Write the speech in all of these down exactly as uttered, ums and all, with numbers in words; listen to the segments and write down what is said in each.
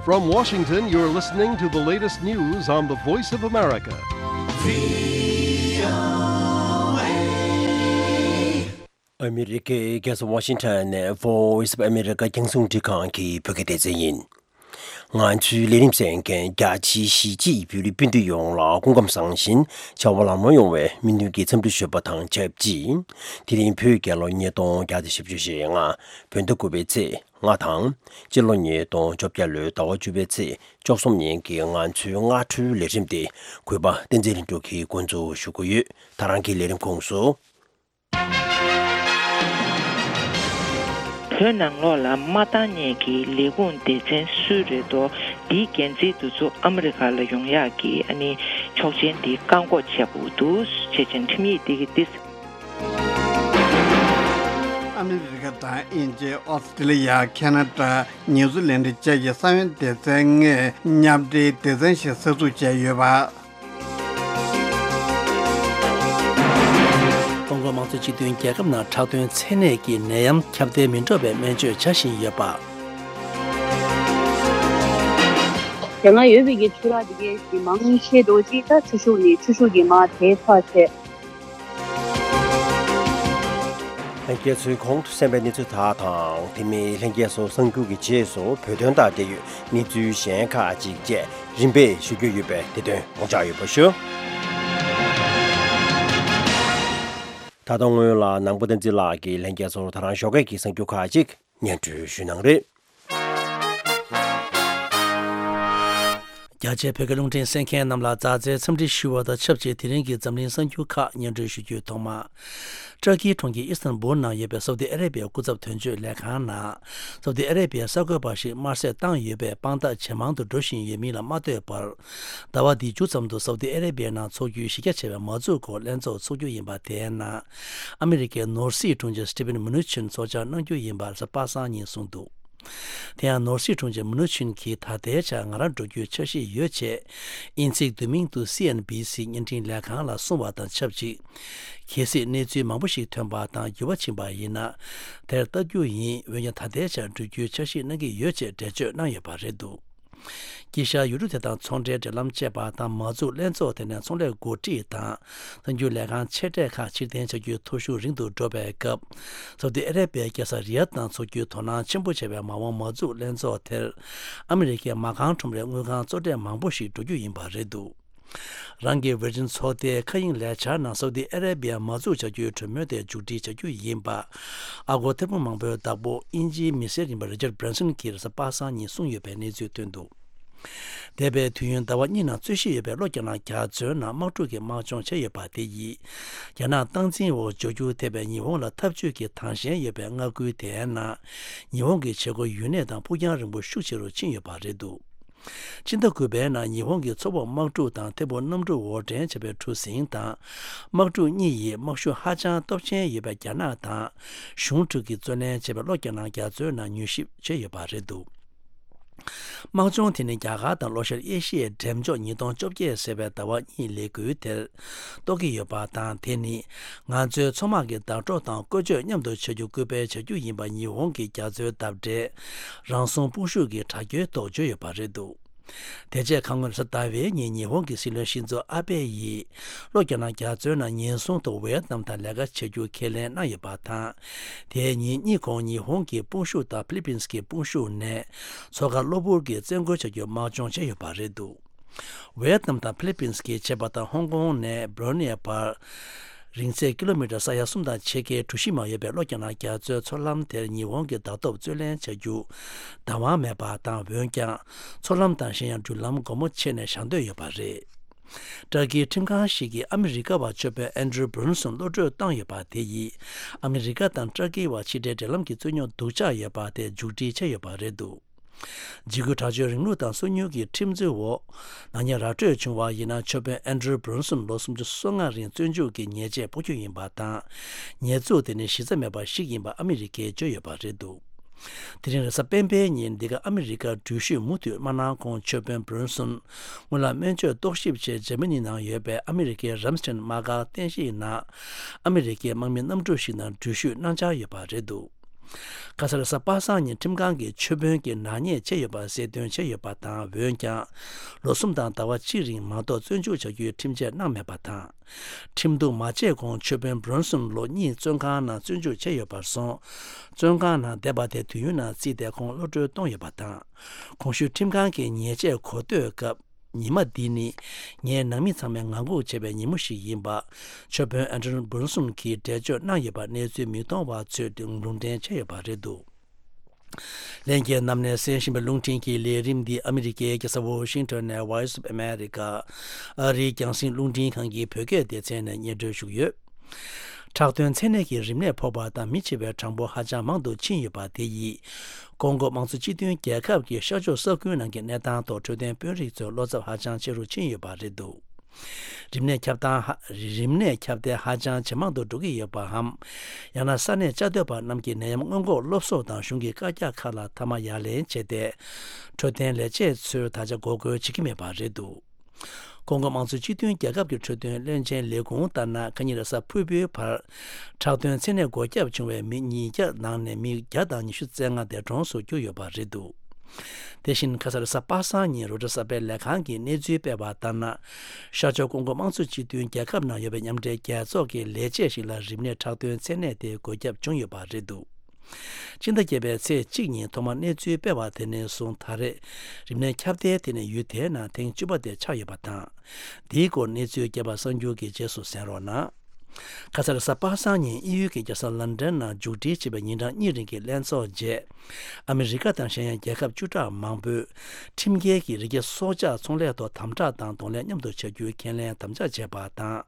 From Washington, you're listening to the latest news on the Voice of America. ཨ་མི་རི་ཀའི་རྒྱལ་ས་ཝ་ཤིང་ཊོན་ནས་Voice of America རྒྱང་སྲིང་འཕྲིན་ཁང་གི་བོད་སྐད་སྡེ་ཚན་ཡིན། ང་ཚོའི་ལས་རིམ་གསན་མཁན་རྒྱ་ཆེའི་གཞིས་བྱེས་བོད་རིགས་སྤུན་ཟླ་ཡོངས་ལ་སྐུ་ཁམས་བཟང་ཞིང་བྱ་བ་ལམ་ལྷོང་ཡོང་བའི་སྨོན་འདུན་གྱི་འཚམས་འདྲི་ཞུ་བ་དང་ཆབས་ཅིག་དེ་རིང་བོད་རྒྱལ་ལོ་ཉིས་སྟོང་བརྒྱ་དང་བཞི་བཅུ་ཞེ་ལྔ། བོད་ཟླ་དགུ་པའི་ཚེས་ལྔ་དང་། སྤྱི་ལོ་ཉིས་སྟོང་བཅོ་བརྒྱད་ལོའི་ཟླ་བ་བཅུ་པའི་ཚེས་བཅུ་གསུམ་ཉིན་གྱི་ང་ཚོའི་སྔ་དྲོའི་ལས་རིམ་དེ་གུས་པ་བསྟན་འཛིན་ལྷུན་གྲུབ་ཀྱིས་འགོ་འཛུགས་ཞུ་གི་ཡོད། ད་རང་གི་ལས་རིམ་ཁོངས་སུ། བོད་ནང་ལོགས་ལ་མ་འདང་མཁན་གྱི་ལས་ཁུངས་སྡེ་ཚན་སུ་རེད་དོ། འདིའི་འགན་འཛིན་དེ་ཚོ་ཨ་མི་རི་ཁ་ལ་ཡོང་ཡག་གི་ཨ་ནི་ཆོག་མཆན་འདི་བཀག་འགོག་བྱས་པ་འདུག་ཅེས་ཁྲིམས་ཡིག་འདི་གི་ཏིས། ཨ་མི་རི་ཁ་དང་དབྱིན་ཇི། ཨོ་སི་ཀྲི་ལི་ཡ། ཁེ་ན་ཌ། ནིའུ་ཛི་ལན་ཌ་བཅས་ཀྱི་ས་ཡོམ་སྡེ་ཚན་ལྔས་མཉམ་འབྲེལ་སྡེ་ཚན་ཞིག་གསར་འཛུགས་བྱས་ཡོད་པ། ཀོང་ཀོ་དམངས་གཙོ་སྤྱི་མཐུན་རྒྱལ་ཁབ་ནང་ཁྲག་དོན་ཚད་ནད་ཀྱི་ནད་ཡམས་ཁྱབ་གདལ་མི་འགྲོ་བའི་སྨན་བཅོས་བྱ་བཞིན་ཡོད་པ། དེ་སྔ་ཡོད་པའི་གི་ཆུ་རགས་དེ་གའི་གི་མང་ཆེ་འགྲོ་ཅིག་ད་ཆུ་ཤུགས་ནི་ཆུ་ཤུགས་ཀྱི་མ་དེ་ཚ་ཆེ། ལྷན་རྒྱས་ཚོས་གོང་དུ་གསན་པའི་གནས་ཚུལ་དག་དང་དེ་མིན་ལྷན་རྒྱས་ཚོ་གསར་འགྱུར་གྱི་རྗེས་སུ་བོད་དོན་དང་འབྲེལ་ཡོད་གནས་ཚུལ་གཞན་ཁག་ཅིག་བཅས་རིམ་པས་ཞུ་རྒྱུ་ཡོད་པས་དེ་དོན་ངོ་བཅར་ཡོད་པ་ཞུ། ད་དུང་སྔོན་ལ་ནང་པ་བསྟན་འཛིན་ལགས་ཀྱིས་ལྷན་རྒྱས་ཚོར་ད་རང་ཞོགས་ཀས་ཀྱི་གསར་འགྱུར་ཁག་ཅིག་སྙན་སྒྲོན་ཞུ་གནང་རེད། རྒྱ་ཆེའི་བོད་སྐད་རླུང་འཕྲིན་གསན་མཁན་རྣམས་ལ་མཛའ་བརྩེའི་འཚམས་འདྲི་ཞུ་བ་དང་ཆབས་ཅིག་དེ་རིང་གི་འཛམ་གླིང་གསར་འགྱུར་ཁག་སྙན་སྒྲོན་ཞུ་རྒྱུའི་ཐོག་མ། ཏྲ་ཀིའི་གྲོང་ཁྱེར་ཨི་སི་ཐན་བུལ་ནང་ཡོད་པའི་སའུ་ཏི་ཨ་རེ་བྷི་ཡའི་སྐུ་ཚབ་དོན་གཅོད་ལས་ཁང་ནང་། སའུ་ཏི་ཨ་རེ་བྷི་ཡའི་གསར་འགོད་པ་ཞིག་དམར་གསོད་བཏང་ཡོད་པའི་དཔང་རྟགས་ཇེ་མང་དུ་འགྲོ་བཞིན་ཡོད་མིན་ལ་མ་ལྟོས་པར། ཟླ་བ་འདིའི་མཇུག་ཙམ་དུ་སའུ་ཏི་ཨ་རེ་བྷི་ཡའི་ནང་འཚོགས་རྒྱུའི་གཞི་རྒྱ་ཆེ་བའི་མ་འཛུགས་སྐོར་ལྷན་ཚོགས་འཚོགས་རྒྱུ་ཡིན་པ་དེའི་ནང་། ཨ་མི་རི་ཀའི་ནོར་སྲིད་དྲུང་ཆེ་སི་ཏི་ཕིན་མུ་ནུ་ཆིན་ཚོགས་བཅར་གནང་རྒྱུ་ཡིན་པ་གཟའ་པ་སངས་ཉིན་གསུངས་འདུག་དེ་ཡང་ནོར་སྲིད་དྲུང་ཆེ་མུ་ནུ་ཆིན་གྱིས་ད་ལྟའི་ཆར་ང་རང་འགྲོ་རྒྱུའི་འཆར་གཞི་ཡོད་ཅེས། དབྱིན་ཚིག་བསྡུས་མིང་དུ་སི་ཨེན་བྷི་སི་བརྙན་འཕྲིན་ལས་ཁང་ལ་གསུངས་པ་དང་ཆབས་ཅིག་གལ་སྲིད་གནས་ཚུལ་མང་པོ་ཞིག་ཐོན་པ་དང་འགྱུར་བ་ཕྱིན་པ་ཡིན་ན། དེར་ལྟ་རྒྱུ་ཡིན། འོན་ཀྱང་ད་ལྟའི་ཆར་འགྲོ་རྒྱུའི་འཆར་གཞི་གནང་གི་ཡོད་ཅེས་འགྲེལ་བརྗོད་གནང་ཡོད་པ་རེད་འདུག་དཀྱིལ་ཤར་ཡུལ་གྲུ་དེ་དང་ཚོང་འབྲེལ་འབྲེལ་ལམ་བཅས་པ་དང་མ་འཛུགས་ལྷན་ཚོགས་དེ་ནས་ཚོང་ལས་འགོ་ཁྲིད་དང་གསར་འགྱུར་ལས་ཁང་ཆེ་གྲས་ཁག་ཕྱིར་འཐེན་བྱ་རྒྱུའི་ཐོ་གཞུང་རིང་དུ་འགྲོ་བའི་སྐབས། སའུ་ཏི་ཨ་རེ་བྷི་ཡའི་རྒྱལ་ས་རི་ཡཱད་ནང་འཚོགས་རྒྱུའི་དོ་སྣང་ཆེན་པོ་བྱས་པའི་མ་འོངས་མ་འཛུགས་ལྷན་ཚོགས་དེར། ཨ་མི་རི་ཀའི་མ་རྐང་ཁྲོམ་རའི་དངུལ་ཁང་གཙོ་གྲས་མང་པོ་ཞིག་འགྲོ་རྒྱུ་ཡིན་པ་རེད་འདུག་རང་གི་ཝེར་ཇིན་ཚོགས་སྡེའི་མཁའ་དབྱིངས་ལས་འཆར་ནང་སའུ་ཏི་ཨ་རེ་བྷི་ཡ་མ་འཛུགས་བྱ་རྒྱུའི་གྲོས་མོལ་དེ་མཇུག་སྒྲིལ་བྱ་རྒྱུ་ཡིན་པ། ཨ་སྒོར་ཐེར་འབུམ་མང་པོའི་བདག་པོ་དབྱིན་ཇིའི་མི་སེར་ཡིན་པ་རི་ཅར་བྷི་རན་སོན་གྱིས་གཟའ་པ་སངས་ཉིན་གསུངས་ཡོད་པའི་གནས་ཚུལ་ཐོན་འདུག་འདས་པའི་དུས་ཡུན་ཟླ་བ་གཉིས་ནང་རྩོད་གཞི་ཡོད་པའི་ལྷོ་རྒྱ་ནག་རྒྱ་མཚོའི་ནང་དམག་འཁྲུག་གི་དམག་སྦྱོང་བྱས་ཡོད་པ་དེ་ཡིས། རྒྱ་ནག་སྟངས་འཛིན་འོག་འབྱུང་འགྱུར་ཐེབས་པའི་ཉི་ཧོང་ལ་འཐབ་ཇུས་ཀྱི་དང་ཞེན་ཡོད་པའི་མངའ་ཁུལ་དེའི་ནང་། ཉི་ཧོང་གི་བྱེད་སྒོ་ཡུན་གནས་དང་ཕུགས་རྒྱང་རིང་པོ་ཤུགས་ཆེ་རུ་ཕྱིན་ཡོད་པ་རེད་འདུག་སྤྱི་ཟླ་དགུ་པའི་ནང་ཉི་ཧོང་གིས་མཚོ་འོག་དམག་འཁྲུག་དང་ཐད་འཕུར་གནམ་གྲུ་འོར་འདྲེན་བྱས་པའི་གྲུ་གཟིངས་དང་། དམག་འཁྲུག་གཉིས་ཡིས་དམག་ཤུགས་ཧ་ཅང་སྟོབས་ཆེན་ཡོད་པའི་རྒྱ་ནག་དང་། གཞུང་དྲུག་གིས་བརྩོན་ལེན་བྱས་པའི་ལྷོ་རྒྱ་ནག་རྒྱ་མཚོའི་ནང་མྱུལ་ཞིབ་བྱས་ཡོད་པ་རེད་འདུག་དམག་སྦྱོང་དེ་ནི་རྒྱ་གར་དང་ལྷོ་ཤར་ཨེ་ཤི་ཡའི་འགྲེམས་འཇོག་ཉིས་སྟོང་བཅོ་བརྒྱད་ཟེར་བའི་ཟླ་བ་གཉིས་ལས་འགུལ་དེར་གཏོགས་ཀྱི་ཡོད་པ་དང་། དེ་ནི་ང་ཚོའི་མཚོ་དམག་གི་བརྡ་སྤྲོད་དང་བཀོལ་སྤྱོད་མཉམ་དུ་བྱ་རྒྱུ་སྐུལ་སྤེལ་བྱ་རྒྱུ་ཡིན་པ་ཉི་ཧོང་གི་རྒྱ་མཚོའི་འདབས་གྲལ་རང་སྲུང་དཔུང་ཤུགས་ཀྱི་དྲ་རྒྱའི་ཐོག་བརྗོད་ཡོད་པ་རེད་འདུག་དེ་རྗེས་ཁ་སྔོན་གཟའ་ཟླ་བའི་ཉིན་ཉི་ཧོང་གི་སྲིད་བློན་ཤིན་ཛོ་ཨ་བྷེ་ཡིས་ལྷོ་རྒྱ་ནག་རྒྱ་མཚོའི་ནང་ཉེན་སྲུང་ཐོག་ཝེ་ཡེད་ནམ་དང་ལས་ཀ་བྱ་རྒྱུ་ཁས་ལེན་གནང་ཡོད་པ་དང་། དེའི་ཉིན་གཉིས་གོང་ཉི་ཧོང་གི་དཔུང་ཤུགས་དང་ཕི་ལི་པིན་སི་གི་དཔུང་ཤུགས་ནས་མཚོ་ཁ་གློ་བུར་གྱི་བཙན་རྒོལ་བྱ་རྒྱུའི་དམག་སྦྱོང་བྱས་ཡོད་པ་རེད་འདུག་ཝེ་ཡེད་ནམ་དང་ཕི་ལི་པིན་སི་གི་བྱེ་བ་དང་ཧོང་ཀོང་ནས་སྦོ་རོ་ནི་ཡའི་བར། རིང་ཚད་ཀི་ལོ་མི་ཊར་ས་ཡ་གསུམ་དང་ཕྱེད་ཀའི་གྲུ་བཞི་མ་ཡོད་པའི་ལྷོ་རྒྱ་ནག་རྒྱ་མཚོའི་མཚོ་ལམ་དེར་ཉི་ཧོང་གི་བརྡ་ཐོ་རྩོད་ལེན་བྱ་རྒྱུ་བདག་དབང་མེད་པ་དང་། འོན་ཀྱང་མཚོ་ལམ་དང་གཞན་ཡང་འགྲུལ་ལམ་སྒོ་མོ་ཕྱེ་ནས་བཞག་འདོད་ཡོད་པ་རེད། ཏྲ་ཀིའི་ཁྲིམས་ཁང་ཞིག་གིས་ཨ་མི་རི་ཀ་བ་ཆོས་དཔོན་ཨན་ཌྲུ་བྷི་རུན་སོན་གློད་བཀྲོལ་བཏང་ཡོད་པ་དེ་ཡིས་ཨ་མི་རི་ཀ་དང་ཏྲ་ཀིའི་བར་ཕྱི་འབྲེལ་འབྲེལ་ལམ་གྱི་རྩོད་རྙོག་སྡུག་ཅག་ཡོད་པ་དེ་མཇུག་སྒྲིལ་བྱས་ཡོད་པ་རེད་འདུག་འཇིགས་སྐུལ་དྲག་སྤྱོད་རིང་ལུགས་དང་སོ་ཉུལ་གྱི་ཁྲིམས་རྩོད་འོག་ནག་ཉེས་ར་སྤྲོད་བྱུང་བ་ཡིན་ན་ཆོས་དཔོན་ཨན་ཌྲུ་བྷི་རུན་སོན་ལོ་སུམ་ཅུ་སོ་ལྔ་རིང་བཙོན་འཇུག་གི་ཉེས་ཆད་ཕོག་རྒྱུ་ཡིན་པ་དང་། ཉེས་འཛུགས་དེ་ནི་གཞི་རྩ་མེད་པ་ཞིག་ཡིན་པ་ཨ་མི་རི་ཀས་བརྗོད་ཡོད་པ་རེད་འདུག་དེ་རིང་རེས་གཟའ་སྤེན་པའི་ཉིན་འདི་ག་ཨ་མི་རི་ཀར་འགྲུལ་བཞུད་མུ་མཐུད་མ་གནང་གོང་ཆོས་དཔོན་བྷི་རུན་སོན་སྔོན་ལ་སྨན་བཅོས་རྟོག་ཞིབ་ཆེད་འཇར་མ་ནི་ནང་ཡོད་པའི་ཨ་མི་རི་ཀའི་རམ་སི་ཊན་དམག་སྒར་རྟེན་གཞིའི་ནང་ཨ་མི་རི་ཀའི་དམག་མི་གནམ་གྲུ་ཞིག་ནང་འགྲུལ་བཞུད་གནང་འཆར་ཡོད་པ་རེད་འདུག་ཁ་སང་རེས་གཟའ་པ་སངས་ཉིན་ཁྲིམས་ཁང་གིས་ཆོས་དཔོན་གྱིས་ནག་ཉེས་བྱས་ཡོད་པ་གསལ་སྟོན་བྱས་ཡོད་པ་དང་། འོན་ཀྱང་ལོ་གསུམ་དང་ཟླ་བ་གཅིག་རིང་མ་གཏོགས་བཙོན་འཇུག་བྱ་རྒྱུའི་ཁྲིམས་ཆད་གནང་མེད་པ་དང་། ཁྲིམས་གཏུག་མ་བྱས་གོང་ཆོས་དཔོན་བྷྲོན་སོན་ལོ་གཉིས་བཙོན་ཁང་ནང་བཙོན་འཇུག་བྱས་ཡོད་པར་སོང་། བཙོན་ཁང་ནང་བསྡད་པ་དེ་དུས་ཡུན་ནང་བརྩིས་ཏེ་ཁོང་གློད་གྲོལ་གཏོང་ཡོད་པ་དང་། གོང་ཞུས་ཁྲིམས་ཁང་གིས་ཉེས་ཆད་གོ་ཐོས་སྐབས། ཉི་མ་འདི་ནི་ངའི་ནང་མི་ཚང་མས་ངང་སྒུག་བྱས་པའི་ཉིན་མོ་ཞིག་ཡིན་པ། ཆོས་དཔོན་ཨན་ཏོན་བྷྲོན་སོན་གྱིས་འགྲེལ་བརྗོད་གནང་ཡོད་པ་གནས་ཚུལ་མིག་མཐོང་བ་ཚོས་ལུང་འདྲེན་བྱས་ཡོད་པ་རེད་འདུག་ལྷན་རྒྱས་རྣམས་ནས་གསན་བཞིན་པའི་རླུང་འཕྲིན་གྱི་ལས་རིམ་འདི་ཨ་མི་རི་ཀའི་རྒྱལ་ས་ཝོ་ཤིང་ཊོན་ནས་Voice of America ཨ་རིའི་རྒྱང་སྲིང་རླུང་འཕྲིན་ཁང་གི་བོད་སྐད་སྡེ་ཚན་ནས་སྙན་སྒྲོན་ཞུ་གི་ཡོད། ཁྲག་དོན་མཚན་ནད་ཀྱི་རིམས་ནད་ཕོག་པ་དང་མི་འཆི་བའི་གྲངས་འབོར་ཧ་ཅང་མང་དུ་ཕྱིན་ཡོད་པ་དེ་ཡིས། ཀོང་གོ་དམངས་གཙོ་སྤྱི་མཐུན་རྒྱལ་ཁབ་ཀྱི་ཤར་ཕྱོགས་ས་ཁུལ་ནང་གི་གནས་སྟངས་ཐོག་འཕྲོད་བསྟེན་དཔོན་རིགས་ཚོའི་བློ་འཚབ་ཧ་ཅང་ཆེ་རུ་ཕྱིན་ཡོད་པ་རེད་འདུག་རིམས་ནད་ཁྱབ་སྟངས་ཧ། རིམས་ནད་ཁྱབ་གདལ་ཧ་ཅང་ཇེ་མང་དུ་འགྲོ་གི་ཡོད་པའམ། ཡང་ན་ས་གནས་བཅའ་སྡོད་པ་རྣམས་ཀྱིས་ནད་ཡམས་སྔོན་འགོག་སློབ་གསོ་དང་གཞུང་གི་བཀའ་རྒྱ་ཁག་ལ་མཐའ་མ་ཡ་ལན་བྱས་ཏེ། འཕྲོད་བསྟེན་ལས་བྱེད་ཚོས་ད་ཆ་འགོག་རྒོལ་བྱེད་ཀྱི་མེད་པ་རེད་འདུག་ཀོང་གོ་དམངས་གཙོ་སྤྱི་མཐུན་རྒྱལ་ཁབ་ཀྱི་འཕྲོད་བསྟེན་བློན་ཆེན་ལས་ཁུངས་ལྟར་ན། ཁ་ཉིན་རེས་གཟའ་ཕུར་བུའི་བར་ཁྲག་དོན་མཚན་ནད་འགོས་ཁྱབ་བྱུང་བའི་མི་ཉིས་བརྒྱ་ནང་ནས་མི་བརྒྱ་དང་ཉི་ཤུ་རྩ་ལྔ་འདས་གྲོངས་སུ་གྱུར་ཡོད་པ་རེད་འདུག་དེ་བཞིན་ཁ་སང་རེས་གཟའ་པ་སངས་ཉིན་རོའི་ཊར་གསར་སྤེལ་ལས་ཁང་གིས་གནས་ཚུལ་སྤེལ་བ་ལྟར་ན། ཤར་ཕྱོགས་ཀོང་གོ་དམངས་གཙོ་སྤྱི་མཐུན་རྒྱལ་ཁབ་ནང་ཡོད་པའི་མཉམ་འབྲེལ་རྒྱལ་ཚོགས་ཀྱི་ལས་བྱེད་ཞིག་ལ་རིམས་ནད་ཁྲག་དོན་མཚན་ནད་དེ་འགོས་ཁྱབ་བྱུང་ཡོད་པ་རེད་འདུག་སྤྱི་ཟླ་བརྒྱད་པའི་ཚེས་གཅིག་ཉིན་ཐོག་མར་གནས་ཚུལ་སྤེལ་བ་དེ་ནས་བཟུང་ད་རེས་རིམས་ནད་ཁྱབ་གདལ་དེ་ནི་ཡུལ་དེའི་ནང་ཐེངས་བཅུ་པ་དེ་ཆགས་ཡོད་པ་དང་། འདིའི་སྐོར་གནས་ཚུལ་རྒྱས་པ་གསར་འགྱུར་གྱི་རྗེས་སུ་གསན་རོགས་གནང་། ཁ་སང་རེས་གཟའ་པ་སངས་ཉིན་དབྱིན་ཡུལ་གྱི་རྒྱལ་ས་ལན་ཌན་ནང་མཇུག་སྒྲིལ་བྱས་པའི་ཉིན་གྲངས་གཉིས་རིང་གི་ལྷན་ཚོགས་རྗེས། ཨ་མི་རི་ཀ་དང་གཞན་ཡང་རྒྱལ་ཁབ་བཅུ་ཕྲག་མང་པོས་ཁྲིམས་འགལ་གྱི་རི་སྐྱེས་སྲོག་ཆགས་ཚོང་ལས་ཐོག་དམ་དྲག་དང་གདོང་ལེན་མཉམ་དུ་བྱ་རྒྱུའི་ཁས་ལེན་དམ་བཅའ་བྱས་པ་དང་།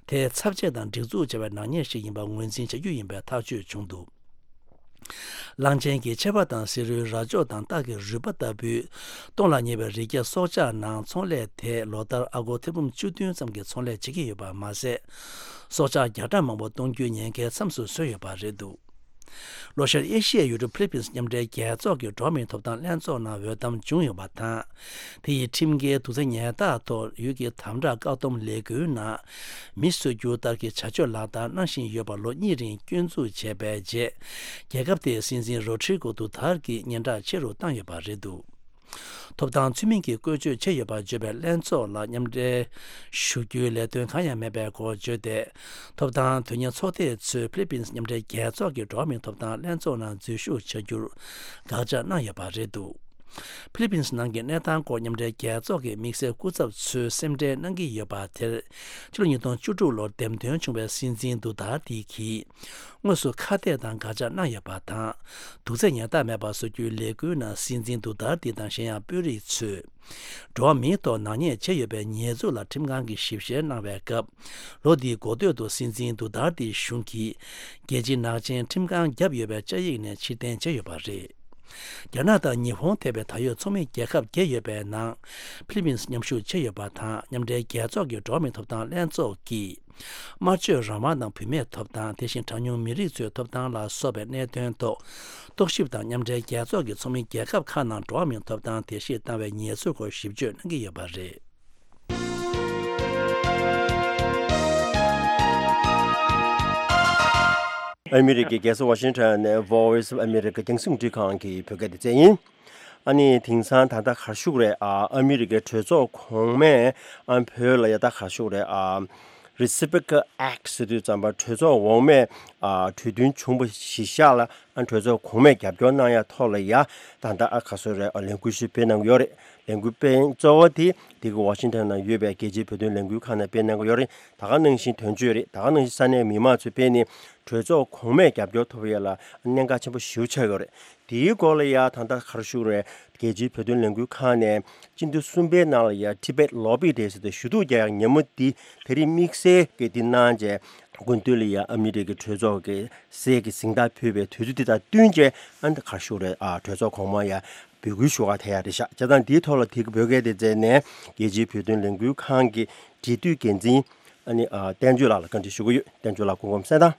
དེས་ཚབས་ཆེ་དང་སྒྲིག་འཛུགས་བྱས་པའི་ནག་ཉེས་ཤིག་ཡིན་པ་ངོས་འཛིན་བྱ་རྒྱུ་ཡིན་པའི་ཐག་གཅོད་བྱུང་འདུག་གླང་ཆེན་གྱི་མཆེ་བ་དང་བསེ་རུའི་རྭ་ཅོ་དང་སྟག་གི་རུས་པ་ལྟ་བུའི་སྟོངས་ལ་ཉེ་བའི་རི་སྐྱེས་སྲོག་ཆགས་ནང་ཚོང་ལས་དེས་ལོ་ལྟར་ཨ་སྒོར་ཐེར་འབུམ་བཅུ་བདུན་ཙམ་གྱི་ཚོང་ལས་བྱེད་ཀྱི་ཡོད་པ་མ་ཟད། སྲོག་ཆགས་བརྒྱ་ཕྲག་མང་པོ་གཏོང་རྒྱུའི་ཉེན་ཁའི་མཚམས་སུ་བཟོས་ཡོད་པ་རེད་འདུག་ལྷོ་ཤར་ཨེ་ཤི་ཡའི་ཡུལ་གྲུ་ཕི་ལི་པིན་སི་མཉམ་འབྲེལ་རྒྱལ་ཚོགས་ཀྱི་འགྲོ་བ་མིའི་ཐོབ་ཐང་ལྷན་ཚོགས་ནང་འོས་འདེམས་བྱུང་ཡོད་པ་དང་། དེ་ཡིས་ཁྲིམས་འགལ་དུག་རྫས་ཉལ་ཐ་ཐོག་ཡུལ་གྱི་དམ་དྲག་བཀག་སྡོམ་ལས་འགུལ་ནང་མི་གསོད་རྒྱུ་ལྟར་གྱི་བྱ་སྤྱོད་ལག་བསྟར་གནང་བཞིན་ཡོད་པ་ལོ་གཉིས་རིང་སྐྱོན་འཛུགས་བྱས་པའི་རྗེས། རྒྱལ་ཁབ་དེའི་སྲིད་འཛིན་རོ་ཌི་རི་གོ་དུ་ཐར་གྱིས་སྙན་གྲགས་ཆེ་རུ་བཏང་ཡོད་པ་རེད་འདུག་ཐོབ་ཐང་ཚུལ་མིན་གྱིས་བཀོལ་སྤྱོད་བྱས་ཡོད་པར་བརྗོད་པའི་ལྷན་ཚོགས་ལ་མཉམ་འབྲེལ་ཞུ་རྒྱུའི་ལས་དོན་གང་ཡང་མེད་པའི་སྐོར་བརྗོད་དེ། ཐོབ་ཐང་དོན་གཉེར་ཚོགས་སྡེ་ཚོས་ཕི་ལི་པིན་སི་མཉམ་འབྲེལ་རྒྱལ་ཚོགས་ཀྱི་འགྲོ་བ་མིའི་ཐོབ་ཐང་ལྷན་ཚོགས་ནང་འཛུལ་ཞུགས་བྱ་རྒྱུར་དགག་བྱ་གནང་ཡོད་པ་རེད་འདུག་ཕི་ལི་པིན་སི་ནང་གི་གནས་སྟངས་སྐོར་མཉམ་འབྲེལ་རྒྱལ་ཚོགས་ཀྱི་དམིགས་བསལ་སྐུ་ཚབ་ཚོས་སེམས་ཁྲལ་གནང་གི་ཡོད་པ་དེར། ཕྱི་ལོ་ཉིས་སྟོང་བཅུ་དྲུག་ལོར་འདེམས་ཐོན་བྱུང་བའི་སྲིད་འཛིན་དུ་ཏར་ཏི་གིས། དངོས་སུ་ཁ་གཏད་དང་དགག་བྱ་གནང་ཡོད་པ་དང་། དུག་རྫས་ཉལ་ཐ་མེད་པ་བཟོ་རྒྱུའི་ལས་འགུལ་ནང་སྲིད་འཛིན་དུ་ཏར་ཏི་དང་གཞན་ཡང་དཔོན་རིགས་ཚོས། འགྲོ་བ་མིའི་ཐོག་ནག་ཉེས་བྱས་ཡོད་པའི་ཉེས་འཛུགས་ལ་ཁྲིམས་ཁང་གིས་ཞིབ་བཤེར་གནང་བའི་སྐབས། ལོ་འདིའི་འགོ་སྟོད་དུ་སྲིད་འཛིན་དུ་ཏར་ཏིའི་གཞུང་གིས། རྒྱལ་སྤྱིའི་ནག་ཅན་ཁྲིམས་ཁང་བརྒྱབ་ཡོད་པའི་བཅའ་ཡིག་ནས་ཕྱིར་འཐེན་བྱས་ཡོད་པ་རེད། རྒྱ་ནག་དང་ཉི་ཧོང་ཐེ་བའི་ད་ཡོད་ཚོགས་མི་རྒྱལ་ཁབ་བརྒྱད་ཡོད་པའི་ནང་། ཕི་ལི་པིན་སི་མཉམ་ཞུགས་བྱས་ཡོད་པ་དང་མཉམ་འབྲེལ་རྒྱལ་ཚོགས་ཀྱི་འགྲོ་བ་མིའི་ཐོབ་ཐང་ལྷན་ཚོགས་ཀྱིས། སྨྲ་བརྗོད་རང་དབང་དང་བུད་མེད་ཐོབ་ཐང་དེ་བཞིན་གྲངས་ཉུང་མི་རིགས་ཚོའི་ཐོབ་ཐང་ལ་སོགས་པའི་གནད་དོན་ཐོག་རྟོག་ཞིབ་དང་མཉམ་འབྲེལ་རྒྱལ་ཚོགས་ཀྱི་ཚོགས་མི་རྒྱལ་ཁབ་ཁག་ནང་འགྲོ་བ་མིའི་ཐོབ་ཐང་དེ་བཞིན་བཏང་བའི་ཉེས་འཛུགས་སྐོར་ཞིབ་དཔྱོད་གནང་གི་ཡོད་པ་རེད། ཨ་མི་རི་ཀའི་རྒྱལ་ས་ཝ་ཤིང་ཊོན་ནས་Voice of America རྒྱང་སྲིང་འཕྲིན་ཁང་གི་བོད་སྐད་སྡེ་ཚན་ཡིན། ཨ་ནི་དེང་སང་ད་ལྟ་ག་རེ་ཞུ་དགོས་རེད། ཨ་ཨ་མི་རི་ཀའི་གྲོས་ཚོགས་གོང་མས་ཨ་བོད་ལ་ཡ་ད་ག་རེ་ཞུ་དགོས་རེད། ཨ་Reciprocal Act ཟེར་དུས་ཙམ་པ་གྲོས་ཚོགས་འོག་མས་ཨ་གྲོས་མཐུན་བྱུང་བ་གཞི་བཞག་ལ་ཨ་གྲོས་ཚོགས་གོང་མས་རྒྱབ་སྐྱོར་གནང་ཡ་ཐོག་ལ་ཡ་ད་ལྟ་ཨ་ག་རེ་ཞུ་དགོས་རེད། ཨ་ལས་འགུལ་ཞིག་སྤེལ་གནང་གི་ཡོད་རེད། ལས་འགུལ་སྤེལ་གཙོ་བོ་དེ་དེ་གི་ཝ་ཤིང་ཊོན་ནང་ཡོད་པའི་རྒྱལ་སྤྱིའི་བོད་དོན་ལས་འགུལ་ཁང་ནས་སྤེལ་གནང་གི་ཡོད་རེད། ད་ག་ནང་བཞིན་དོན་གཅོད་རེད། ད་ག་ནང་བཞིན་ས་གནས་མི་མང་ཚོས་སྤེལ་ནས་གྲོས་ཚོགས་གོང་མས་རྒྱབ་སྐྱོར་ཐོབ་ཡ་ལ་གནད་འགག་ཆེན་པོ་ཞེ་པོ་ཆགས་ཡོད་རེད། དེའི་སྐོར་ལ་ཡ་ད་ལྟ་ག་རེ་ཞུ་དགོས་རེད། རྒྱལ་སྤྱིའི་བོད་དོན་ལས་འགུལ་ཁང་ནས་སྤྱི་ཟླ་གསུམ་པའི་ནང་ལ་ཡ་Tibet Lobby Day ཟེར་ཏེ་ཞུ་གཏུག་རྒྱག་ཡག་ཉིན་མོ་འདི་དེ་རིང་དམིགས་བསལ་གྱི་འདི་གནང་བྱས། དགུན་དུས་ལ་ཡ་ཨ་མི་རི་ཀའི་གྲོས་ཚོགས་ཀྱི་གསེར་གྱི་གཟེངས་རྟགས་ཕུལ་བའི་དུས་ཚོད་འདི་དང་བསྟུན་བྱས་ཨ་ནི་ག་རེ་ཞུ་དགོས་རེད། ཨ་གྲོས་ཚོགས་གོང་མ་ཡ་འབོད་སྐུལ་ཞུ་ག་ཐད་ཡ་རེད་ཤག་བྱས་ཙང་འདིའི་ཐོག་ལ་དེ་གི་བོད་སྐད་སྡེ་ཚན་ནས་རྒྱལ་སྤྱིའི་བོད་དོན་ལས་འགུལ་ཁང་གི་འབྲེལ་མཐུད་འགན་འཛིན་ཨ་ནི་ཨ་བསྟན་ཆོས་ལགས་ལ་བཀའ་འདྲི་ཞུ་གི་ཡོད། བསྟན་ཆོས་ལགས་སྐུ་ཁམས་བཟང་།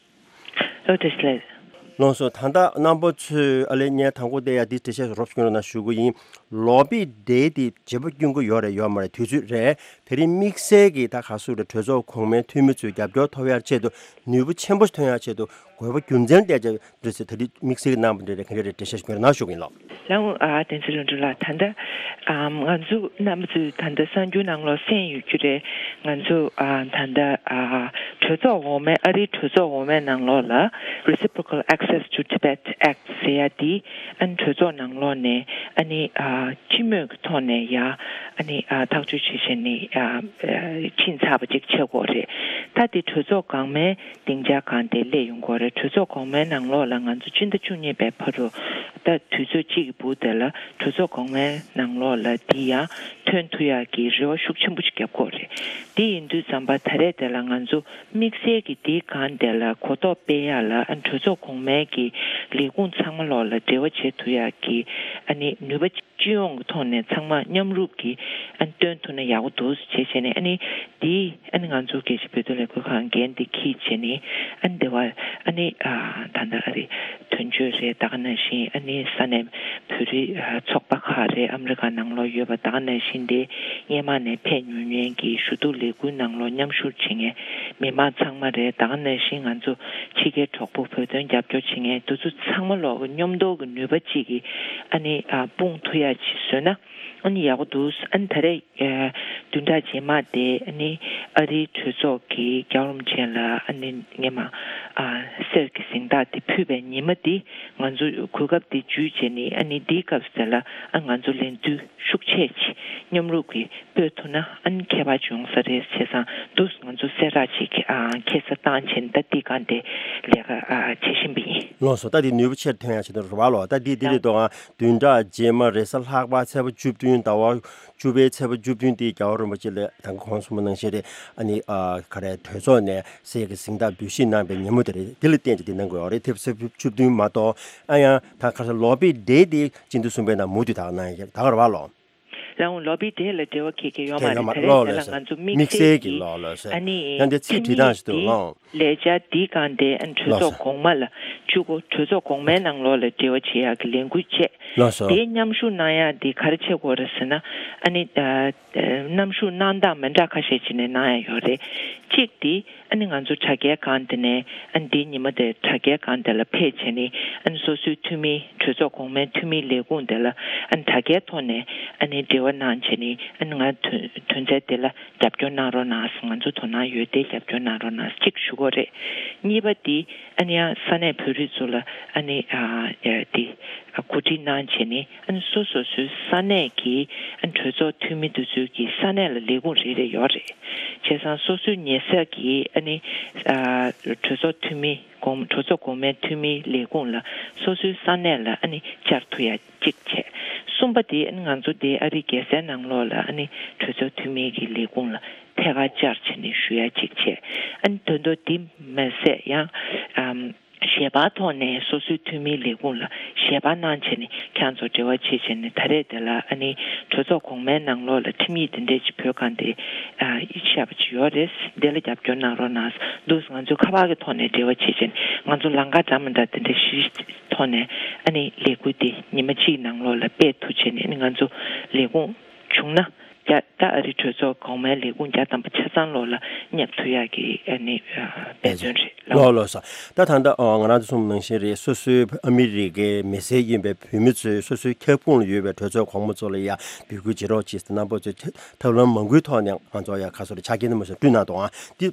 ཨོ་བཀྲ་ཤིས་བདེ་ལེགས། ལགས་སོ། ད་ལྟ་རྣམ་པ་ཚོས་ཨ་ལེ་ངས་དང་པོ་དེ་ཡ་འདི་འགྲེལ་བཤད་རོབ་ཀྱི་རོ་ན་ཞུ་གི་ཡིན། ལོ་བི་ཌེ་དེ་བརྗེ་པོ་སྐྱོན་གི་ཡོད་རེད་ཡོད་མ་རེད། དུས་ཚོད་རེད། དེ་རིང་དམིགས་བསལ་གྱི་ད་ག་སུ་རེད། གྲོས་ཚོགས་གོང་མའི་འཐུས་མི་ཚོས་རྒྱབ་སྐྱོར་ཐོབ་ཡ་ཆེད་དུ་ནུས་པ་ཆེན་པོ་ཐོན་ཡ་ཆེད་དུ་དགོས་པ་རྒྱུ་མཚན་བལྟས་ཀྱང་འདྲ་ཟེར། ད་རིང་དམིགས་བསལ་གྱི་རྣམ་པ་འདི་རེད། ག་འདྲ་རེད། འགྲེལ་བཤད་ཞུ་གི་རོ་ན་ཞུ་གི་ཡིན་ལགས། ལགས་འོང་། ཨ་བསྟན་འཛིན་ལྷུན་གྲུབ་ལགས། ད་ལྟ་ཨམ་ང་ཚོ་རྣམ་པ་ཚོས་ད་ལྟ་གསར་འགྱུར་ནང་ལོགས་གསན་ཡོད་རྒྱུ་རེད། ང་ཚོ་ཨ་ད་ལྟ་ཨ་གྲོས་ཚོགས་འོག་མའི་ཨ་རིའི་གྲོས་ཚོགས་འོག་མའི་ནང་ལོགས་ལ་Reciprocal Access to Tibet Act ཟེར་ཡ་འདི་ཨ་ནི་གྲོས་ཚོགས་ནང་ལོགས་ནས་ཨ་ནི་ཨ་སྤྱི་མོས་ཀྱི་ཐོག་ནས་ཡ་ཨ་ནི་ཨ་ཐག་གཅོད་བྱེད་བྱས་ནས་ཨ་ཨ་ཕྱིན་ཚར་བ་ཅིག་ཆགས་ཀྱི་ཡོད་རེད། ད་དེ་གྲོས་ཚོགས་གོང་མའི་སྡིངས་ཆ་སྒང་དེ་སླེབས་ཡོང་གི་ཡོད་རེད། གྲོས་ཚོགས་གོང་མའི་ནང་ལོགས་ལ་ང་ཚོ་སྤྱི་ཟླ་བཅུ་གཉིས་པའི་བར་དུ་ད་དུས་ཚོད་གཅིག་གི་སྦུག་དེ་ལ་གྲོས་ཚོགས་གོང་མའི་ནང་ལོགས་ལ་འདི་ཡང་ཐོན་ཐུབ་ཡག་གི་རེ་བ་ཤུགས་ཆེན་པོ་ཞིག་རྒྱབ་ཀྱི་ཡོད་རེད། དེ་ཡིན་དུས་ཙམ་པ་ད་རེས་དེ་ལ་ང་ཚོ་དམིགས་བསལ་གྱི་འདིའི་སྒང་དེ་ལ་གོ་རྟོགས་སྤེལ་ཡག་ལ་ཨ་གྲོས་ཚོགས་གོང་མའི་གི་ལས་ཁུངས་ཚང་མ་ལོགས་ལ་འབྲེལ་བ་བྱེད་ཐུབ་ཡག་གི་ཨ་ནི་ནུས་པ་སྤྱི་ཡོངས་ཀྱི་ཐོག་ནས་ཚང་མ་མཉམ་རུབ་ཀྱིས་ཨ་ནི་སྟོན་ཐུབ་ན་ཡག་པོ་འདུག་ཟེར་བྱས་བྱས་ནས། ཨ་ནི་འདི་ཨ་ནི་ང་ཚོ་རྒྱལ་སྤྱིའི་བོད་དོན་ལས་འགུལ་ཁང་འགན་འདི་འཁྱེར་བྱས་ནས་ཨ་ནི་འདི་བར་ཨ་ནི་ཨ་ད་ལྟ་ཨ་རི་དོན་གཅོད་རེད། ད་ག་ནང་བཞིན་ཨ་ནི་ས་གནས་བོད་རིགས་ཨ་ཚོགས་པ་ཁག་རེད། ཨ་མི་རི་ཀ་ནང་ལོགས་ཡོད་པ། ད་ག་ནང་བཞིན་དེ་སྔོན་མ་ནས་ཕེབས་མྱོང་མཁན་གྱི་ཞུ་གཏུག་ལས་འགུལ་ནང་ལོགས་མཉམ་ཞུགས་བྱེད་མཁན་མི་མང་ཚང་མ་རེད། ད་ག་ནང་བཞིན་ང་ཚོ་ཕྱི་རྒྱལ་གྲོགས་པོ་བོད་དོན་རྒྱབ་སྐྱོར་བྱེད་མཁན་དེ་ཚོ་ཚང་མ་ལོག་གི་མཉམ་འདོགས་ཀྱི་ནུས་པ་གཅིག་གིས་ཨ་ནི་ཨ་སྤུངས་ཐུབ་ཡག་ཅིག་བཟོས་ན་ཨ་ནི་ཡག་པོ་འདུག། ཨ་ནི་ད་རེས་ཨ་བདུན་ཕྲག་རྗེས་མ་དེ་ཨ་ནི་ཨ་རིའི་གྲོས་ཚོགས་ཀྱི་རྒྱལ་བ་རིན་པོ་ཆེ་ལ་ཨ་ནི་སྔོན་མ་ཨ་གསེར་གྱི་གཟེངས་རྟགས་དེ་ཕུལ་བའི་ཉི་མ་དེ་ང་ཚོ་གོ་སྐབས་དེ་བརྒྱུད་བྱས་ནས་ཨ་ནི་འདིའི་སྐབས་སུ་དེ་ལ་ཨ་ང་ཚོ་ལས་འགུལ་ཤུགས་ཆེ་ཅིག་མཉམ་རུབ་ཀྱིས་སྤེལ་ཐུབ་ན་ཨ་ནི་ཁྱད་པར་ཅིག་ཡོང་ས་རེད། བྱས་ཙང་འདུག་ང་ཚོ་གསལ་བསྒྲགས་ཅིག་ཨ་ཁ་སང་བཏང་བྱས་ནས་ད་འདི་ག་འདི་ལས་ཀ་ཨ་བྱེད་བཞིན་པ་ཡིན། ལགས་སོ། ད་འདི་ནུས་པ་ཆེར་ཐོན་ཡག་ཆེད་དུ་རེད་བ་ལོ། ད་འདི་འདི་རེད་དོ། ཨ་བདུན་ཕྲག་རྗེས་མ་རེས་གཟའ་ལྷག་པ་ཚེས་པ་བཅུ་བདུན་ཟླ་བ་བཅུ་པའི་ཚེས་པ་བཅུ་བདུན་འདི་རྒྱལ་བ་རིན་པོ་ཆེ་ལ་ད་ག་གོང་གསུངས་པ་ནང་བཞིན་རེད། ཨ་ནི་ཨ་ག་རེ་གྲོས་ཚོགས་ནས་གསེར་གྱི་གཟེངས་རྟགས་འབུལ་བཞེས་གནང་བའི་ཉིན་མོ་དེ་རེད། འདི་ལ་བརྟེན་ཏེ་འདི་གནང་དགོས་ཡོད་རེད། དེ་ཚེས་པ་བཅུ་བདུན་མ་གཏོགས་ཨ་ཡང་ད་ག་ས་ལོ་བི་ཌེ་འདི་སྤྱི་ཟླ་གསུམ་པའི་ནང་མུ་མཐུད་ད་ག་གནང་ཡག་ད་ག་རེད་བ་ལོ། ལགས་འོང་། ལོ་བི་ཌེ་ལ་འབྲེལ་བ་གལ་ཆེ་ཡོད་མ་རེད། ད་རེས་ལོ་དེ་ལ་ལོ་ང་ཚོ་དམིགས་བསལ་གྱི་ལོ་ལོ་ཟེར་ཨ་ནི་ཡང་དེ་ཚིག་འཁྲི་སྟངས་ཤིག་འདུག་ལོ། ལས་འཆར་འདི་གང་དེ་ཨ་ནི་གྲོས་ལོ་ཚོགས་ཟེར་གོང་མ་ལ་བཅུག་གོ། གྲོས་ཚོགས་གོང་མའི་ནང་ལོགས་ལ་འབྲེལ་བ་བྱེད་ཡག་གི་ལས་འགུལ་བྱས། ལགས་སོ། དེའི་མཉམ་ཞུགས་གནང་ཡག་འདི་ག་རེ་བྱེད་དགོས་རེད་ཟེར་ན། ཨ་ནི་ཨ་མཉམ་ཞུགས་གནང་སྟངས་མི་འདྲ་ཁ་ཤས་ཅིག་ནས་གནང་ཡག་ཡོད་རེད། གཅིག་འདི་ཨ་ནི་ང་ཚོ་དྲ་རྒྱའི་སྒང་དེ་ནས་ཨ་ནི་འདིའི་ཉི་མ་དེ་དྲ་རྒྱའི་སྒང་དེ་ལ་ཕེབས་བྱས་ནས་ཨ་ནི་སོ་སོའི་འཐུས་མི་གྲོས་ཚོགས་གོང་མའི་འཐུས་མིའི་ལས་ཁུངས་དེ་ལ་ཨ་ནི་དྲ་རྒྱའི་ཐོག་ནས་ཨ་ནི་འབྲེལ་བ་གནང་བྱས་ནས་ཨ་ནི་ང་དོན་དོན་ཚན་དེ་ལ་རྒྱབ་སྐྱོར་གནང་རོགས་གནང་། ང་ཚོ་དོ་སྣང་ཡོད་དེ་རྒྱབ་སྐྱོར་གནང་རོགས་གནང་གཅིག་ཞུ་དགོས་རེད། གཉིས་པ་འདི་ཨ་ནི་ཡང་ས་གནས་བོད་རིགས་ཚོ་ལ་ཨ་ནི་ཨ་འདི་གོ་སྒྲིག་གནང་བྱས་ནས་ཨ་ནི་སོ་སོ་སོའི་ས་གནས་ཀྱི་ཨ་ནི་གྲོས་ཚོགས་འཐུས་མི་དེ་ཚོའི་གི་ས་གནས་ལ་ལས་ཁུངས་རེ་རེ་ཡོད་རེད། བྱས་ཙང་སོ་སོའི་ཉེ་ས་གི་ཨ་ནི་ཨ་གྲོས་ཚོགས་འཐུས་མི་གོང་གྲོས་ཚོགས་གོང་མའི་འཐུས་མིའི་ལས་ཁུངས་ལ་སོ་སོའི་ས་གནས་ལ་ཨ་ནི་བཅར་ཐུབ་ཡ་གཅིག་བྱས། གསུམ་པ་དེ་ཨ་ནི་ང་ཚོ་དེ་ཨ་རིའི་རྒྱལ་སའི་ནང་ལོགས་ལ་ཨ་ནི་གྲོས་ཚོགས་འཐུས་མི་གི་ལས་ཁུངས་ལ་ཐད་ཀར་བཅར་བྱས་ནས་ཞུ་ཡ་གཅིག་བྱས། ཨ་ནི་དོན་དུ་དེ་མ་ཟད་ཡང་ཨམ་ཞལ་པར་ཐོག་ནས་སོ་སོའི་འཐུས་མིའི་ལས་ཁུངས་ལ་ཞལ་པར་གནང་བྱས་ནས་ཁྱེད་ཚོ་འབྲེལ་བ་བྱེད་བྱས་ནས་ད་རེས་དེ་ལ་ཨ་ནི་གྲོས་ཚོགས་གོང་མའི་ནང་ལོགས་ལ་ཁྲིམས་ཡིག་དེ་འདྲས་ཅིག་བོད་སྒང་དེ་ཨ་ཤར་བ་ཅིག་ཡོད་རེད། འདི་ལ་རྒྱབ་སྐྱོར་གནང་རོགས་གནང་འདུག། ང་ཚོ་ཁ་པར་གྱི་ཐོག་ནས་འབྲེལ་བ་བྱེད་བྱས་ནས་ང་ཚོ་ལམ་ཁ་འདྲ་མི་འདྲ་དེ་འདྲས་ཞིག་ཐོག་ནས་ཨ་ནི་ལས་འགུལ་དེ་ཉི་མ་གཅིག་ནང་ལོགས་ལ་སྤེལ་ཐུབ་བྱས་ནས་ཨ་ནི་ང་ཚོ་ལས་ཁུངས་བྱུང་ན་རྒྱ་ད་ཨ་རི་གྲོས་ཚོགས་གོང་མའི་ལས་ཁུངས་བརྒྱ་ཐམ་པ་ཆ་ཚང་ལོགས་ལ་བསྙབ་ཐུབ་ཡག་གི་ཨ་ནི་ཨ་འབད་བརྩོན་རེད། ལགས་ལགས་སོ། ད་ད་ལྟ་ཨ་ང་རང་ཚོ་གསུངས་པ་ནང་བཞིན་རེད། སོ་སོའི་ཨ་མི་རི་ཀའི་མི་སེར་ཡིན་པའི་བོད་མི་ཚོས་སོ་སོའི་ཁྱབ་ཁོངས་ལ་ཡོད་པའི་གྲོས་ཚོགས་གོང་མ་ཚོ་ལ་ཡ་འབོད་སྐུལ་བྱེད་རོགས་གྱིས། རྣམ་པ་ཚོས་ཐབས་ལམ་མང་པོའི་ཐོག་ནས་ང་ཚོ་ཡ་ཁ་སོ་རེ་ཆ་རྐྱེན་དུ་མ་སོང་བསྐྲུན་གནང་འདུག་ཨང་། འདི་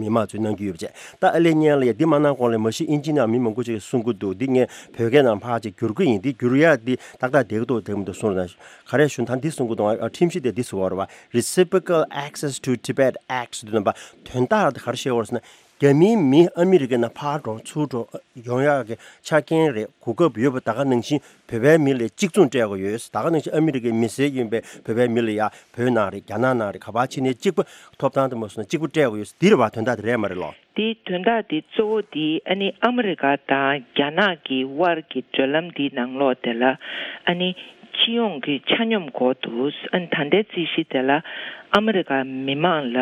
མི་མང་ཚོས་གནང་གི་ཡོད་པ་བྱས། ད་ཨ་ལེ་ཉན་ལ་ཡ་འདི་མ་གནང་གོང་ལ་མ་གཞི་ཨིན་ཇི་ནང་མི་མང་པོ་ཅིག་གིས་གསུང་གི་འདུག། འདི་ངས་བོད་སྐད་ནང་ཕར་ཅིག་བསྒྱུར་གི་ཡིན། འདི་བསྒྱུར་ཡ་འདི་ཏག་ཏག་བསྡད་ཀྱི་འདུག་བསྡད་མི་འདུག་གསུངས་རོགས་གནང་། ག་རེ་ཞུ་ད་འདི་གསུང་གི་འདུག། ཨ་ཁྲིམས་གཞི་དེ་འདི་ཟེར་བ་རེད་བ། Reciprocal Access to Tibet Act ཟེར་དུས་ནམ་པ་དོན་དག་དེ་ག་རེ་བཤད་ཡོད་རེད་ཟེར་ན། རྒྱ་མིའི་མི་ཨ་མི་རི་ཀའི་ནང་ཕར་འགྲོ་ཚུར་འགྲོ་ཡོང་ཡག་གི་ཆ་རྐྱེན་རེད། གོ་སྐབས་ཡོད་པ་ད་ག་ནང་བཞིན་བོད་པའི་མི་ལ་གཅིག་མཚུངས་སྤྲད་དགོས་ཡོད། ད་ག་ནང་བཞིན་ཨ་མི་རི་ཀའི་མི་སེར་ཡིན་པའི་བོད་པའི་མི་ལ་ཡ་བོད་ནང་རེད། རྒྱ་ནག་ནང་རེད། ག་པར་ཕྱིན་ནའི་གཅིག་པ་ཐོབ་ཐང་དུ་མ་སོང་ན་གཅིག་པ་སྤྲད་དགོས་ཡོད། འདི་རེད་བ། དོན་དག་དེ་རེད་མ་རེད་ལོ། དེའི་དོན་དག་དེ་གཙོ་བོ་དེ་ཨ་ནི་ཨ་མི་རི་ཀ་དང་རྒྱ་ནག་གི་དབར་གྱི་འབྲེལ་ལམ་འདིའི་ནང་ལོགས་དེ་ལ་ཨ་ནི་སྤྱི་ཡོངས་ཀྱི་ཆ་སྙོམས་སྐོར་དུ་ཨ་ནི་ད་ལྟའི་རྩིས་གཞི་དེ་ལ་ཨ་མི་རི་ཀ་མི་མང་ལ་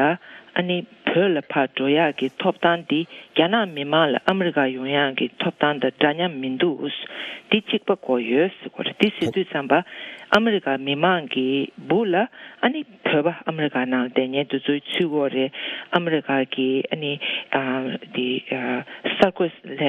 ཨ་ནི་ བོད་ལ་ཕར་འགྲོ་ཡག་གི་ཐོབ་ཐང་འདི་རྒྱ་ནག་མི་མང་ལ་ཨ་མི་རི་ཀ་ཡོང་ཡག་གི་ཐོབ་ཐང་དང་འདྲ་མཉམ་མི་འདུག་འདི་གཅིག་པ་དགོས་ཡོད་ཟེར་གོ་རེད། འདི་ཟེར་དུས་ཙམ་པ་ཨ་མི་རི་ཀ་མི་མང་གི་སྦུག་ལ་ཨ་ནི་བོད་པ་ཨ་མི་རི་ཀ་ནང་བསྡད་མཁན་དེ་ཚོའི་ཚུད་དགོས་རེད། ཨ་མི་རི་ཀ་གི་ཨ་ནི་ཨ་འདི་ཨ་གསར་འགོད་ལས་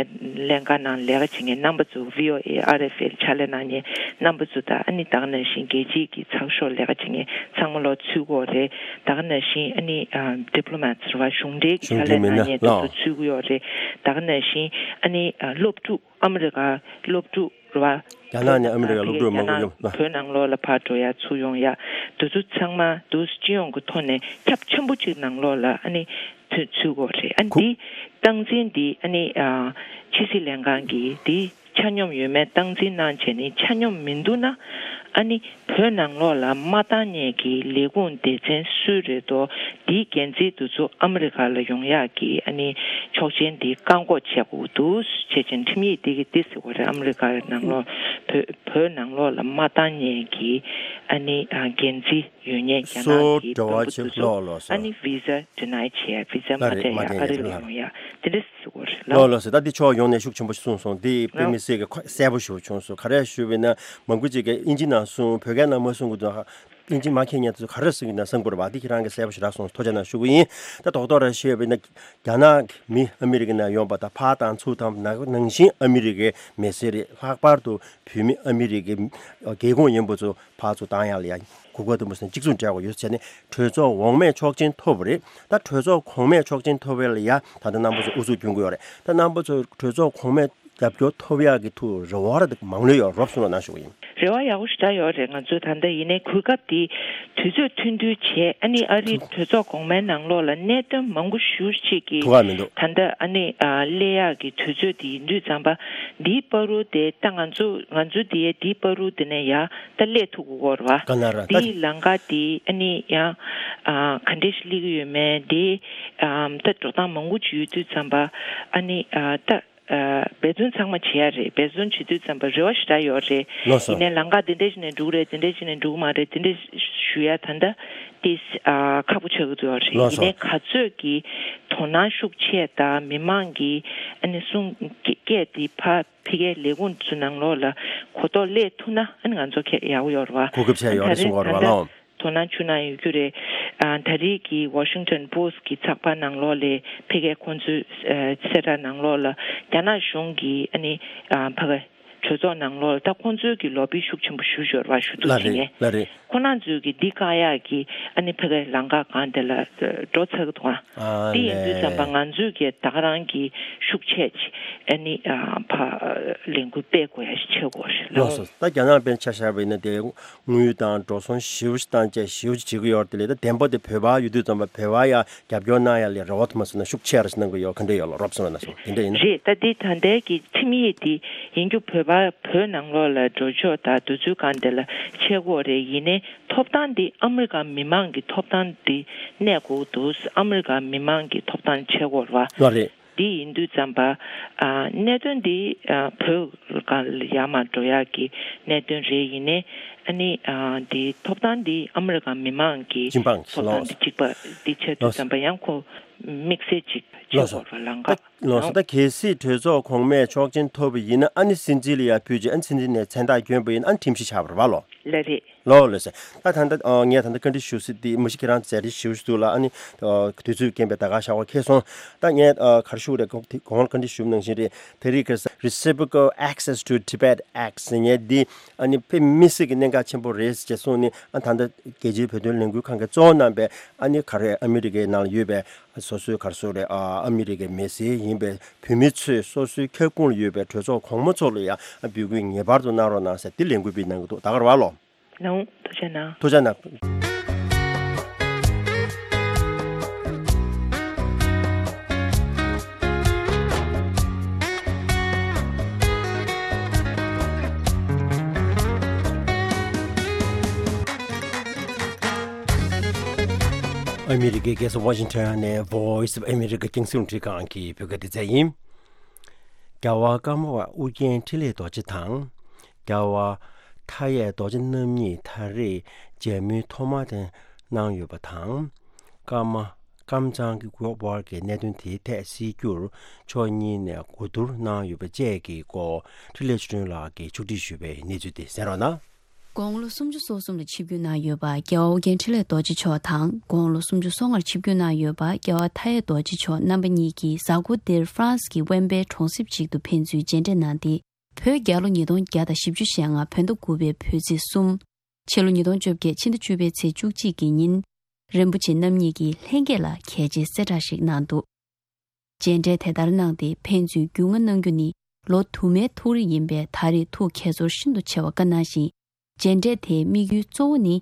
ལས་འགན་ནང་ལས་ཀ་བྱེད་མཁན་རྣམ་པ་ཚོ། ཝི་ཨོ་ཨེ། ཨར་ཨེཕ་ཨེལ་ཕྱག་ལས་གནང་མཁན་རྣམ་པ་ཚོ་དང་ཨ་ནི་ད་ག་ནང་བཞིན་རྒྱལ་སྤྱིའི་གི་ཚགས་ཤོག་ལས་ཀ་བྱེད་མཁན་ཚང་མ་ལོག་ཚུད་དགོས་རེད། ད་ག་ནང་བཞིན་ཨ་ནི་ཨ་ཌི་པི་ལོ་མེ་ཊི་རེད་བ། གཞུང་འབྲེལ་གྱི་གཞུང་ཕྱག་ལས་འབྲེལ་མི་སྣ་གནང་མཁན་དེ་ལགས། ཚོ་ཚུད་ཀྱི་ཡོད་རེད། ད་ག་ནང་བཞིན་ཨ་ནི་ཨ་སློབ་ཕྲུག་ཨ་མི་རི་ཀ་སློབ་ཕྲུག་རེད་བ། རྒྱ་ནག་ནས་ཨ་མི་རི་ཀ་སློབ་ཕྲུག་མང་པོ་ཡོད་ལ། བོད་ནང་ལོགས་ལ་ཕར་འགྲོ་ཡ་ཚུར་ཡོང་ཡ་དེ་ཚོ་ཚང་མ་དུ་སྤྱི་ཡོངས་ཀྱི་ཐོག་ནས་ཁྱབ་ཆེན་པོ་གཅིག་ནང་ལོགས་ལ་ཨ་ནི་ཚུད་ཚུད་དགོས་རེད། ཨ་ནི་ཁུ- འདི་སྟངས་འཛིན་འདི་ཨ་ནི་ཨ་ཕྱི་སྲིད་ལྷན་ཁང་གིས་འདི་ཆ་སྙོམས་ཡོད་མེད་སྟངས་འཛིན་གནང་བྱས་ནས་ཆ་སྙོམས་མི་འདུག་ན་ཨ་ནི་བོད་ནང་ལོགས་ལ་མ་བཏང་མཁན་གྱི་ལས་ཁུངས་སྡེ་ཚན་སུ་རེད་དོ། དེའི་འགན་འཛིན་དེ་ཚོ་ཨ་མི་རི་ཀ་ལ་ཡོང་ཡག་གི་ཨ་ནི་ཆོག་མཆན་དེ་བཀག་འགོག་བྱེད་དགོས་འདུག་བྱས་ཙང་ཁྲིམས་ཡིག་དེ་གི་དེ་ཟེར་བ་རེད། ཨ་མི་རི་ཀ་ནང་ལོགས་བོད་བོད་ནང་ལོགས་ལ་མ་བཏང་མཁན་གྱི་ཨ་ནི་ཨ་འགན་འཛིན་ཡོད་མཁན་རྒྱ་ནག་གི་སོ་བོད་པ་དེ་ཚོ་ལོ་ལོ་སོ་ཨ་ནི་ཝི་ཟ་ཌི་ནའི་བྱས། ཝི་ཟ་མ་ལ་རེད། སྤྲད་མ་ཡ་སྤྲད་ཨ་རི་ལ་ཡ་ཡོང་ཡ་དེ་འདྲ་ཟེར་བ་རེད་ལ། ལོ་ལོ་སོ་ད་འདི་ཕྱོགས་ཡོངས་ནས་ཤུགས་ཆེན་པོ་གསུངས་སོང་། འདི་དཔེ་མི་སྲིད་ཀྱི་གསལ་པོ་ཞེ་པོ་བྱུང་སོང་། ག་རེ་ཞུས་པ་ཡིན་ན་མང་པོ་ཅིག་གིས་དབྱིན་ཇི་ནང་གསུངས། བོད་སྐད་ནང་མ་གསུངས་གི་འདུག་ཨིན་ཇི་མ་མཁྱེན་མཁན་ཚོ་ག་རེ་གསུང་གི་ན་གསུང་དགོས་རེད་བ། འདི་ཁྱེད་རང་གིས་གསལ་པོ་ཞེ་དྲག་གསུངས་སོང་། ཐུགས་རྗེ་གནང་ཞུ་གི་ཡིན། ད་རྡོག་རྡོག་ར་བཤད་པ་ཡིན་ན་རྒྱ་ནག་གི་མི་ཨ་མི་རི་ཀ་ནང་ཡོང་པ་དང་ཕར་བཏང་ཚུར་བཏང་ནང་བཞིན་ཨ་མི་རི་ཀའི་མི་སེར་རེད། ལྷག་པར་དུ་བོད་མི་ཨ་མི་རི་ཀའི་རྒྱལ་ཁོངས་ཡིན་པ་ཚོ་ཕར་ཚུར་བཏང་ཡག་ལ་ཡ་གོ་སྐབས་དུ་མ་སོང་གཅིག་མཚུངས་སྤྲད་དགོས་ཡོད་ཟེར་ནས་གྲོས་ཚོགས་འོག་མས་ཆོག་མཆན་ཐོབ་པ་རེད། ད་གྲོས་ཚོགས་གོང་མས་ཆོག་མཆན་ཐོབ་པ་ལ་ཡ་ད་ལྟ་རྣམ་པ་ཚོ་ཨུ་ཚུགས་སྐྱོན་གྱི་ཡོད་རེད། ད་རྣམ་པ་ཚོ་གྲོས་ཚོགས་གོང་མས་རྒྱབ་སྐྱོར་ཐོབ་ཡག་གི་ཐུགས་རེ་བ་ར་མང་ལོས་ཡོད་རོབ་གསུངས་རོགས་གནང་ཞུ་གི་ཡིན། རེ་བ་ཡག་པོ་ཞེ་དྲག་ཡོད་རེད། ང་ཚོས་ད་ལྟ་ཡིན་ནའི་གོ་སྐབས་དེ་དུས་ཚོད་ཐུང་ཐུང་བྱས། ཨ་ནི་ཨ་རིའི་གྲོས་ཚོགས་གོང་མའི་ནང་ལོགས་ལ་གནད་དོན་མང་པོ་ཞེ་པོ་ཅིག་གི་ཐུག་ག་མི་འདུག་ད་ལྟ་ཨ་ནི་ཨ་སླེབས་ཡག་གི་དུས་ཚོད་དེ་ཡིན་དུས་ཙམ་པ་འདིའི་བར་དུ་དེ་ད་ང་ཚོ་ང་ཚོ་དེའི་འདིའི་བར་དུ་དེ་ནས་ཡ་ད་སླེབས་ཐུབ་དགོས་རེད་བ། ག་ན་ར་ད་འདིའི་ལམ་ཁ་དེ་ཨ་ནི་ཡང་ཨ་ག་འདྲས་ཤིག་སླེབས་ཀྱི་ཡོད་མེད་དེ་ཨ་ད་འགྲོ་སྟངས་མང་པོ་ཅིག་ཡོད་དུས་ཙམ་པ་ཨ་ནི་ཨ་ད། ཨ་འབད་བརྩོན་ཚང་མ་བྱེད་ཡ་རེད། འབད་བརྩོན་བྱེད་དུས་ཙམ་པ་རེ་བ་ཞེ་དྲག་ཡོད་རེད། ལགས་སོ། ཡིན་ནའི་ལམ་ཁ་འདི་འདྲ་ཞིག་ནས་འགྲོ་གི་རེད། འདི་འདྲ་ཞིག་ནས་འགྲོ་གི་མ་རེད། འདི་འདྲ་ཞུ་ཡ་ད་ལྟ་ཏིས་ཨ་ཁག་པོ་ཆགས་ཀྱི་འདུག་ཡོད་རེད། ལགས་སོ། ཡིན་ནའི་ག་ཚོད་ཀྱི་དོ་སྣང་ཤུགས་ཆེ་དང་མི་མང་གི་ཨ་ནི་གསུང་སྐད་དེ་ཕ་ཕ་གིའི་ལས་ཁུངས་ཚོའི་ནང་ལོགས་ལ་གོ་རྟོགས་སླེབས་ཐུབ་ན་ཨ་ནི་ང་ཚོ་ཁྱད་ཡག་པོ་ཡོད་རེད་བ། གོ་སྐབས་ཆེ་ཡོད་རེད་གསུང་གི་ཡོད་རེད་བ་ལགས། དོ་སྣང་བྱུང་ན་ཡོད་རྒྱུ་རེད། ཨ་ད་རེས་ཀྱི་Washington Post་གི་ཚགས་པར་ནང་ལོགས་ལ་ཕ་གིའི་ཁོང་ཚོའི་ཨ་གསལ་བསྒྲགས་ནང་ལོགས་ལ་རྒྱ་ནག་གཞུང་གིས་ཨ་ནི་ཨ་ཕ་གི་གྲོས་ཚོགས་ནང་ལོགས་ལ་ད་ཁོང་ཚོའི་གི་ལོ་བི་ཤུགས་ཆེན་པོ་ཞུ་ཞོར་བ་ཞུ་གཏུག་ལ་བྱེད་རེད་མཁན་ལ་རེད། ཁོང་རྣམ་ཚོའི་གི་འདི་བཀག་ཡག་གི་ཨ་ནི་ཕ་གིའི་ལམ་ཁ་སྒང་དེ་ལ་འགྲོ་ཚར་གི་འདུག་ཨ། ཨ་དེ་ཡིན་དུས་ཙམ་པ་ལས། ང་ཚོའི་གི་ད་ག་རང་གི་ཤུགས་ཆེ་ཆེ་ཨ་ནི་ཨ་ཕ་ལས་འགུལ་སྤེལ་དགོས་ཡ་ཞིག་བྱེད་དགོས་རེད་ལགས་ལགས། སོ། ད་རྒྱ་ནག་དཔེར་ཆ་བཞག་པ་ཡིན་ན་དེ། དངུལ་དང་འགྲོ་སོང་ཞེ་པོ་ཞིག་བཏང་བྱས་ཞེ་པོ་ཞིག་བྱེད་ཀྱི་ཡོད་རེད། དེ་ལས་ད་བདེན་པ་དེ་བོད་པ་ཡོད་དུས་ཙམ་པ་བོད་པ་ཡ་རྒྱབ་སྐྱོར་གནང་ཡ་ལས་རེ་བ་ཐུབ་མ་སོང་ན་ཤུགས་ཆེ་ར་ཞིག་གནང་གི་ཡོད་ག་འདྲ་ཡོད་ལ་རོབ་སོང་ན་སོང་དེ་འདྲ་ཡིན་ན། རེད། ད་འདི་ད་ལྟའི་གི་ཁྲིམས་ཡིག་འདི་ཡིན་རྒྱུ་བོད་པ་བོད་ནང་ལོགས་ལ་འགྲོ་ཕྱོགས་དང་དུས་ཚོད་གང་དེ་ལ་ཆད་དགོས་རེད། ཡིན་ནའི་ཐོབ་ཐང་འདི་ཨ་མི་རི་ཀ་མི་མང་གི་ཐོབ་ཐང་འདི་གནས་དགོས་འདུག་ཨ་མི་རི་ཀ་མི་མང་གི་ཐོབ་ཐང་ཆད་དགོས་རེད་བ། ལགས་རེད། འདི་ཡིན་དུས་ཙམ་པ། ཨ་གནད་དོན་འདི་ཨ་བོད་སྒང་ལ་ཡར་མར་འགྲོ་ཡག་གི་གནད་དོན་རེད། ཡིན་ནའི་ཨ་ནི་ཨ་འདི་ཐོབ་ཐང་འདི་ཨ་མི་རི་ཀ་མི་མང་གི་སྤྱི་འབངས་ཐོབ་ཐང་ལགས་འདི་གཅིག་པ་འདི་ཆགས་དུས་ཙམ་པ་ཡང་ཁོ་དམིགས་བསལ་ཅིག་ཆགས་ལགས་སོ། དགོས་པ་ལམ་ཁ་ད་ལགས་སོ། ད་གལ་སྲིད་གྲོས་ཚོགས་གོང་མས་ཆོག་མཆན་ཐོབ་པ་ཡིན་ན་ཨ་ནི་སྲིད་འཛིན་ལ་ཡར་ཕུལ་རྗེས་ཨ་ནི་སྲིད་འཛིན་ནས་མཚན་རྟགས་བསྐྱོན་པ་ཡིན་ན་ཨ་ནི་ཁྲིམས་གཞི་ཆགས་པ་རེད་བ་ལོ། ལགས་རེད། ལགས་ལགས་སོ། ད་ད་ལྟ་ཨ་ངས་ད་ལྟ་བཀའ་འདྲི་ཞུ་སྲིད་དེ་མ་གཞི་ཁྱེད་རང་མཛད་རིམ་ཞེ་པོ་ཞིག་འདུག་ལ། ཨ་ནི་ཨ་དུས་ཚོད་རྐྱེན་པས་ད་ག་ཞག་པ་འཁེལ་སོང་། ད་ངས་ཨ་ག་རེ་ཞུ་དགོས་རེད། གོང་གོང་ལ་བཀའ་འདྲི་ཞུ་ནང་བཞིན་རེད། དེ་རིང་གི་Reciprocal Access to Tibet Act་ཟེར་མཁན་འདི་ཨ་ནི་དཔེ་མི་སྲིད་ཀྱི་གནད་འགག་ཆེན་པོ་རེད་ཅེས་གསུངས་ནས། ཨ་ད་ལྟ་རྒྱལ་སྤྱིའི་བོད་དོན་ལས་འགུལ་ཁང་གིས་གཙོ་བོ་གནང་པའི་ཨ་ནི་ག་རེ་ཨ་མི་རི་ཀའི་ནང་ལ་ཡོད་པའི་སོ་སོའི་ག་རེ་ཟེར་དགོས་རེད། ཨ་ཨ་མི་རི་ཀའི་མི་སེར་ཡིན་པའི་བོད་མི་ཚོས་སོ་སོའི་ཁྱབ་ཁོངས་ལ་ཡོད་པའི་གྲོས་ཚོགས་གོང་མ་ཚོ་ལ་ཡང་འབོད་སྐུལ་ངེས་པར་དུ་གནང་རོགས་གནང་ཟེར་འདི་ལས་འགུལ་སྤེལ་གནང་གི་འདུག་ད་ག་རེད་བ་ལོ། ལགས་འོང་། ཐུགས་རྗེ་གནང་། ཐུགས་རྗེ་གནང་། ཨ་མི་རི་ཀའི་རྒྱལ་ས་ཝ་ཤིང་ཊོན་ནས་Voice of America་རྒྱང་སྲིང་རླུང་འཕྲིན་ཁང་གི་བོད་སྐད་སྡེ་ཚན་ཡིན། རྒྱལ་བ་ཀརྨ་པ་ཨུ་རྒྱན་འཕྲིན་ལས་རྡོ་རྗེ་དང་། རྒྱལ་བ་མཐའ་ཡས་རྡོ་རྗེ་རྣམ་གཉིས་ད་རེས་མཇལ་མོལ་ཐོག་མ་དེ་གནང་ཡོད་པ་དང་། ཀརྨ་ ཀམ་ཚང་གི་སྐོར་བར་གྱི་གནད་དོན་དེའི་ཐད་སྲིད་སྐྱོར་མཆོག་གཉིས་ནས་གོ་བསྡུར་གནང་ཡོད་པ་བཅས་ཀྱི་སྐོར་འཕྲིན་ལས་ཆོས་སྒྲོན་ལགས་ཀྱིས་ཕྱོགས་སྒྲིག་ཞུས་པའི་གནས་ཚུལ་དེ་གསན་རོགས་གནང་། དགུང་ལོ་སུམ་ཅུ་སོ་གསུམ་ལ་ཆིབས་བསྒྱུར་གནང་ཡོད་པ་རྒྱལ་བ་ཨོ་རྒྱན་འཕྲིན་ལས་རྡོ་རྗེ་མཆོག་དང་། དགུང་ལོ་སུམ་ཅུ་སོ་ལྔར་ཆིབས་བསྒྱུར་གནང་ཡོད་པ་རྒྱལ་བ་མཐའ་ཡས་རྡོ་རྗེ་མཆོག་རྣམ་པ་གཉིས་ཀྱིས་གཟའ་འཁོར་འདིར་ཧྥ་རན་སི་གི་ཝེན་པའེ་གྲོང་གསེབ་ཅིག་ཏུ་ཕན་ཚུན་མཇལ་འཕྲད་གནང་སྟེ། བོད་རྒྱལ་ལོ་ཉིས་སྟོང་བརྒྱ་དང་བཞི་བཅུ་ཞེ་ལྔ་བོད་ཟླ་དགུ་པའི་བོད་ཚེས་གསུམ། ཕྱི་ལོ་ཉིས་སྟོང་བཅོ་བརྒྱད་ཕྱི་ཟླ་བཅུ་པའི་ཚེས་བཅུ་གཅིག་གི་ཉིན། རིན་པོ་ཆེ་རྣམ་གཉིས་ཀྱིས་ལྷན་རྒྱས་ལ་གལ་ཆེའི་གསལ་བསྒྲགས་ཤིག་གནང་འདུག་མཇལ་འཕྲད་དེ་ལྟར་གནང་སྟེ་ཕན་ཚུན་རྒྱུས་མངའ་གནང་རྒྱུ་ནི་ལོ་དུ་མའི་ཐུགས་རེ་ཡིན་པས། ད་རེས་ཐུགས་ཁྱད་ཚོར་ཤིན་ཏུ་ཆེ་བ་བཀའ་གནང་ཞིང་། མཇལ་འཕྲད་དེའི་དམིགས་ཡུལ་གཙོ་བོ་ནི།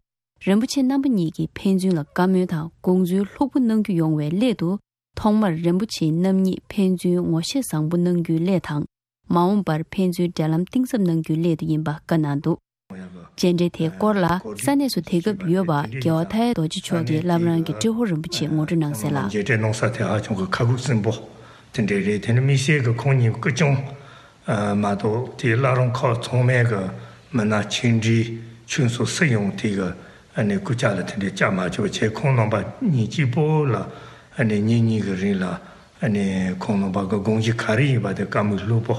རིན་པོ་ཆེ་རྣམ་པ་གཉིས་ཀྱིས་ཕན་ཚུན་ལ་བཀའ་མོལ་དང་དགོངས་ཚུལ་ལྷུག་པོ་གནང་རྒྱུ་ཡོང་བའི་སླད་དུ། ཐོག་མར་རིན་པོ་ཆེ་རྣམ་གཉིས་ཕན་ཚུན་ངོ་ཤེས་བཟང་པོ་གནང་རྒྱུའི་སླད་དང་། མ་འོངས་པར་ཕན་ཚུན་འབྲེལ་ལམ་གཏིང་ཟབ་གནང་རྒྱུའི་སླད་དུ་ཡིན་པ་བཀའ་གནང་འདུག་མཇལ་འཕྲད་དེའི་སྐོར་ལ་ས་གནས་སུ་དེ་སྐབས་ཡོད་པ་རྒྱལ་བ་མཐའ་ཡས་རྡོ་རྗེ་མཆོག་གིས་བླ་བྲང་གི་ཏྲེ་ཧོར་རིན་པོ་ཆེར་ངོ་སྤྲོད་གནང་གསལ་ལ། མཇལ་འཕྲད་གནང་ས་དེ་ཧ་ཅང་གི་ཁ་ཁུག་སིམ་པོ་དེ་འདྲ་རེད། དེ་ནི་དམིགས་བསལ་གྱི་ཁོང་གཉིས་སྐུ་སྐྱོང་མ་གཏོགས་དེའི་བླ་རུང་ཁག་ཚང་མའི་གི་མི་སྣ་ཆེ་འབྲིང་ཆུང་སོགས་སུ་ཡོང་དེ་གི་ཨ་ནི་སྐུ་ཕྱག་ལ་དེ་འདྲའི་བཅར་མ་ཆོག་བྱས། ཁོང་རྣམ་པ་གཉིས་གཅིག་པོ་ལ་ཨ་ནི་ཉིན་གཉིས་ཀྱི་རིང་ལ་ཨ་ནི་ཁོང་རྣམ་པ་གི་དགོངས་གཞི་ག་རེ་ཡིན་པ་དེ་བཀའ་མོལ་ལྷུག་པོ་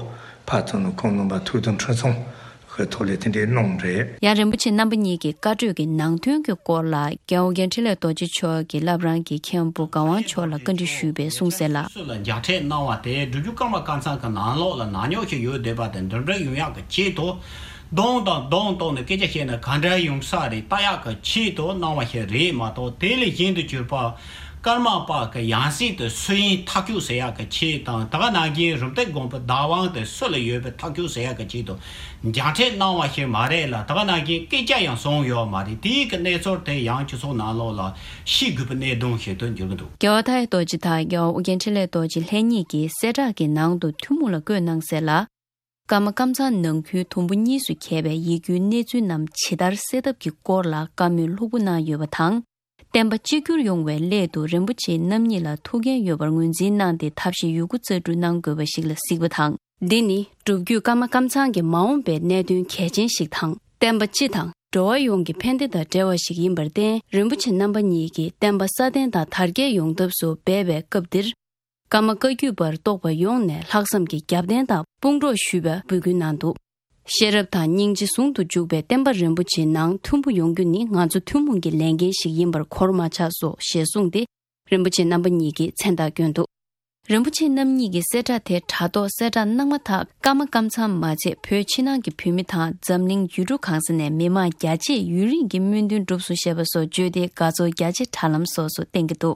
ཕར་ཚུར་ནས་ཁོང་རྣམ་པ་ཐུགས་དམ་ཁྲི་སྲོང་གི་ཐོག་ལས་དེ་འདྲའི་གནང་རེད། ཡང་རིན་པོ་ཆེ་རྣམ་པ་གཉིས་ཀྱི་བཀའ་གྲོས་ཀྱི་ནང་དོན་གྱི་སྐོར་ལ་རྒྱལ་བ་ཨོ་རྒྱན་འཕྲིན་ལས་རྡོ་རྗེ་མཆོག་གིས་བླ་བྲང་གི་མཁན་པོ་ག་ཝང་མཆོག་ལ་བཀའ་འདྲི་ཞུས་པའི་གསུང་གསལ་ལ། སུ་ལ་མཇལ་འཕྲད་གནང་བ་དེ་སྒྲུབ་བརྒྱུད་ཀརྨ་ཀཾ་ཚང་གི་ནང་ལོགས་ལ་ནག་ཉོག་ཞིག་ཡོད་བསྡད་པ་དེ་འདི་འདྲ་ཡོང་ཡག་གི་ཆེད་དུ། གདོང་དང་གདོང་གཏོང་ནས་སྐད་ཆ་བཤད་ན་ག་འདྲ་ཡོང་ས་རེད་ལྟ་ཡག་གི་ཆེད་དུ་གནང་བ་ཞིག་རེད་མ་གཏོགས། དེ་ལས་གཞན་དུ་གྱུར་པ་ཀརྨ་པ་གི་ཡང་སྲིད་དུ་སུ་ཡིན་ཐག་གཅོད་ཟེར་ཡག་གི་ཆེད་དང་། ད་ག་ནང་བཞིན་རུམ་བཏེག་དགོན་པའི་བདག་དབང་དེ་སུ་ལ་ཡོད་པའི་ཐག་གཅོད་ཟེར་ཡག་གི་ཆེད་དུ་མཇལ་འཕྲད་གནང་བ་ཞིག་མ་རེད་ལ། ད་ག་ནང་བཞིན་སྐད་ཆ་ཡང་གསུངས་ཡོད་མ་རེད། དེའི་གི་གནས་ཚུལ་དེ་ཡང་སྤྱི་ཚོགས་ནང་ལོགས་ལ་ཤེས་དགོས་པའི་གནད་དོན་ཞིག་ཏུ་འགྱུར་གྱི་འདུག་རྒྱལ་བ་མཐའ་ཡས་རྡོ་རྗེ་དང་རྒྱལ་བ་ཨོ་རྒྱན་འཕྲིན་ལས་རྡོ་རྗེ་ལྷན་གཉིས་ཀྱིས་གསལ་བསྒྲགས་ཀྱི་ནང་དུ་ཐུན་མོང་ལ་བཀོད་གནང་གསལ་ལ། ཀརྨ་ཀཾ་ཚང་ནང་ཁུལ་དུམ་བུ་གཉིས་སུ་གྱེས་པའི་ཡིག་རྒྱུགས་གནས་ཚུལ་རྣམས་ཇི་ལྟར་གསལ་ཐབས་ཀྱི་སྐོར་ལ་བཀའ་མོལ་ལྷུག་པོ་གནང་ཡོད་པ་དང་། བསྟན་པ་གཅིག་གྱུར་ཡོང་བའི་སླད་དུ་རིན་པོ་ཆེ་རྣམ་གཉིས་ལ་ཐུགས་འགན་ཡོད་པར་ངོས་འཛིན་གནང་སྟེ་ཐབས་ཤེས་ཡོད་རྒུ་རྩལ་སྤྲུགས་གནང་དགོས་པ་ཞིག་ལ་གཟིགས་པ་དང་། འདི་ནི་སྒྲུབ་བརྒྱུད་ཀརྨ་ཀཾ་ཚང་གི་མ་འོངས་པའི་གནད་དོན་གལ་ཆེན་ཞིག་དང་། བསྟན་པ་སྤྱི་དང་འགྲོ་བ་ཡོངས་ཀྱི་ཕན་བདེ་དང་འབྲེལ་བ་ཞིག་ཡིན་པར་བརྟེན། རིན་པོ་ཆེ་རྣམ་པ་གཉིས་ཀྱིས་བསྟན་པ་སྲ་བརྟན་དང་དར་རྒྱས་ཡོང་ཐབས་སུ་འབད་པའི་སྐབས་འདིར། ཀརྨ་བཀའ་བརྒྱུད་པར་གཏོགས་པ་ཡོངས་ནས་ལྷག་བསམ་གྱིས་རྒྱབ་རྟེན་དང་དཔུང་གྲོགས་ཞུས་པའི་འབོད་སྐུལ་གནང་འདུག་ཤེས་རབ་དང་སྙིང་རྗེ་ཟུང་དུ་འཇུག་པའི་བསྟན་པ་རིན་པོ་ཆེའི་ནང་མཐུན་པོ་ཡོང་རྒྱུ་ནི་ང་ཚོ་ཐུན་མོང་གི་ལས་འགན་ཞིག་ཡིན་པར་གོར་མ་ཆག་སོ་ཞེས་གསུངས་ཏེ། རིན་པོ་ཆེ་རྣམ་པ་གཉིས་ཀྱིས་མཚན་རྟགས་བསྐྱོན་འདུག་རིན་པོ་ཆེ་རྣམ་གཉིས་ཀྱིས་གསལ་བསྒྲགས་དེ་དྲ་ཐོག་གསལ་བསྒྲགས་གནང་མ་ཐག་ཀརྨ་ཀཾ་ཚང་མ་ཚད་བོད་ཕྱི་ནང་གི་བོད་མི་དང་འཛམ་གླིང་ཡུལ་གྲུ་གང་ས་ནས་མི་མང་རྒྱ་ཆེས་ཡུན་རིང་གི་སྨོན་འདུན་གྲུབ་སོང་ཞེས་པ་སོགས་བརྗོད་དེ་དགའ་ཚོར་རྒྱ་ཆེ་དྲ་ལམ་སོགས་སུ་བསྟན་གྱི་འདུག་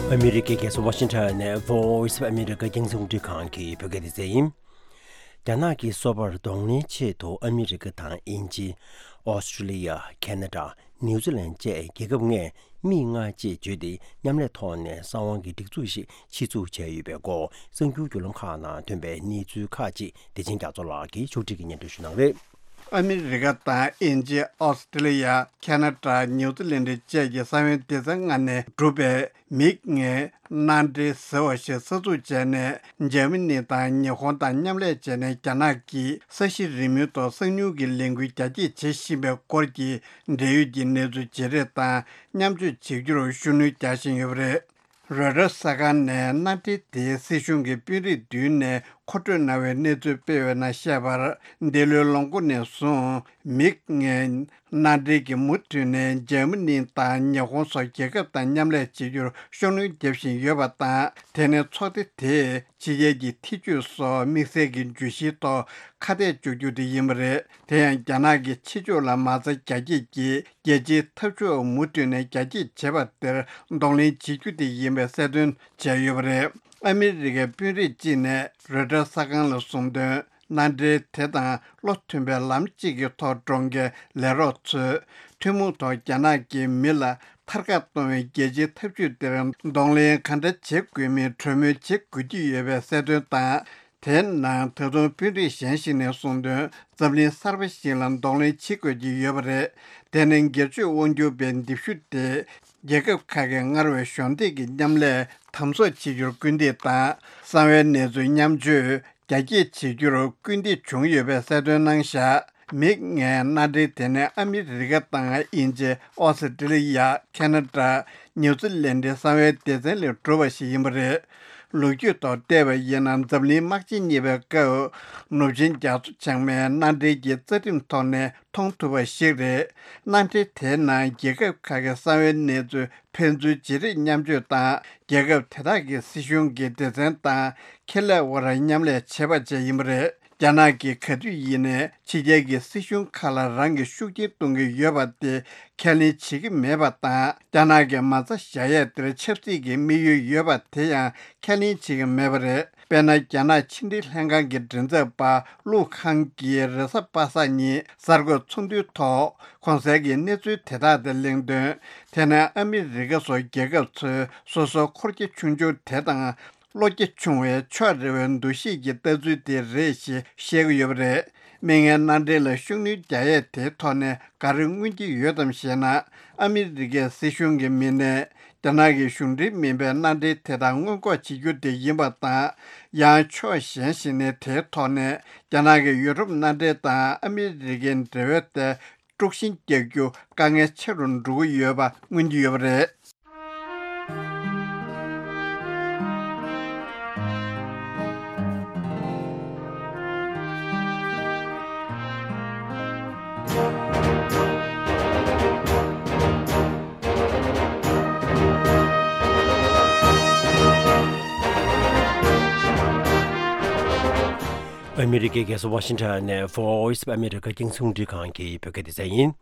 ཨ་མི་རི་ཀའི་རྒྱལ་ས་ཝ་ཤིང་ཊོན་ནས་Voice of America་རྒྱང་སྲིང་རླུང་འཕྲིན་ཁང་གི་བོད་སྐད་སྡེ་ཚན་ཡིན། རྒྱ་ནག་གི་སོ་པར་གདོང་ལེན་ཆེད་དུ་ཨ་མི་རི་ཀ་དང་དབྱིན་ཇི། ཨོ་སི་ཀྲི་ལི་ཡ། ཁེ་ན་ཌ། ནིའུ་ཛི་ལན་བཅས་རྒྱལ་ཁབ་ལྔས་མིག་ལྔ་ཅེས་བརྗོད་དེ་མཉམ་ལས་ཐོག་ནས་གསང་བའི་སྒྲིག་འཛུགས་ཤིག་ཆེད་འཛུགས་བྱས་ཡོད་པའི་སྐོར་གསར་འགྱུར་བརྒྱུད་ལམ་ཁག་ནང་ཐོན་པའི་གནས་ཚུལ་ཁག་ཅིག་བདེ་ཆེན་རྒྱ་མཚོ་ལགས་ཀྱིས་ཕྱོགས་སྒྲིག་གིས་སྙན་སྒྲོན་ཞུ་གནང་རེད། ཨ་མི་རི་ཀ་དང་དབྱིན་ཇི། ཨོ་སི་ཀྲི་ལི་ཡ། ཁེ་ན་ཌ། ནིའུ་ཛི་ལན་བཅས་ཀྱི་གསང་བའི་སྡེ་ཚན་ལྔ་ནས་གྲུབ་པའི་མིག་ལྔའི་མནའ་འབྲེལ་ཟེར་བ་ཞིག་གསར་འཛུགས་བྱས་ནས། འཇར་མ་ནི་དང་ཉི་ཧོང་དང་མཉམ་ལས་བྱས་ནས། རྒྱ་ནག་གིས་ས་གཞི་རིལ་མོའི་ཐོག་གསང་ཉུལ་གྱི་ལས་འགུལ་རྒྱ་སྐྱེད་བྱེད་བཞིན་པའི་སྐོར་གྱི་འབྲེལ་ཡོད་ཀྱི་གནས་ཚུལ་བརྗེ་རེས་དང་མཉམ་སྤྱོད་བྱེད་རྒྱུར་ཤུགས་སྣོན་རྒྱག་བཞིན་ཡོད་པ་རེད། རོའི་ཊར་གསར་ཁང་ནས་མནའ་འབྲེལ་དེའི་སྲིད་གཞུང་གི་དཔོན་རིགས་མདུན་ནས་མཁོ་སྤྲོད་གནང་བའི་གནས་ཚུལ་སྤེལ་བའི་ནང་བཤད་པར། འདི་ལོའི་ལོ་མགོ་ནས་བཟུང་མིག་ལྔའི་མནའ་འབྲེལ་གྱིས་མུ་མཐུད་ནས་འཇར་མ་ནི་དང་ཉི་ཧོང་སོགས་རྒྱལ་ཁབ་དང་མཉམ་ལས་བྱེད་རྒྱུར་ཤུགས་སྣོན་རྒྱག་བཞིན་ཡོད་པ་དང་། དེ་ནི་ཚོགས་སྡེ་དེས་ཕྱི་རྒྱལ་གྱི་ཐེ་ཇུས་སོགས་དམིགས་བསལ་གྱི་བརྗོད་གཞིའི་ཐོག་ཁ་གཏད་གཅོག་རྒྱུ་དེ་ཡིན་པ་རེད། དེ་ཡང་རྒྱ་ནག་གི་ཕྱི་ཕྱོགས་ལ་མ་རྩ་རྒྱ་སྐྱེད་ཀྱིས་རྒྱལ་སྤྱིའི་འཐབ་ཕྱོགས་མུ་མཐུད་ནས་རྒྱ་སྐྱེད་བྱེད་པ་དེར་གདོང་ལེན་བྱེད་རྒྱུ་དེ་ཡིན་པའི་གསལ་སྟོན་བྱས་ཡོད་པ་རེད། ཨ་མི་རི་ཀའི་དཔོན་རིགས་གཅིག་ནས་རོའི་ཊར་གསར་ཁང་ལ་གསུངས་དོན། མནའ་འབྲེལ་དེ་དང་བློ་མཐུན་པའི་ལམ་གཅིག་གི་ཐོག་འགྲོ་མཁན་ལས་རོགས་ཚོས་ཐུན་མོང་ཐོག་རྒྱ་ནག་གིས་མི་ལ་ཐར་ཀ་གཏོང་བའི་རྒྱལ་སྤྱིའི་འཐབ་ཇུས་དེར་གདོང་ལེན་ག་འདྲ་བྱེད་དགོས་མིན་གྲོས་མོལ་བྱེད་དགོས་ཀྱི་ཡོད་པའི་གསལ་སྟོན་དང་། དེའི་ནང་ད་དུང་དཔོན་རིགས་གཞན་ཞིག་ནས་གསུངས་དོན། འཛམ་གླིང་གསར་པ་ཞིག་ལ་གདོང་ལེན་བྱེད་དགོས་ཀྱི་ཡོད་པ་རེད། དེ་ནི་སྒེར་གཅོད་དབང་སྒྱུར་པའི་མདེའུ་ཤུ་སྟེ། རྒྱལ་ཁབ་ཁག་གིས་སྔར་བས་གཞོགས་འདེགས་ཀྱི་མཉམ་ལས་དམ་ཟབ་བྱེད་རྒྱུར་སྐུལ་འདེད་དང་། གསང་བའི་གནས་ཚུལ་མཉམ་སྤྱོད་རྒྱ་སྐྱེད་བྱེད་རྒྱུར་སྐུལ་འདེད་བྱུང་ཡོད་པའི་གསལ་སྟོན་གནང་བཞག་མིག་སྔའི་མནའ་འབྲེལ་དེ་ནི་ཨ་མི་རི་ཀ་དང་དབྱིན་ཇི། ཨོ་སི་ཀྲི་ལི་ཡ། ཁེ་ན་ཌ། ནིའུ་ཛི་ལན་ཌའི་གསང་བའི་སྡེ་ཚན་ལས་གྲུབ་པ་ཞིག་ཡིན་པ་རེད། ལོ་རྒྱུས་ཐོག་བལྟས་པ་ཡིན་ན། འཛམ་གླིང་དམག་ཆེན་གཉིས་པའི་སྐབས་ནུབ་ཆིངས་རྒྱ་མཚོ་བྱང་མའི་མནའ་འབྲེལ་གྱི་རྩ་ཁྲིམས་ཐོག་ནས་མཐོང་ཐུབ་པ་ཞིག་རེད། མནའ་འབྲེལ་དེའི་ནང་རྒྱལ་ཁབ་ཁག་གི་གསང་བའི་གནས་ཚུལ་ཕན་ཚུན་བརྗེ་རེས་མཉམ་སྤྱོད་དང་། རྒྱལ་ཁབ་དེ་དག་གི་སྲིད་གཞུང་གི་སྡེ་ཚན་དང་ཁེ་ལས་དབར་མཉམ་ལས་བྱེད་པ་བཅས་ཡིན་པ་རེད། རྒྱ་ནག་གིས་ག་དུས་ཡིན་ནའི་ཕྱི་རྒྱལ་གྱི་སྲིད་གཞུང་ཁག་ལ་རང་གི་ཤུགས་རྐྱེན་གཏོང་གི་ཡོད་པ་དེ་ཁས་ལེན་བྱེད་ཀྱི་མེད་པ་དང་། རྒྱ་ནག་གི་མ་རྩ་བཞག་ཡས་དེར་ཆབ་སྲིད་ཀྱི་དམིགས་ཡུལ་ཡོད་པ་དེ་ཡང་ཁས་ལེན་བྱེད་ཀྱི་མེད་པ་རེད། དཔེར་ན། རྒྱ་ནག་ཕྱི་འབྲེལ་ལྷན་ཁང་གི་མགྲིན་ཚབ་པ་ལུའུ་ཁང་གིས་རེས་གཟའ་པ་སངས་ཉིན་གསར་འགོད་ཚོགས་འདུའི་ཐོག་གོང་གསལ་གྱི་གནས་ཚུལ་དེ་དག་དེ་གླེང་དོན། དེ་ནི་ཨ་མི་རི་ཀ་སོགས་རྒྱལ་ཁབ་ཚོས་སོ་སོའི་འཁོར་རྒྱ་ཆུང་ཆུང་དེ་དང་། བློ་རྒྱ་ཆུང་བའི་ཕྱོགས་རེ་བའི་འདུ་ཤེས་ཀྱི་ལྟ་ཚུལ་དེ་རེད་ཞེས་བཤད་ཀྱི་ཡོད་པ་རེད། མིག་སྔའི་མནའ་འབྲེལ་ལ་ཤུགས་སྣོན་རྒྱག་ཡས་དེའི་ཐོག་ནས་ག་རེ་མངོན་གྱི་ཡོད་དམ་ཞེ་ན། ཨ་མི་རི་ཀའི་སྲིད་གཞུང་གི་མི་སྣས་རྒྱ་ནག་གི་གཞུང་འབྲེལ་མིན་པའི་མནའ་འབྲེལ་དེ་དག་སྔོན་འགོག་བྱེད་རྒྱུ་དེ་ཡིན་པ་དང་། ཡང་ཕྱོགས་གཞན་ཞིག་ནས་དེའི་ཐོག་ནས་རྒྱ་ནག་གི་ཡུ་རོབ་མནའ་འབྲེལ་དང་ཨ་མི་རི་ཀའི་འབྲེལ་བའི་ཐད་དཀྲུག་ཤིང་རྒྱག་རྒྱུ་དཀའ་ངལ་ཆེ་རུ་འགྲོ་གི་ཡོད་པ་མངོན་གྱི་ཡོད་པ་རེད། ཨ་མི་རི་ཀའི་རྒྱལ་ས་ཝ་ཤིང་ཊོན་ནས་Voice of America རྒྱང་སྲིང་རླུང་འཕྲིན་ཁང་གི་བོད་སྐད་སྡེ་ཚན་ཡིན།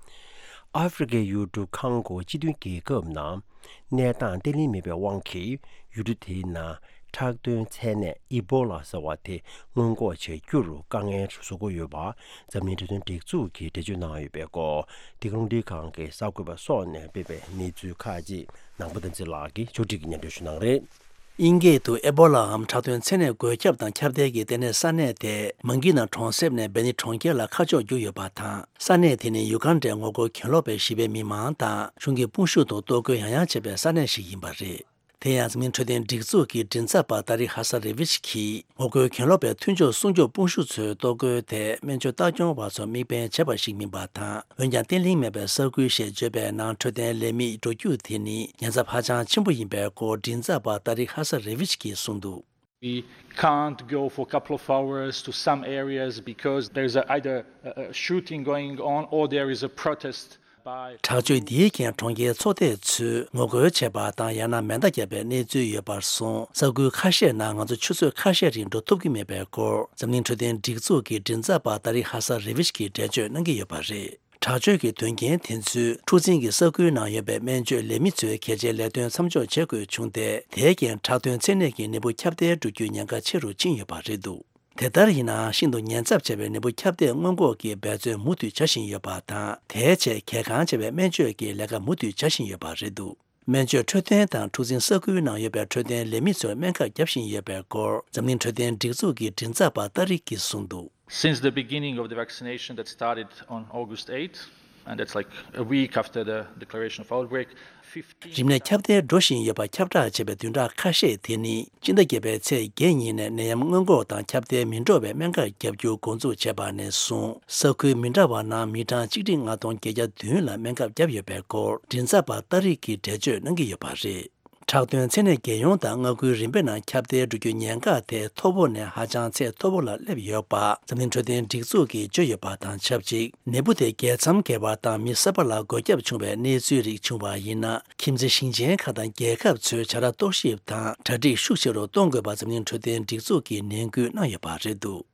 ཨ་ཧྥེ་རི་ཀའི་ཡུལ་གྲུ་ཁོང་གོ་སྤྱི་མཐུན་རྒྱལ་ཁབ་ནང་གནས་སྟངས་བརྟན་ལྷིང་མེད་པའི་དབང་གིས་ཡུལ་གྲུ་དེའི་ནང་ཁྲག་འདོན་ཚད་ནད་ཨི་བྷོ་ལ་ཟེར་བ་དེ་སྔོན་འགོག་བྱ་རྒྱུར་དཀའ་ངལ་བཟོ་གི་ཡོད་པ་འཛམ་གླིང་འཕྲོད་བསྟེན་སྒྲིག་འཛུགས་ཀྱིས་འགྲེལ་བརྗོད་གནང་ཡོད་པའི་སྐོར། འདི་ག་རླུང་འཕྲིན་ཁང་གི་གསར་འགོད་པ་སོགས་ནས་སྤེལ་བའི་གནས་ཚུལ་ཁག་ཅིག་ནང་པ་བསྟན་འཛིན་ལགས་ཀྱིས་ཕྱོགས་སྒྲིག་གིས་སྙན་སྒྲོན་ཞུ་གནང་རེད། དབྱིན་སྐད་དུ་ཨེ་བྷོ་ལའམ་ཁྲག་འདོན་ཚད་ནད་འགོས་ཁྱབ་དང་ཁྱབ་གདལ་གྱི་ལྟེ་གནས་ས་གནས་དེ་མང་གི་ན་གྲོང་གསེབ་ནས་བེ་ནི་གྲོང་ཁྱེར་ལ་ཁ་ཕྱོགས་བསྒྱུར་ཡོད་པ་དང་། ས་གནས་དེ་ནི་ཡུ་གན་ཌའི་ངོ་རྒོལ་གྱེན་ལོག་པས་གཞིས་པའི་མི་མང་དང་གཞུང་གི་དཔུང་ཤུགས་ཐོག་གཏོར་རྒོལ་ཡང་ཡང་བྱས་པའི་ས་གནས་ཤིག་ཡིན་པ་རེད། དེ་ཡང་འཛམ་གླིང་འཕྲོད་བསྟེན་སྒྲིག་འཛུགས་ཀྱི་མགྲིན་ཚབ་པ་ཏཱ་རིག་ཧ་ས་རེ་ཝིཆ་གིས། ངོ་རྒོལ་གྱེན་ལོག་པའི་མཐུན་ཕྱོགས་སྲུང་སྐྱོབ་དཔུང་ཤུགས་ཚོའི་གཏོར་རྒོལ་དེ་སྨན་བཅོས་ལྟ་སྐྱོང་བ་ཚོ་དམིགས་འབེན་བྱས་པ་ཞིག་མིན་པ་དང་། འོན་ཀྱང་བརྟན་ལྷིང་མེད་པའི་ས་ཁུལ་ཞེས་བརྗོད་པའི་ནང་འཕྲོད་བསྟེན་ལས་མི་འགྲོ་རྒྱུ་དེ་ནི་ཉེན་ཚབས་ཧ་ཅང་ཆེན་པོ་ཡིན་པའི་སྐོར་མགྲིན་ཚབ་པ་ཏཱ་རིག་ཧ་ས་རེ་ཝིཆ་གིས་གསུངས་འདུག We can't go for a couple of hours to some areas because there's a, either a, a shooting going on or there is a protest. དྲག་སྤྱོད་འདིའི་རྐྱེན་གྲོང་ཁྱེར་ཚོ་སྡེ་ཚོས་ངོ་རྒོལ་བྱས་པ་དང་ཡང་ན་མེ་མདའ་བརྒྱབ་པའི་གནས་ཚུལ་ཡོད་པར་སོང་། ས་ཁུལ་ཁ་ཤས་ནང་ང་ཚོ་ཆུ་ཚོད་ཁ་ཤས་རིང་འགྲོ་ཐུབ་ཀྱི་མེད་པའི་སྐོར་འཛམ་གླིང་འཕྲོད་བསྟེན་སྒྲིག་འཛུགས་ཀྱི་མགྲིན་ཚབ་པ་ཏཱ་རིག་ཧ་ས་རེ་ཝིཆ་གིས་འགྲེལ་བརྗོད་གནང་གི་ཡོད་པ་རེད། དྲག་སྤྱོད་ཀྱི་དོན་རྐྱེན་དེ་ཚོས་འཁྲུག་འཛིང་གི་ས་ཁུལ་ནང་ཡོད་པའི་སྨན་བཅོས་ལས་མི་ཚོའི་གལ་ཆེའི་ལས་དོན་མཚམས་འཇོག་བྱེད་དགོས་བྱུང་སྟེ། དེའི་རྐྱེན་ཁྲག་འདོན་ཚད་ནད་ཀྱི་ནད་འབུ་ཁྱབ་གདལ་འགྲོ་རྒྱུའི་ཉེན་ཁ་ཆེ་རུ་ཕྱིན་ཡོད་པ་རེད་འདུག་དེ་ལྟར་ཡིན་ནའང་ཤིན་ཏུ་ཉེན་ཚབས་ཆེ་བའི་ནད་འབུ་ཁྱབ་གདལ་སྔོན་འགོག་གི་འབད་བརྩོན་མུ་མཐུད་བྱ་བཞིན་ཡོད་པ་དང་། དེའི་ཆེད་གལ་འགངས་ཆེ་བའི་སྨན་བཅོས་ཀྱི་ལས་ཀ་མུ་མཐུད་བྱ་བཞིན་ཡོད་པ་རེད་འདུག་སྨན་བཅོས་འཕྲོད་བསྟེན་དང་འཁྲུག་འཛིང་ས་ཁུལ་ནང་ཡོད་པའི་འཕྲོད་བསྟེན་ལས་མི་ཚོར་སྨན་ཁབ་བརྒྱབ་བཞིན་ཡོད་པའི་སྐོར་འཛམ་གླིང་འཕྲོད་བསྟེན་སྒྲིག་འཛུགས་ཀྱི་མགྲིན་ཚབ་པ་ཏཱ་རིག་གིས་གསུངས་འདུག Since the beginning of the vaccination that started on August eighth, and that's like a week after the declaration of outbreak, fifteen རིམས་ནད་ཁྱབ་གདལ་འགྲོ་བཞིན་ཡོད་པ་ཁྱབ་བསྒྲགས་བྱས་པའི་བདུན་ཕྲག་ཁ་ཤས་དེ་ནི། སྤྱི་ཟླ་བརྒྱད་པའི་ཚེས་བརྒྱད་ཉིན་ནས་ནད་ཡམས་སྔོན་འགོག་དང་ཁྱབ་གདལ་མི་འགྲོ་བའི་སྨན་ཁབ་བརྒྱབ་རྒྱུ་འགོ་འཛུགས་བྱས་པ་ནས་བཟུང་། ས་ཁུལ་མི་འདྲ་བ་ནང་མི་གྲངས་གཅིག་ཁྲི་ལྔ་སྟོང་བརྒྱད་བརྒྱ་བདུན་ལ་སྨན་ཁབ་བརྒྱབ་ཡོད་པའི་སྐོར་མགྲིན་ཚབ་པ་ཏཱ་རིག་གིས་འགྲེལ་བརྗོད་གནང་གི་ཡོད་པ་རེད། ཁྲག་འདོན་ཚད་ནད་རྒྱལ་ཡོངས་དང་མངའ་ཁུལ་རིམ་པ་ནང་ཁྱབ་གདལ་འགྲོ་རྒྱུའི་ཉེན་ཁ་དེ་མཐོ་པོ་ནས་ཧ་ཅང་ཚད་མཐོ་པོ་ལ་སླེབས་ཡོད་པ་འཛམ་གླིང་འཕྲོད་བསྟེན་སྒྲིག་འཛུགས་ཀྱིས་བརྗོད་ཡོད་པ་དང་ཆབས་ཅིག་ནད་འབུ་དེ་རྒྱལ་མཚམས་བརྒལ་བ་དང་མི་གསར་པ་ལ་འགོས་ཁྱབ་བྱུང་བའི་གནས་ཚུལ་རིགས་བྱུང་བ་ཡིན་ན། ཁྱིམ་མཚེས་ཞིང་ཆེན་ཁག་དང་རྒྱལ་ཁབ་ཚོས་བྱ་ར་གཏོར་བཤིག་དང་གྲ་སྒྲིག་ཤུགས་ཆེ་རུ་གཏོང་དགོས་པ་འཛམ་གླིང་འཕྲོད་བསྟེན་སྒྲིག་འཛུགས་ཀྱིས་ནན་སྐུལ་གནང་ཡོད་པ་རེད་འདུག་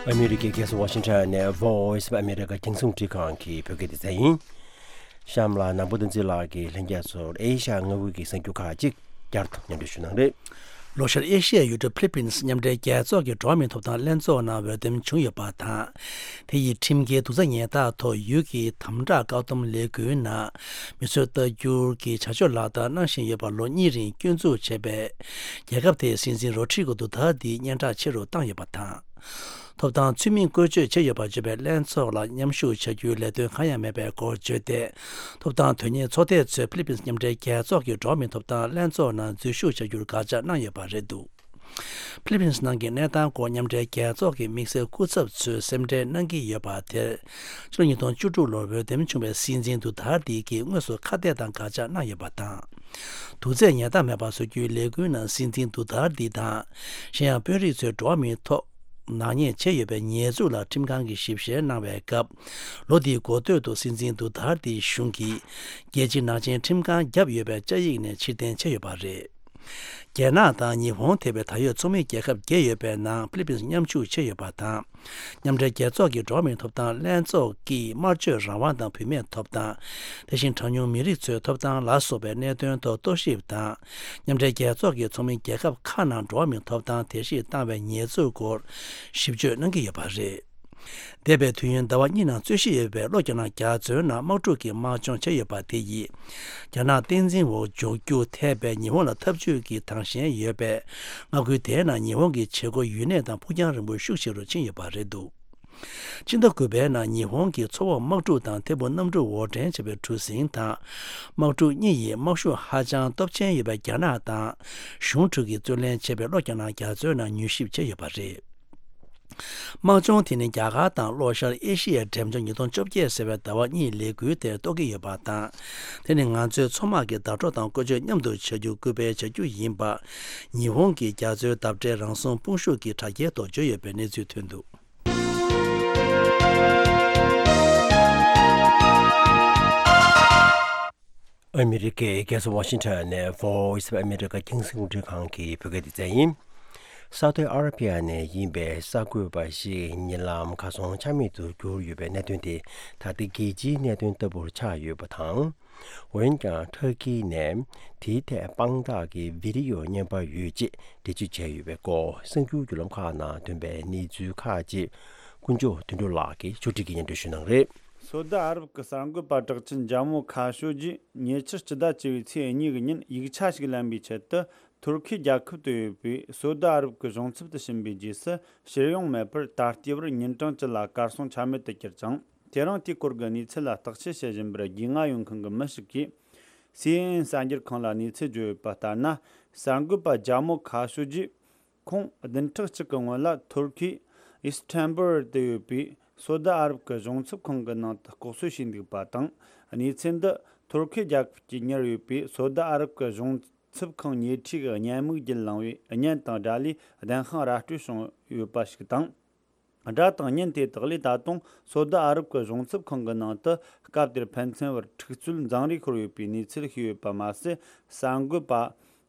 ཨ་མི་རི་ཀའི་རྒྱལ་ས་ཝ་ཤིང་ཊོན་ནས་Voice of America རྒྱང་སྲིང་རླུང་འཕྲིན་ཁང་གི་བོད་སྐད་སྡེ་ཚན་ཡིན། གཤམ་ལ་ནང་པ་བསྟན་འཛིན་ལགས་ཀྱིས་ལྷན་རྒྱས་ཚོར་ཨེ་ཤ་ཡ་མངའ་ཁུལ་གྱི་གསར་འགྱུར་ཁག་ཅིག་བསྐྱར་དུ་སྙན་སྒྲོན་ཞུ་གནང་རེད། ལྷོ་ཤར་ཨེ་ཤི་ཡའི་ཡུལ་གྲུ་ཕི་ལི་པིན་སི་མཉམ་འབྲེལ་རྒྱལ་ཚོགས་ཀྱི་འགྲོ་བ་མིའི་ཐོབ་ཐང་ལྷན་ཚོགས་ནང་འོས་འདེམས་བྱུང་ཡོད་པ་དང་། དེ་ཡི་ཁྲིམས་འགལ་རྡོག་རྩ་ཉེས་རྟགས་ཐོག་ཡུལ་གྱི་དམ་དྲག་བཀག་སྡོམ་ལས་འགུལ་ནང་མི་གསོད་རྟ་རྒྱུག་གི་བྱ་སྤྱོད་ལག་བསྟར་གནང་བཞིན་ཡོད་པར་ལོ་གཉིས་རིང་སྐྱོན་འཛུགས་བྱས་པའི་རྒྱལ་ཁབ་དེའི་སྲིད་འཛིན་རོ་ཌི་རི་གོ་དུ་ཐར་ཏིའི་སྙན་གྲགས་ཆེ་རུ་བཏང་ཡོད་པ་དང་། ཐོབ་ཐང་ཚུལ་མིན་བཀོལ་སྤྱོད་བྱས་ཡོད་པར་བརྗོད་པའི་ལྷན་ཚོགས་ལ་མཉམ་ཞུགས་བྱ་རྒྱུའི་ལས་དོན་གང་ཡང་མེད་པའི་སྐོར་བརྗོད་དེ། ཐོབ་ཐང་དོན་གཉེར་ཚོགས་སྡེ་ཚོས་ཕི་ལི་པིན་སི་མཉམ་འབྲེལ་རྒྱལ་ཚོགས་ཀྱི་འགྲོ་བ་མིའི་ཐོབ་ཐང་ལྷན་ཚོགས་ནང་འཛུལ་ཞུགས་བྱ་རྒྱུར་དགག་བྱ་གནང་ཡོད་པ་རེད་འདུག་ཕི་ལི་པིན་སི་ནང་གི་གནས་སྟངས་སྐོར་མཉམ་འབྲེལ་རྒྱལ་ཚོགས་ཀྱི་དམིགས་བསལ་སྐུ་ཚབ་ཚོས་སེམས་ཁྲལ་གནང་གི་ཡོད་པ་དེར། ཕྱི་ལོ་ཉིས་སྟོང་བཅུ་དྲུག་ལོར་འོས་འདེམས་བྱུང་བའི་སྲིད་འཛིན་དུ་ཐར་ཏི་གིས་དངོས་སུ་ཁ་གཏད་དང་དགག་བྱ་གནང་ཡོད་པ་དང་། དུག་རྫས་ཉེས་རྟགས་མེད་པར་བཟོ་རྒྱུའི་ལས་འགུལ་ནང་སྲིད་འཛིན་དུ་ཐར་ཏི་དང་། གཞན་ཡང་དཔོན་རིགས་ཚོས་འགྲོ་བ་མིའི་ཐོག་ནག་ཉེས་བྱས་ཡོད་པའི་ཉེས་འཛུགས་ལ་ཁྲིམས་ཁང་གིས་ཞིབ་བཤེར་གནང་བའི་སྐབས། ལོ་འདིའི་འགོ་སྟོད་དུ་སྲིད་འཛིན་དུ་ཐར་ཏིའི་གཞུང་གིས་རྒྱལ་སྤྱིའི་ནག་ཅན་ཁྲིམས་ཁང་བརྒྱབ་ཡོད་པའི་བཅའ་ཡིག་ནས་ཕྱིར་འཐེན་བྱས་ཡོད་པ་རེད། རྒྱ་ནག་དང་ཉི་ཧོང་ཐེ་བའི་ད་ཡོད་ཚོགས་མི་རྒྱལ་ཁབ་བརྒྱད་ཡོད་པའི་ནང་ཕི་ལི་པིན་སི་མཉམ་ཞུགས་བྱས་ཡོད་པ་དང་། མཉམ་འབྲེལ་རྒྱལ་ཚོགས་ཀྱི་འགྲོ་བ་མིའི་ཐོབ་ཐང་ལྷན་ཚོགས་ཀྱིས་སྨྲ་བརྗོད་རང་དབང་དང་བུད་མེད་ཐོབ་ཐང་། དེ་བཞིན་གྲངས་ཉུང་མི་རིགས་ཚོའི་ཐོབ་ཐང་ལ་སོགས་པའི་གནད་དོན་ཐོག་རྟོག་ཞིབ་དང་། མཉམ་འབྲེལ་རྒྱལ་ཚོགས་ཀྱི་ཚོགས་མི་རྒྱལ་ཁབ་ཁག་ནང་འགྲོ་བ་མིའི་ཐོབ་ཐང་དེ་བཞིན་བཏང་བའི་ཉེས་འཛུགས་སྐོར་ཞིབ་དཔྱོད་གནང་གི་ཡོད་པ་རེད། འདས་པའི་དུས་ཡུན་ཟླ་བ་གཉིས་ནང་རྩོད་གཞི་ཡོད་པའི་ལྷོ་རྒྱ་ནག་རྒྱ་མཚོའི་ནང་དམག་འཁྲུག་གི་དམག་སྦྱོང་བྱས་ཡོད་པ་དེ་ཡིས། རྒྱ་ནག་བསྟན་འཛིན་འོག་འཇོག་རྒྱུ་འཐད་པའི་ཉི་ཧོང་ལ་འཐབ་ཇུས་ཀྱི་དང་ཞེན་ཡོད་པས། མངའ་ཁུལ་དེའི་ནང་ཉི་ཧོང་གི་བྱེད་སྒོ་ཡུན་གནས་དང་ཕུགས་རྒྱང་རིང་པོ་ཤུགས་ཆེ་རུ་ཕྱིན་ཡོད་པ་རེད་འདུག་ཕྱི་ཟླ་དགུ་པའི་ནང་ཉི་ཧོང་གིས་མཚོ་འོག་དམག་འཁྲུག་དང་ཐད་འཕུར་གནམ་གྲུ་འོར་འདྲེན་བྱས་པའི་གྲུ་གཟིངས་དང་། དམག་འཁྲུག་གཉིས་ཡིས་དམག་ཤུགས་ཧ་ཅང་སྟོབས་ཆེན་ཡོད་པའི་རྒྱ་ནག་དང་། གཞུང་དྲུག་གིས་རྩོད་ལེན་བྱས་པའི་ལྷོ་རྒྱ་ནག་རྒྱ་མཚོའི་ནང་མྱུལ་ཞིབ་བྱས་ཡོད་པ་རེད། དམག་སྦྱོང་དེ་ནི་རྒྱ་གར་དང་ལྷོ་ཤར་ཨེ་ཤི་ཡའི་འགྲེམས་སྦྱོང་ཉིས་སྟོང་བཅོ་བརྒྱད་ཟེར་བའི་ཟླ་བ་གཉིས་ལས་འགུལ་དེར་གཏོགས་ཀྱི་ཡོད་པ་དང་། དེ་ནི་ང་ཚོའི་མཚོ་དམག་གི་བརྡ་སྤྲོད་དང་བཀོལ་སྤྱོད་མཉམ་དུ་བྱ་རྒྱུ་སྐུལ་སྤེལ་བྱ་རྒྱུ་ཡིན་པ། ཉི་ཧོང་གི་རྒྱ་མཚོའི་འདབས་འབྲེལ་རང་སྲུང་དཔུང་ཤུགས་ཀྱི་དྲ་རྒྱའི་ཐོག་བརྗོད་ཡོད་པའི་གནས་ཚུལ་ཐོན་འདུག་ཨ་མི་རི་ཀའི་རྒྱལ་ས་ཝ་ཤིང་ཊོན་ནས་Voice of America་རྒྱང་སྲིང་རླུང་འཕྲིན་ཁང་གི་བོད་སྐད་སྡེ་ཚན་ཡིན། ས་ཐོག་ཨ་ར་པི་ཡ་ནས་ཡིན་པའི་གསར་འགོད་པ་ཞིག་ཉེ་ལམ་ཁ་སང་ཆ་མེད་དུ་གྱུར་ཡོད་པའི་གནད་དོན་དེ་ད་ལྟ་རྒྱལ་སྤྱིའི་གནད་དོན་ལྟ་བུར་ཆགས་ཡོད་པ་དང་། འོན་ཀྱང་ཐུར་ཁེ་ནས་དེའི་ཐད་དཔང་རྟགས་ཀྱི་བི་ཌི་ཡོ་རྙེད་པ་ཡོད་ཅེས་འགྲེལ་བརྗོད་བྱས་ཡོད་པའི་སྐོར་གསར་འགྱུར་བརྒྱུད་ལམ་ཁག་ནང་ཐོན་པའི་གནས་ཚུལ་ཁག་ཅིག་ཀུན་མཆོག་དོན་གྲུབ་ལགས་ཀྱིས་ཕྱོགས་སྒྲིག་གིས་སྙན་སྒྲོན་ཞུ་གནང་རེད། སོ་ཏི་ཨ་རབ་ཀྱི་གསར་འགོད་པ་གྲགས་ཅན་ཇ་མོ་ཁ་ཤོ་ཇིས་ཉེ་ཆར་སྤྱི་ཟླ་བཅུ་པའི་ཚེས་གཉིས་ཀྱི་ཉིན་ཡིག་ཆ་ཞིག་ལེན་པའི་ཆེད་དུ། ཐུར་ཁེ་རྒྱལ་ཁབ་ཏུ་ཡོད་པའི་སོ་ཏི་ཨ་རབ་ཀྱི་གཞུང་ཚབ་ཏུ་ཕྱིན་པའི་རྗེས་སུ། ཕྱིར་ཡོང་མེད་པར་ད་ལྟའི་བར་ཉིན་གྲངས་བཅུ་ལ་གར་སོང་ཆ་མེད་དུ་གྱུར་ཅིང་། དེ་རིང་དེའི་སྐོར་གྱི་གནས་ཚུལ་ལ་བརྟག་དཔྱད་བྱེད་བཞིན་པར་རྒྱུས་མངའ་ཡོད་མཁན་གྱི་མི་ཞིག་གིས། སི་ཨེན་ཨེན་གསར་འགྱུར་ཁང་ལ་གནས་ཚུལ་བརྗོད་ཡོད་པ་ལྟར་ན། གསར་འགོད་པ་ཇ་མོ་ཁ་ཤོ་ཇིས། ཁོང་བདུན་ཕྲག་གཅིག་གི་སྔོན་ལ་ཐུར་ཁེའི་ཨིས་ཐན་བུལ་དུ་ཡོད་པའི་སོ་ཏི་ཨ་རབ་ཀྱི་གཞུང་ཚབ་ཁང་གི་ནང་དུ་ལྐོག་གསོད་བྱས་འདུག་པ་དང་། གནས་ཚུལ་འདི་ཐུར་ཁེ་རྒྱལ་ཁབ་ཀྱིས་གཉེར་ཡོད་པའི་སོ་ཏི་ཨ་རབ་ཀྱི་གཞུང་ཚབ་ཁང་ཉེ་འཁྲིས་ཀྱི་བརྙན་མིག་བརྒྱུད་བླངས་པའི་བརྙན་དང་སྒྲ་ལས་བདེན་དཔང་ར་སྤྲོད་བྱུང་ཡོད་པ་ཞིག་དང་། སྒྲ་དང་བརྙན་དེ་དག་ལས་ད་དུང་སོ་ཏི་ཨ་རབ་ཀྱི་གཞུང་ཚབ་ཁང་གི་ནང་དུ་སྐབས་དེར་ཕན་ཚུན་བར་འཁྲུག་རྩོད་འཛིང་རེས་ཤོར་ཡོད་པའི་གནས་ཚུལ་ཤེས་ཡོད་པ་མ་ཟད། གསར་འགོད་པ་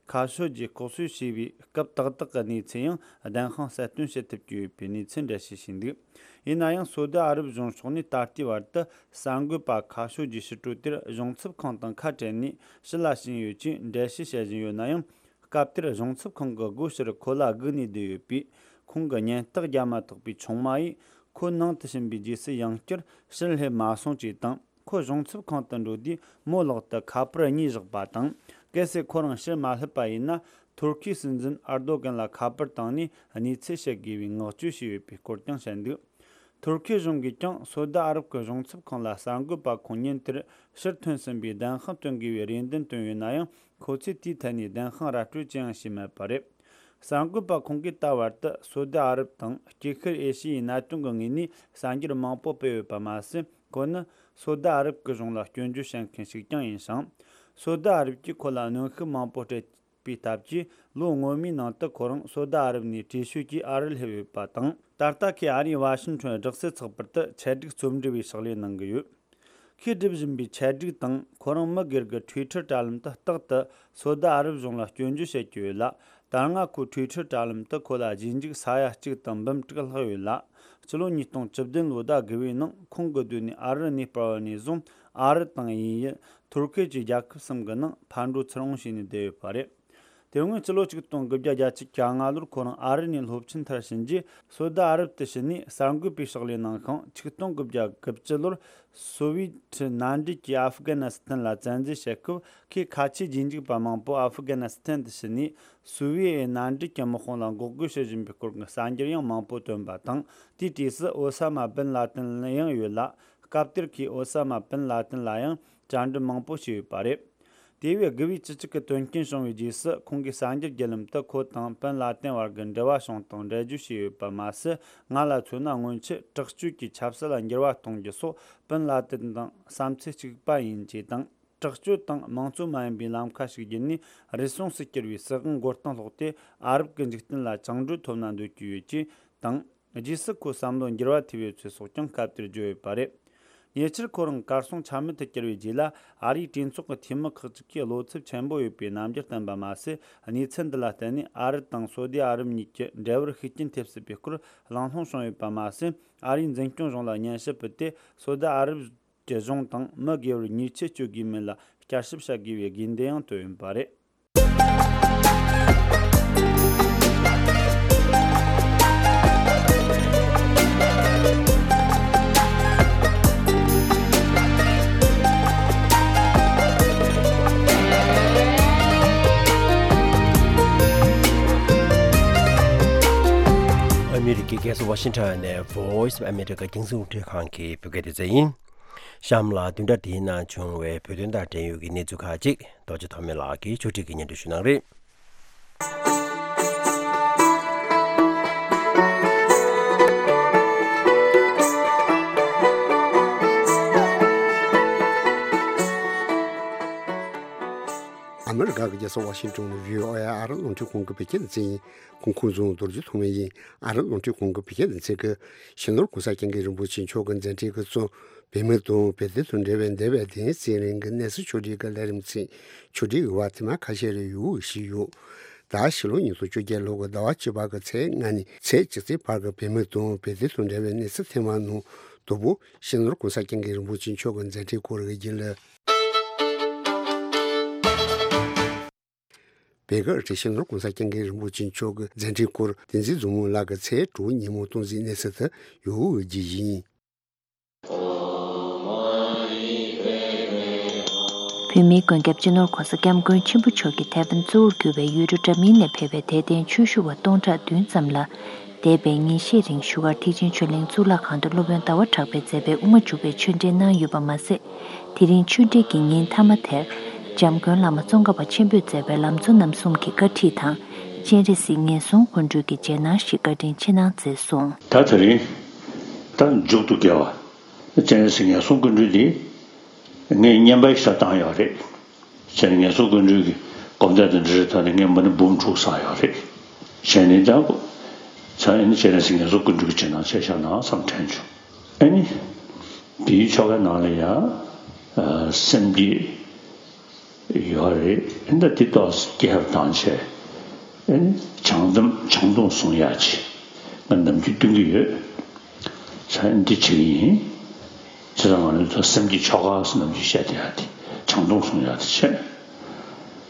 ཁ་ཤོ་ཇིས་ལྐོག་གསོད་བྱས་པའི་སྐབས་ཏག་ཏག་གི་གནས་ཚུལ་ཡང་བདེན་དཔང་གསལ་སྟོན་བྱེད་ཐུབ་ཀྱི་ཡོད་པའི་གནས་ཚུལ་འགྲེལ་བཤད་བྱས་འདུག་ཡིན་ན་ཡང་། སོ་ཏི་ཨ་རབ་གཞུང་ཕྱོགས་ནས་ད་ལྟའི་བར་དུ་གསར་འགོད་པ་ཁ་ཤོ་ཇིའི་ཕྱིར་སྤྲོད་དེར་གཞུང་ཚབ་ཁང་དང་ཁ་བྲལ་ནས་ཕྱི་ལ་ཕྱིན་ཡོད་ཅེས་འགྲེལ་བཤད་བྱེད་བཞིན་ཡོད་ན་ཡང་། སྐབས་དེར་གཞུང་ཚབ་ཁང་གི་སྒོ་ཕྱིར་ཁོ་ལ་སྒུག་ནས་བསྡད་ཡོད་པས། ཁོང་གི་ཉེན་རྟགས་བརྒྱབ་མ་ཐག་པའི་ཆུང་མ་ཡིས་ཁོ་ནང་དུ་ཕྱིན་པའི་རྗེས་སུ་ཡང་བསྐྱར་ཕྱིར་སླེབས་མ་སོང་ཅེས་དང་། ཁོ་གཞུང་ཚབ་ཁང་དུ་འགྲོ་དུས་མོ་ལག་ཏུ་ཁ་པར་གཉིས་བཞག་པ་དང་། གལ་སྲིད་ཁོ་རང་ཕྱིར་མ་སླེབས་པ་ཡིན་ན། ཐུར་ཁེའི་སྲིད་འཛིན་ཨར་རྡོ་གན་ལ་ཁ་པར་བཏང་ནས་གནས་ཚུལ་བཤད་དགོས་པའི་མངགས་བཅོལ་བྱས་ཡོད་པའི་སྐོར་ཀྱང་བཤད་འདུག་ཐུར་ཁེ་གཞུང་གིས་ཀྱང་སོ་ཏི་ཨ་རབ་ཀྱི་གཞུང་ཚབ་ཁང་ལ་གསར་འགོད་པ་ཁོང་ཉིན་དེར་ཕྱིར་ཐོན་ཟིན་པའི་བདེན་དཔང་སྟོན་དགོས་པའི་རེ་འདུན་བཏོན་ཡོད་ན་ཡང་། ཁོ་ཚོས་དེའི་ཐད་ནས་བདེན་དཔང་ར་སྤྲོད་ཅི་ཡང་བྱས་མེད་པ་རེད། གསར་འགོད་པ་ཁོང་གིས་ད་བར་དུ་སོ་ཏི་ཨ་རབ་དང་དཀྱིལ་ཤར་ཨེ་ཤི་ཡའི་གནད་དོན་གྱི་ངོས་ནས་གསར་འགྱུར་མང་པོ་སྤེལ་ཡོད་པ་མ་ཟད། ཁོ་ནི་སོ་ཏི་ཨ་རབ་ཀྱི་གཞུང་ལ་སྐྱོན་བརྗོད་བྱེད་མཁན་ཞིག་ཀྱང་ཡིན་ཞིང་། སོ་ཏི་ཨ་རབ་ཀྱིས་ཁོ་ལ་གནོན་ཤུགས་མང་པོ་སྤྲད་པའི་སྟབས་ཀྱིས། ལོ་སྔོན་མའི་ནང་དུ་ཁོ་རང་སོ་ཏི་ཨ་རབ་ནས་བྲོས་བྱོལ་གྱིས་ཨ་རིར་སླེབས་ཡོད་པ་དང་། ད་ལྟ་ཁོས་ཨ་རིའི་ཝ་ཤིང་ཊོན་སྦྲག་སྲིད་ཚགས་པར་དུ་ཆེད་སྒྲིག་རྩོམ་སྒྲིག་པའི་ཕྱག་ལས་གནང་གི་ཡོད། ཁོས་སྒྲུབ་བཞིན་པའི་ཆེད་སྒྲིག་དང་ཁོ་རང་མི་སྒེར་གྱི་ཊུའི་ཊར་དྲ་ལམ་དུ་རྟག་ཏུ་སོ་ཏི་ཨ་རབ་གཞུང་ལ་སྐྱོན་བརྗོད་བྱེད་ཀྱི་ཡོད་ལ། ད་སྔ་ཁོའི་ཊུའི་ཊར་དྲ་ལམ་དུ་ཁོ་ལ་རྗེས་འཇུག་ས་ཡ་གཅིག་དང་འབུམ་དྲུག་ལྷག་ཡོད་ལ། སྤྱི་ལོ་ཉིས་སྟོང་བཅུ་བདུན་ལོ་ཟླ་དགུ་པའི་ནང་ཁོང་གི་སྡོད་གནས་ཨ་རི་གནས་སྤར་བ་ནས་བཟུང་ཨ་རི་དང་དབྱིན་ཡུལ། ཐུར་ཁེ་བཅས་རྒྱལ་ཁབ་གསུམ་གྱི་ནང་ཕར་འགྲོ་ཚུར་འོང་བྱས་ནས་བསྡད་ཡོད་པ་རེད། དེ་སྔོན་སྤྱི་ལོ་ཆིག་སྟོང་དགུ་བརྒྱ་བརྒྱད་ཅུ་གྱ་ལྔ་ལོར་ཁོ་རང་ཨ་རི་ནས་སློབ་ཆེན་མཐར་ཕྱིན་རྗེས། སོ་ད་ཨ་རབ་ཏུ་ཕྱིན་ནས་གསར་འགོད་པའི་ཕྱག་ལས་གནང་ཞིང་། ཆིག་སྟོང་དགུ་བརྒྱ་དགུ་བཅུ་ལོར་སོ་བི་ཁྲི་མནའ་འབྲེལ་གྱིས་ཨབ་གྷ་ནི་སི་ཐན་ལ་བཙན་འཛུལ་བྱེད་སྐབས། ཁོས་ཁ་ཆེའི་རྗེས་འཇུག་པ་མང་པོ་ཨབ་གྷ་ནི་སི་ཐན་དུ་ཕྱིན་ནས། སོ་བི་ཡའི་མནའ་འབྲེལ་གྱི་དམག་དཔུང་ལ་འགོག་རྒོལ་བྱེད་བཞིན་པའི་སྐོར་གྱི་གསར་འགྱུར་ཡང་མང་པོ་བཏོན་པ་དང་། དེའི་དུས་སུ་ཨོ་ས་མ་བིན་ལ་ཏིན་ཡང་ཡོད་ལ། སྐབས་དེར་ཁོས་ཨོ་ས་མ་བིན་ལ་ཏིན་ལ་ཡང་བཅར་འདྲི་མང་པོ་བྱས་ཡོད་པ་རེད། དེ་བས་དགུ་བའི་བཅུ་གཅིག་གི་དོན་རྐྱེན་བྱུང་བའི་རྗེས་སུ། ཁོང་གིས་གསར་འགྱུར་བརྒྱུད་ལམ་དུ་ཁོ་དང་བིན་ལ་ཏིན་བར་གྱི་འབྲེལ་བ་བྱུང་སྟངས་འགྲེལ་བརྗོད་བྱས་ཡོད་པ་མ་ཟད། ང་ལ་མཚོན་ན་སྔོན་ཆད་དྲག་སྤྱོད་ཀྱི་ཆབ་སྲིད་ལ་འགྱུར་བ་གཏོང་རྒྱུ་སོགས་བིན་ལ་ཏིན་དང་བསམ་ཚུལ་གཅིག་པ་ཡིན་ཅེས་དང་། དྲག་སྤྱོད་དང་དམངས་གཙོ་མ་ཡིན་པའི་ལམ་ཁ་ཞིག་བརྒྱུད་ནས་རུལ་སུངས་སུ་གྱུར་བའི་སྲིད་དབང་མགོ་རྟིང་སློག་སྟེ། ཨ་རབ་ཀྱི་འཇིག་རྟེན་ལ་བཅིངས་འགྲོལ་ཐོབ་ན་འདོད་ཀྱི་ཡོད་ཅེས་དང་། རྗེས་སུ་ཁོའི་བསམ་བློ་འགྱུར་བ་ཐེབས་ཡོད་ཚུལ་སོགས་ཀྱང་སྐབས་དེར་བརྗོད་ཡོད་པ་རེད། ཉེ་ཆར་ཁོ་རང་གར་སོང་ཆ་མེད་དུ་གྱུར་བའི་རྗེས་ལ། ཨ་རིའི་གྲོས་ཚོགས་ཀྱི་འཐུས་མི་ཁག་ཅིག་གིས་བློ་འཚབ་ཆེན་པོ་ཡོད་པའི་རྣམ་འགྱུར་བསྟན་པ་མ་ཟད། གནས་ཚུལ་འདི་ལ་བརྟེན་ནས་ཨ་རི་དང་སོ་ཏི་ཨ་རབ་གཉིས་ཀྱི་འབྲེལ་བར་ཤུགས་རྐྱེན་ཐེབས་སྲིད་པའི་སྐོར་གླེང་སློང་བྱུང་ཡོད་པ་མ་ཟད། ཨ་རིའི་འཛིན་སྐྱོང་གཞུང་ལ་སྙན་ཞུ་ཕུལ་ཏེ། སོ་ཏི་ཨ་རབ་ཀྱི་གཞུང་དང་མི་སྒེར་བར་ཉེས་ཆད་གཅོད་དགོས་མིན་ལ་བསྐྱར་ཞིབ་བྱ་དགོས་པའི་དགོས་འདུན་ཡང་བཏོན་ཡོད་པ་རེད། ཨ་མི་རི་ཀའི་རྒྱལ་ས་ཝ་ཤིང་ཊོན་ནས་Voice of America རྒྱང་སྲིང་རླུང་འཕྲིན་ཁང་གི་བོད་སྐད་སྡེ་ཚན་ཡིན། གཤམ་ལ་བདུན་ཕྲག་འདིའི་ནང་བྱུང་བའི་བོད་དོན་དང་འབྲེལ་ཡོད་ཀྱི་གནས་ཚུལ་ཁག་ཅིག་རྡོ་རྗེ་ཐོགས་མེད་ལགས་ཀྱིས་ཕྱོགས་སྒྲིག་གིས་སྙན་སྒྲོན་ཞུ་གནང་རེད། ཨ་མི་རི་ཀ་གི་རྒྱལ་ས་ཝ་ཤིང་ཊོན་ནས་བྷི་ཨོ་ཨེ་ཨ་རི་རླུང་འཕྲིན་ཁང་གི་བོད་སྐད་སྡེ་ཚན་ཡིན། གོང་ཁུངས་བཟུང་རྡོ་རྗེ་ཐོགས་མེད་ཡིན། ཨ་རི་རླུང་འཕྲིན་ཁང་གི་བོད་སྐད་སྡེ་ཚན་གྱིས་སྤྱི་ནོར་༸གོང་ས་༸སྐྱབས་མགོན་རིན་པོ་ཆེ་མཆོག་གི་མཛད་འཕྲིན་གྱི་གཙོ། བུད་མེད་དང་བོད་དོན་དང་འབྲེལ་བའི་འདས་པའི་བདུན་ཚེ་རིང་གི་གནས་ཚུལ་ཕྱོགས་སྒྲིག་གི་ལས་རིམ་ཚིག་ཕྱོགས་སྒྲིག་ཡོད་པ་དེ་མ་ཁ་ཤས་རེ་ཡོད་ཞུས་ཡོད། ད་ཕྱི་ལོ་ཉིས་སྟོང་བཅོ་བརྒྱད་ལོ་གི་ཟླ་བ་བཅུ་པ་གི་ཚེས་ལྔ་ནས་ཚེས་གཅིག་ཚེས་བར་གྱི་བུད་མེད་དང་བོད་དོན་དང་འབྲེལ་བའི་གནས་ཚུལ་ཐེངས་མ་ནང་དང་པོ་སྤྱི་ནོར་༸གོང་ས་༸སྐྱབས་མགོན་རིན་པོ་ཆེ་མཆོག་གི་མཛད་འཕྲིན་སྐོར་གྱི་རྒྱུན་ལས། བོད་ཀྱི་སྤྱི་ནོར་༸གོང་ས་༸སྐྱབས་མགོན་རིན་པོ་ཆེ་མཆོག་གི་མཛད་འཕྲིན་སྐོར་བསྟན་འཛིན་བཟང་མོ་ལགས་ཀྱིས་ཚེས་དྲུག་ཉིན་མོ་གཏམ་གཟིགས་གནས་ཚུལ་དུ་ཡོད་རྒྱུ་ཡིན། བོད་མིའི་མགོན་སྐྱབས་སྤྱི་ནོར་༸གོང་ས་༸སྐྱབས་མགོན་ཆེན་པོ་མཆོག་གི་ཐེ་ཝན་གཙོ་བོར་གྱུར་བའི་ཡུལ་གྲུ་འདྲ་མིན་ནས་ཕེབས་པའི་དད་ལྡན་ཆོས་ཞུ་བ་སྟོང་ཕྲག་བདུན་ཙམ་ལ། འདས་པའི་ཉིན་ཤས་རིང་བཞུགས་སྒར་ཐེག་ཆེན་ཆོས་གླིང་གཙུག་ལག་ཁང་དུ་སློབ་དཔོན་ཟླ་བ་གྲགས་པས་མཛད་པའི་དབུ་མ་འཇུག་པའི་ཆོས་འབྲེལ་གནང་ཡོད་པ་མ་ཟད། དེ་རིང་ཆོས་འབྲེལ་གྱི་ཉིན་མཐའ་མ་དེར། འཇམ་མགོན་བླ་མ་ཙོང་ཁ་པ་ཆེན་པོས་མཛད་པའི་ལམ་གཙོ་རྣམ་གསུམ་གྱི་བཀའ་ཁྲིད་དང་། སྤྱན་རས་གཟིགས་ངན་སོང་སྐུ་མགྲོན་གྱི་རྗེས་གནང་ཞིག་བཀའ་དྲིན་ཆེ་གནང་མཛད་སོང་། ད་དེ་རིང་། ད་མཇུག་ཏུ་དགེ་བ། སྤྱན་རས་གཟིགས་ངན་སོང་སྐུ་མགྲོན་འདི། ངས་བསྙེན་པ་ཞིག་བཏང་ཡོད་རེད། སྤྱན་རས་ངན་སོང་སྐུ་མགྲོན་གྱི་སྐོར་འདས་དང་འབྲེལ་བའི་ཐོག་ནས་ངས་མི་ནི་འབུམ་དྲུག་བསགས་ཡོད་རེད། བྱས་ནས་ད། ཚང་ཨེ་ནི་སྤྱན་རས་གཟིགས་ངན་སོང་སྐུ་མགྲོན་གྱི་རྗེས་གནང་བྱས་བཞག་ན་བསམ་དྲན་བྱུང་། ཨེ་ནི། དེའི་ཆོ་གའི་ནང་ལ་ཡང་། སེམས་བསྐྱེད། ཡོད་རེད། ཨེ་ནི་ད་དེ་ཏོག་ཙམ་སྐྱེལ་བཏང་བྱས། ཨེ་ནི་བྱང་སྡོམ་བྱང་སྡོམ་སྲུང་ཡག་ཅིག་ང་ནམ་རྒྱུན་སྟོན་གྱི་ཡོད། ཚང་ཨེ་ནི་འདི་བྱེད་ཀྱི་ཡིན། བྱས་ཙང་ང་ཚོ་སེམས་བསྐྱེད་ཆོ་ག་ཟེར་ནམ་རྒྱུན་བཤད་བསྡད་ཡག་དེ་བྱང་སྡོམ་སྲུང་ཡག་དེ་བྱས།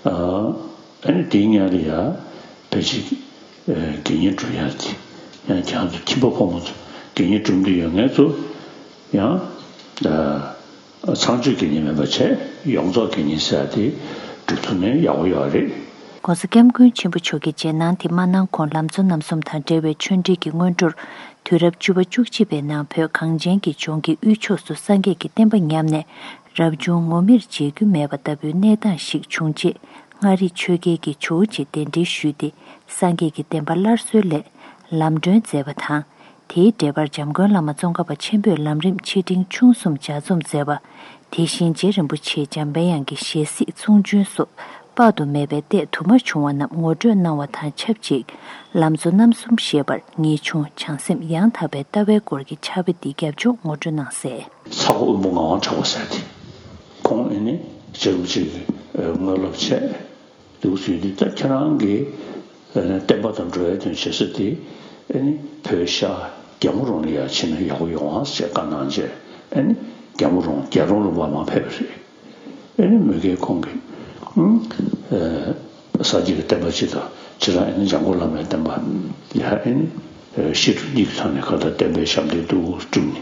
ཨ། ཨ་ནི་དེའི་མཉམ་དུ་ཡང་ཕལ་ཆེར་དགེ་བསྙེན་སྒྲུབ་ཡག་དེ་ཡང་ཁྱེད་རང་ཚོ་ཁྱིམ་པ་ཕོ་མོ་ཚོ་དགེ་བསྙེན་སྒྲུབ་འདོད་ཡོད་མཁན་ཚོ་ཡང་ཚངས་སྤྱོད་དགེ་བསྙེན་མིན་པ་བྱས་ཡོངས་རྫོགས་དགེ་བསྙེན་ཟེར་ཡག་དེ་སྒྲུབ་ཐུབ་ན་ཡག་པོ་ཡོད་རེད། ༸གོང་ས་༸སྐྱབས་མགོན་ཆེན་པོ་མཆོག་གི་རྗེས་གནང་དེ་མ་གནང་གོང་ལམ་གཙོ་རྣམ་གསུམ་དང་འབྲེལ་བའི་ཆོས་འབྲེལ་གྱི་སྔོན་འགྲོར། དུས་རབས་བཅུ་པ་བཅུ་གཅིག་པའི་ནང་བོད་གངས་ཅན་གྱི་ལྗོངས་ཀྱི་དབུས་ཕྱོགས་སུ་སངས་རྒྱས་ཀྱི་བསྟན་པ་ཉམས་ནས། རབ་བྱུང་ངོ་མིར་མཇལ་རྒྱུ་མེད་པ་ལྟ་བུའི་གནས་སྟངས་ཤིག་བྱུང་རྗེས། མངའ་རིས་ཆོལ་ཁའི་གི་ཇོ་བོ་རྗེ་གདན་འདྲེན་ཞུས་ཏེ། སངས་རྒྱས་ཀྱི་བསྟན་པ་སླར་གསོའི་སླད་ལམ་སྒྲོན་མཛད་པ་དང་། དེའི་འགྲེལ་པར་འཇམ་མགོན་བླ་མ་ཙོང་ཁ་པ་ཆེན་པོས་ལམ་རིམ་ཆེ་འབྲིང་ཆུང་གསུམ་ལྗགས་རྩོམ་མཛད་པ། དེ་བཞིན་རྗེ་རིན་པོ་ཆེའི་འཇམ་པའི་དབྱངས་ཀྱི་ཞལ་གཟིགས་ཚོགས་ཆུང་སོགས་དཔག་ཏུ་མེད་པའི་ལྟས་དུ་མ་བྱུང་བ་རྣམས་ངོ་སྤྲོད་གནང་བ་དང་ཆབས་ཅིག་ལམ་གཙོ་རྣམ་གསུམ་ཞེས་པར་ངེས་འབྱུང་བྱང་སེམས་ཡང་དག་པའི་ལྟ་བའི་སྐོར་གྱི་ཕྱག་དཔེ་འདི་རྒྱབ་ལྗོངས་ངོ་སྤྲོད་གནང་གསལ། ཚ་ཁོ་དབོན་པོ་ངག་དབང་གྲགས་པ་ཟེར་ཏེ། ཁོང་ཨེ་ནི་རྗེ་རིན་པོ་ཆེ་གི་དངོས་སློབ་བྱས། འདུག་ཟེར་དུས་ད་ཁྱེད་རང་གི་བསྟན་པ་དང་འགྲོ་བའི་དོན་བྱེད་ས་དེ་ཨེ་ནི་བོད་ཤར་རྒྱལ་མོ་རོང་ལ་ཡར་ཕྱིན་ན་ཡག་པོ་ཡོང་ཨང་ཞེས་བཀའ་གནང་རྗེས་ཨེ་ནི་རྒྱལ་མོ་རོང་རྒྱལ་རོང་ལུང་པར་མར་ཕེབས་པ་རེད། ཨེ་ནི་མོས་གལ་ཁོང་གིས་ཨུམ། ཨེ། ས་ ས་སྐྱ་གི་བསྟན་པ་སྤྱི་དང་། ཕྱི་ལ་ཨེ་ནི་འཇམ་མགོན་བླ་མའི་བསྟན་པ་ཡ་ཨེ་ནི་བཤད་སྒྲུབ་གཉིས་ཀྱི་ཐོག་ནས་ག་ད་བསྟན་པའི་ཞབས་འདེགས་སྒྲུབ་སྒྲུབ་ནས་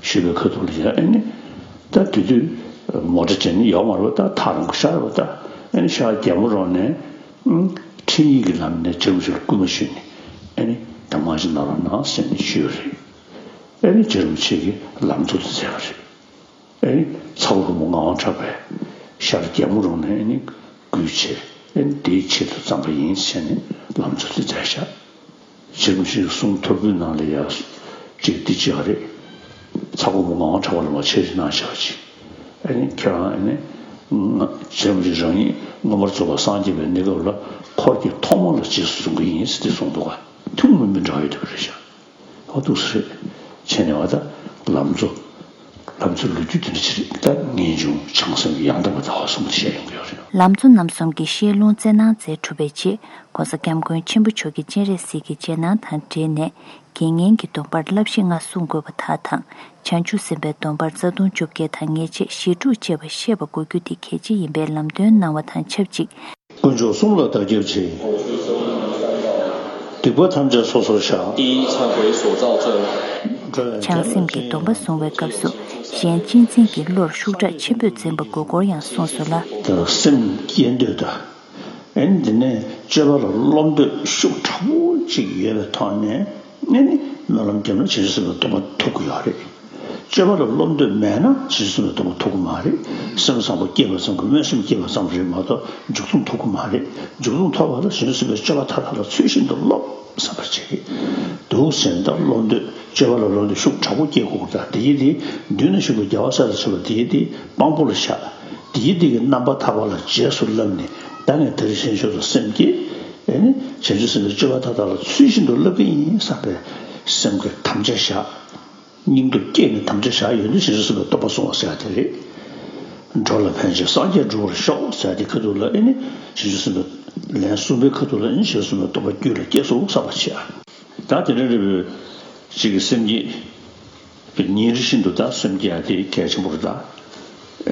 ཞུས་པའི་ཁ་ཐུག་ལ་ཡ་ཨེ་ནི། ད་དེ་དུས་མོ་ཊ་བྱས་ནས་ཡོད་མ་རེད་པ། ད་ཐག་རིང་པོ་ཤར་བ། ད་ཨེ་ནི་ཤར་རྒྱལ་མོ་རོང་ནས་ཨང་ཁྲིམས་ཡིག་གི་ལམ་ནས་རྗེ་རིན་པོ་ཆེ་ལ་སྐུལ་མ་ཞུས་ནས་ཨེ་ནི་ད་མ་ཞིག་གནང་རོགས་གནང་ཟེར་ནས་ཞུས་པ་རེད། ཨེ་ནི་རྗེ་རིན་པོ་ཆེ་གིས་ལམ་གཙོ་དེ་མཛད་པ་རེད། ཨེ་ནི་ཚ་བོ་བུ་མོ་ངག་དབང་གྲགས་པས་ཤར་རྒྱལ་མོ་རོང་ནས་ཨེ་ནི་སྐུལ་བྱས། ཨེ་ནི་དེའི་ཆེད་དུ་བརྩམས་པ་ཡིན་ཟེར་ནས་ལམ་གཙོ་དེ་མཛད་བཞག་རྗེ་རིན་པོ་ཆེའི་གསུང་ཐོར་བུའི་ནང་ལ་ཡ་ཅིག་འདི་ཅིག་ཨ་རེད། ཚ་བོ་བུ་མོ་ངག་དབང་གྲགས་པ་ལ་མ་ཆེད་དུ་གནང་བཞག་པ་ཅིག་ཨེ་ནི་ཁྱེད་རང་ཨེ་ནི་ང་རྗེ་རིན་པོ་ཆེ་རང་ཉིད་མངོན་པར་རྫོགས་པར་སངས་རྒྱས་པའི་གནས་སྐབས་ལ་འཁོར་གྱི་ཐོག་མ་ལ་རྗེས་སུ་བཟུང་གི་ཡིན་ཟེར་ཏེ་གསུངས་འདུག་ག་ཐུན་མོང་མི་འདྲ་བ་ཡོད་དེ་རེད་ཤག་ཨོ་ཐུགས་སུ་རེད། བྱས་ནས་བ་ད་ལམ་གཙོ། ལམ་གཙོའི་ལོ་རྒྱུས་དེ་འདྲ་ཅིག་རེད། ད་ངེས་འབྱུང་བྱང་སེམས་ཀྱི་ཡང་དག་པར་ལྟ་བ་གསུམ་དེ་བཤད་ཡོང་གི་ཡོད་རེད། ལམ་གཙོ་རྣམ་གསུམ་གྱི་བཤད་ལུང་སྩལ་གནང་མཛད་གྲུབ་པའི་རྗེས། ༸གོང་ས་༸སྐྱབས་མགོན་ཆེན་པོ་མཆོག་གིས་སྤྱན་རས་གཟིགས་ཀྱི་རྗེས་གནང་དང་འབྲེལ་ནས། དགེ་བསྙེན་གྱི་སྡོམ་པར་བསླབ་གཞི་ལྔ་བསྲུང་དགོས་པ་དག་དང་། བྱང་ཆུབ་སེམས་དཔའི་སྡོམ་པར་རྩ་ལྟུང་བཅོ་བརྒྱད་དང་ཉེས་བྱས་ཞེ་དྲུག་བཅས་པ་བཤད་པ་དགོས་རྒྱུ་དེ་གལ་ཆེ་ཡིན་པའི་ལམ་སྟོན་གནང་བ་དང་ཆབས་ཅིག་དཀོན་མཆོག་གསུམ་ལ་བདག་སྐྱབས་མཆི། སྡིག་པ་ཐམས་ཅད་སོ་སོར་བཤགས། 第一忏悔所造罪。 བྱང་སེམས་ཀྱི་སྡོམ་པ་བསྲུང་བའི་སྐབས་སུ། གཞན་གཅེས་འཛིན་གྱི་བློར་ཤུགས་དྲག་ཆེན་པོས་འཛིན་པ་དགོས་སྐོར་ཡང་གསུངས་སོ་ལ། སེམས་བསྐྱེད་འདོད་དང་། ཨེ་ནི་དེ་ནས་སྤྱོད་པ་ལ་སློབ་འདོད་ཤུགས་དྲག་པོ་ཅིག་ཡོད་པའི་ཐོག་ནས། ཨེ་ནི་སྨོན་ལམ་བརྒྱབ་ན་བྱང་ཆུབ་སེམས་དཔའི་སྡོམ་པ་ཐོབ་ཀྱི་ཡོད་རེད། སྤྱོད་པ་ལ་སློབ་འདོད་མེད་ན་བྱང་ཆུབ་སེམས་དཔའི་སྡོམ་པ་ཐོབ་ཀྱི་མ་རེད། སེམས་བཟང་པོ་སྐྱེས་པ་ཙམ་གྱིས་སྨོན་སེམས་སྐྱེས་པ་ཙམ་རེད་མ་གཏོགས་འཇུག་ལྡོག་ཐོབ་ཀྱི་མ་རེད། འཇུག་ལྡོག་ཐོབ་པ་ལ་བྱང་ཆུབ་སེམས་དཔའི་སྤྱོད་པ་མཐའ་དག་ལ་ཚུལ་བཞིན་དུ་སློབ་བསམ་པ་བྱེད་ཀྱི་འདུག་ཟེར་ནས། ད་སློབ་འདོད་སྤྱོད་པ་ལ་སློབ་འདོད་ཤུགས་དྲག་པོ་སྐྱེ་དགོས་ཀྱི། ད་དེའི་དེ་མདུན་ན་བཞུགས་པའི་རྒྱལ་བ་སྲས་དང་བཅས་པ་དེའི་དེ་དཔང་པོ་ལ་བཞག་དེའི་དེ་གི་རྣམ་པ་ཐར་པ་ལ་རྗེས་སུ་བསླབས་ནས། ད་ངས་ད་རེས་གཞན་ཕྱོགས་སུ་སེམས་བསྐྱེད། ཨེ་ནི་བྱང་ཆུབ་སེམས་དཔའི་སྤྱོད་པ་མཐའ་དག་ལ་ཚུལ་བཞིན་དུ་བསླབ་ཀྱི་ཡིན་བསམ་པའི་སེམས་ཀྱི་དམ་བཅའ་བཞག་སྙིང་སྟོབས་བསྐྱེད་ནས་དམ་བཅའ་བཞག་ཡོད་དུས་བྱང་ཆུབ་སེམས་དཔའི་སྡོམ་པ་བསྲུང་བ་ཟེར་ཡ་དེ་རེད། འགྲོ་ལ་ཕན་ཕྱིར་སངས་རྒྱས་འགྲུབ་པར་ཤོག་ཟེར་ཡ་དེ་ཁ་ཐུག་ལ། ཨེ་ནི་བྱང་ཆུབ་སེམས་དཔའི་ལན་གསུམ་པའི་ཁ་ཐུག་ལ། ཨེ་ནི་བྱང་ཆུབ་སེམས་དཔའི་སྡོམ་པ་རྒྱུད་ལ་སྐྱེས་སོང་བསམ་པ་བྱེད་ཨ། ད་དེ་འདྲ་རེད་པས། གཅིག་གི་སེམས་བསྐྱེད་པའི་ཉིན་རེ་བཞིན་དུ་ད་སེམས་བསྐྱེད་ཡ་དེ་གལ་ཆེན་པོ་རེད་ད།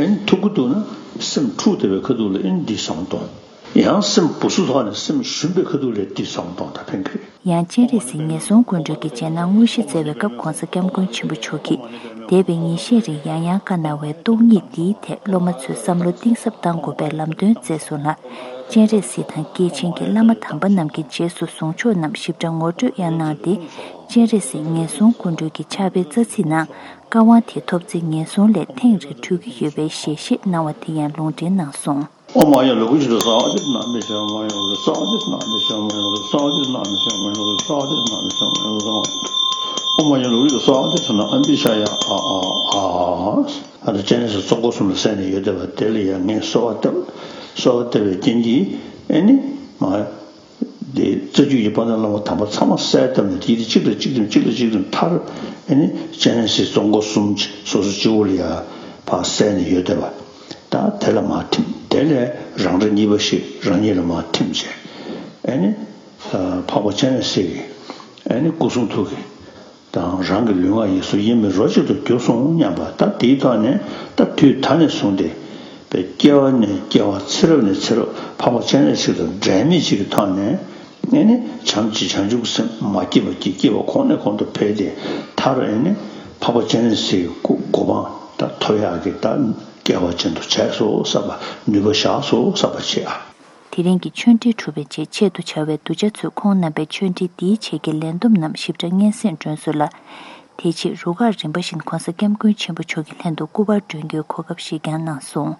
ཨེ་ནི་ཐུབ་ཀྱི་འདུག་ན་སེམས་འཁྲུག་བསྡད་པའི་ཁ་ཐུག་ལ། ཨེ་ནི་འདི་བསམ་བློ་གཏོང་། ཡང་སེམས་སྦུ་སུབ་ཐོག་ནས་སེམས་ཞུམ་པའི་ཁ་ཐུག་ལ་འདི་བསམ་བློ་གཏོང་། ད་ཕན་གྱི་རེད། ཡང་སྤྱན་རས་གཟིགས་ངན་སོང་ཀུན་འདུལ་གྱི་རྗེས་གནང་དངོས་གཞི་བསྩལ་བའི་སྐབས། ༸གོང་ས་༸སྐྱབས་མགོན་ཆེན་པོ་མཆོག་གིས་འདས་པའི་ཉིན་ཤས་རིང་ཡང་ཡང་བཀའ་གནང་བའི་སྟོང་ཉིད་འདིའི་ཐད་སློབ་མ་ཚོས་བསམ་བློ་གཏིང་ཟབ་གཏང་དགོས་པའི་ལམ་སྟོན་མཛད་སོང་ལ། སྤྱན་རས་གཟིགས་དང་སྐྱེས་ཆེན་གྱི་བླ་མ་དམ་པ་རྣམས་ཀྱི་རྗེས་སུ་བཟུང་ཕྱོགས་རྣམས་ཞིབ་ཕྲ་ངོ་སྤྲོད་ཡང་གནང་སྟེ། སྤྱན་རས་གཟིགས་ངན་སོང་ཀུན་འདུལ་གྱི་ཕྱག་དཔེའི་རྩ་ཚིག་ནང་། བཀའ་དབང་དེ་ཐོབ་ཚེ་ངན་སོང་ལས་ཐེངས་རེ་གྲོལ་གྱི་ཡོད་པའི་ཞལ་བཞེས་གནང་བ་དེ་ཡང་ལུང་འདྲེན་གནང་སོང་། ཨོཾ་མ་ཡ་ལོ་ཀུ་ཤི་ཏོ་སྭཱ་ཧཱ། ཨོཾ་མ་ཡ་ལོ་ཀུ་ཤི་ཏོ་སྭཱ་ཧཱ། ཨ་ཏི་སྤྱན་རས་གཟིགས་གཙོ་འཁོར་གསུམ་ལ་གསན་ནས་ཡོད་བསྡད་པ་དེ་ལ་ཡང་ངས་གསོལ་བ་བཏབ། གསོལ་བ་བཏབ་པའི་རྐྱེན་གྱིས། ཨེ་ནི་མ། དེ་རྩ་རྒྱུད་ཀྱི་དཔལ་ལྡན་བླ་མ་དམ་པ་ཚང་མ་གསལ་བཏབ་ནས། དེའི་དེ་གཅིག་དང་གཅིག་དང་གཅིག་དང་གཅིག་དང་མཐར། ཨེ་ནི་སྤྱན་རས་གཟིགས་གཙོ་འཁོར་གསུམ་སོ་སོ་སྤྱི་བོ་ལ་ཡ་ཕར་གསལ་ནས་ཡོད་བསྡད་པ། ད་དེ་ལ་མར་ཐིམ། དེ་ལས་རང་འདྲ་གཉིས་པ་ཞིག་རང་ཉིད་ལ་མར་ཐིམ་བྱས། ཨེ་ནི་འཕགས་པ་སྤྱན་རས་གཟིགས་ཀྱི་ཨེ་ནི་སྐུ་གསུང་ཐུགས་ཀྱི་དང་། རང་གི་ལུས་ངག་ཡིད་གསུམ་དབྱེར་མེད་རོ་གཅིག་ཏུ་གྱུར་སོང་སྙམ་པ། ད་དེའི་ཐོག་ནས་ད་དུས་ད་ནས་བཟུང་སྟེ། པའི་སྐྱེ་བ་ནས་སྐྱེ་བ། ཚེ་རབས་ནས་ཚེ་རབས། འཕགས་པ་སྤྱན་རས་གཟིགས་དང་འབྲལ་མེད་ཅིག་གི་ཐོག་ནས། ཨེ་ནི་བྱམས་བརྩེ་བྱང་ཆུབ་ཀྱི་སེམས་མ་སྐྱེས་པ་གྱིས་སྐྱེས་པ་གོང་ནས་གོང་དུ་འཕེལ་ཏེ། མཐར་ཨེ་ནི་འཕགས་པ་སྤྱན་རས་གཟིགས་ཀྱི་གོ་འཕང་ད་ཐོབ་ཡག་གི་ད་སྐལ་བ་ཅན་དུ་བྱས་སོང་བསམ་པ། ནུས་པ་བཞག་སོང་བསམ་པ་བྱེད་ཨ། དེ་རིང་གི་ཆོས་འབྲེལ་གྲུབ་པའི་རྗེས་ཆེད་དུ་བྱ་བའི་གདུལ་བྱ་ཚོས་ཁོང་རྣམ་པའི་ཆོས་འབྲེལ་འདིའི་ཆེད་ཀྱི་ལས་བསྡོམས་རྣམས་ཞིབ་ཕྲ་སྙན་སེང་སྒྲོན་སོང་ལ། དེ་རྗེས་རུ་ཁག་རིམ་པ་བཞིན་༸གོང་ས་༸སྐྱབས་མགོན་ཆེན་པོ་མཆོག་གི་ལྷན་དུ་སྐུ་པར་སྒྲོན་རྒྱུའི་གོ་སྐབས་ཤིག་ཀྱང་གནང་སོང་།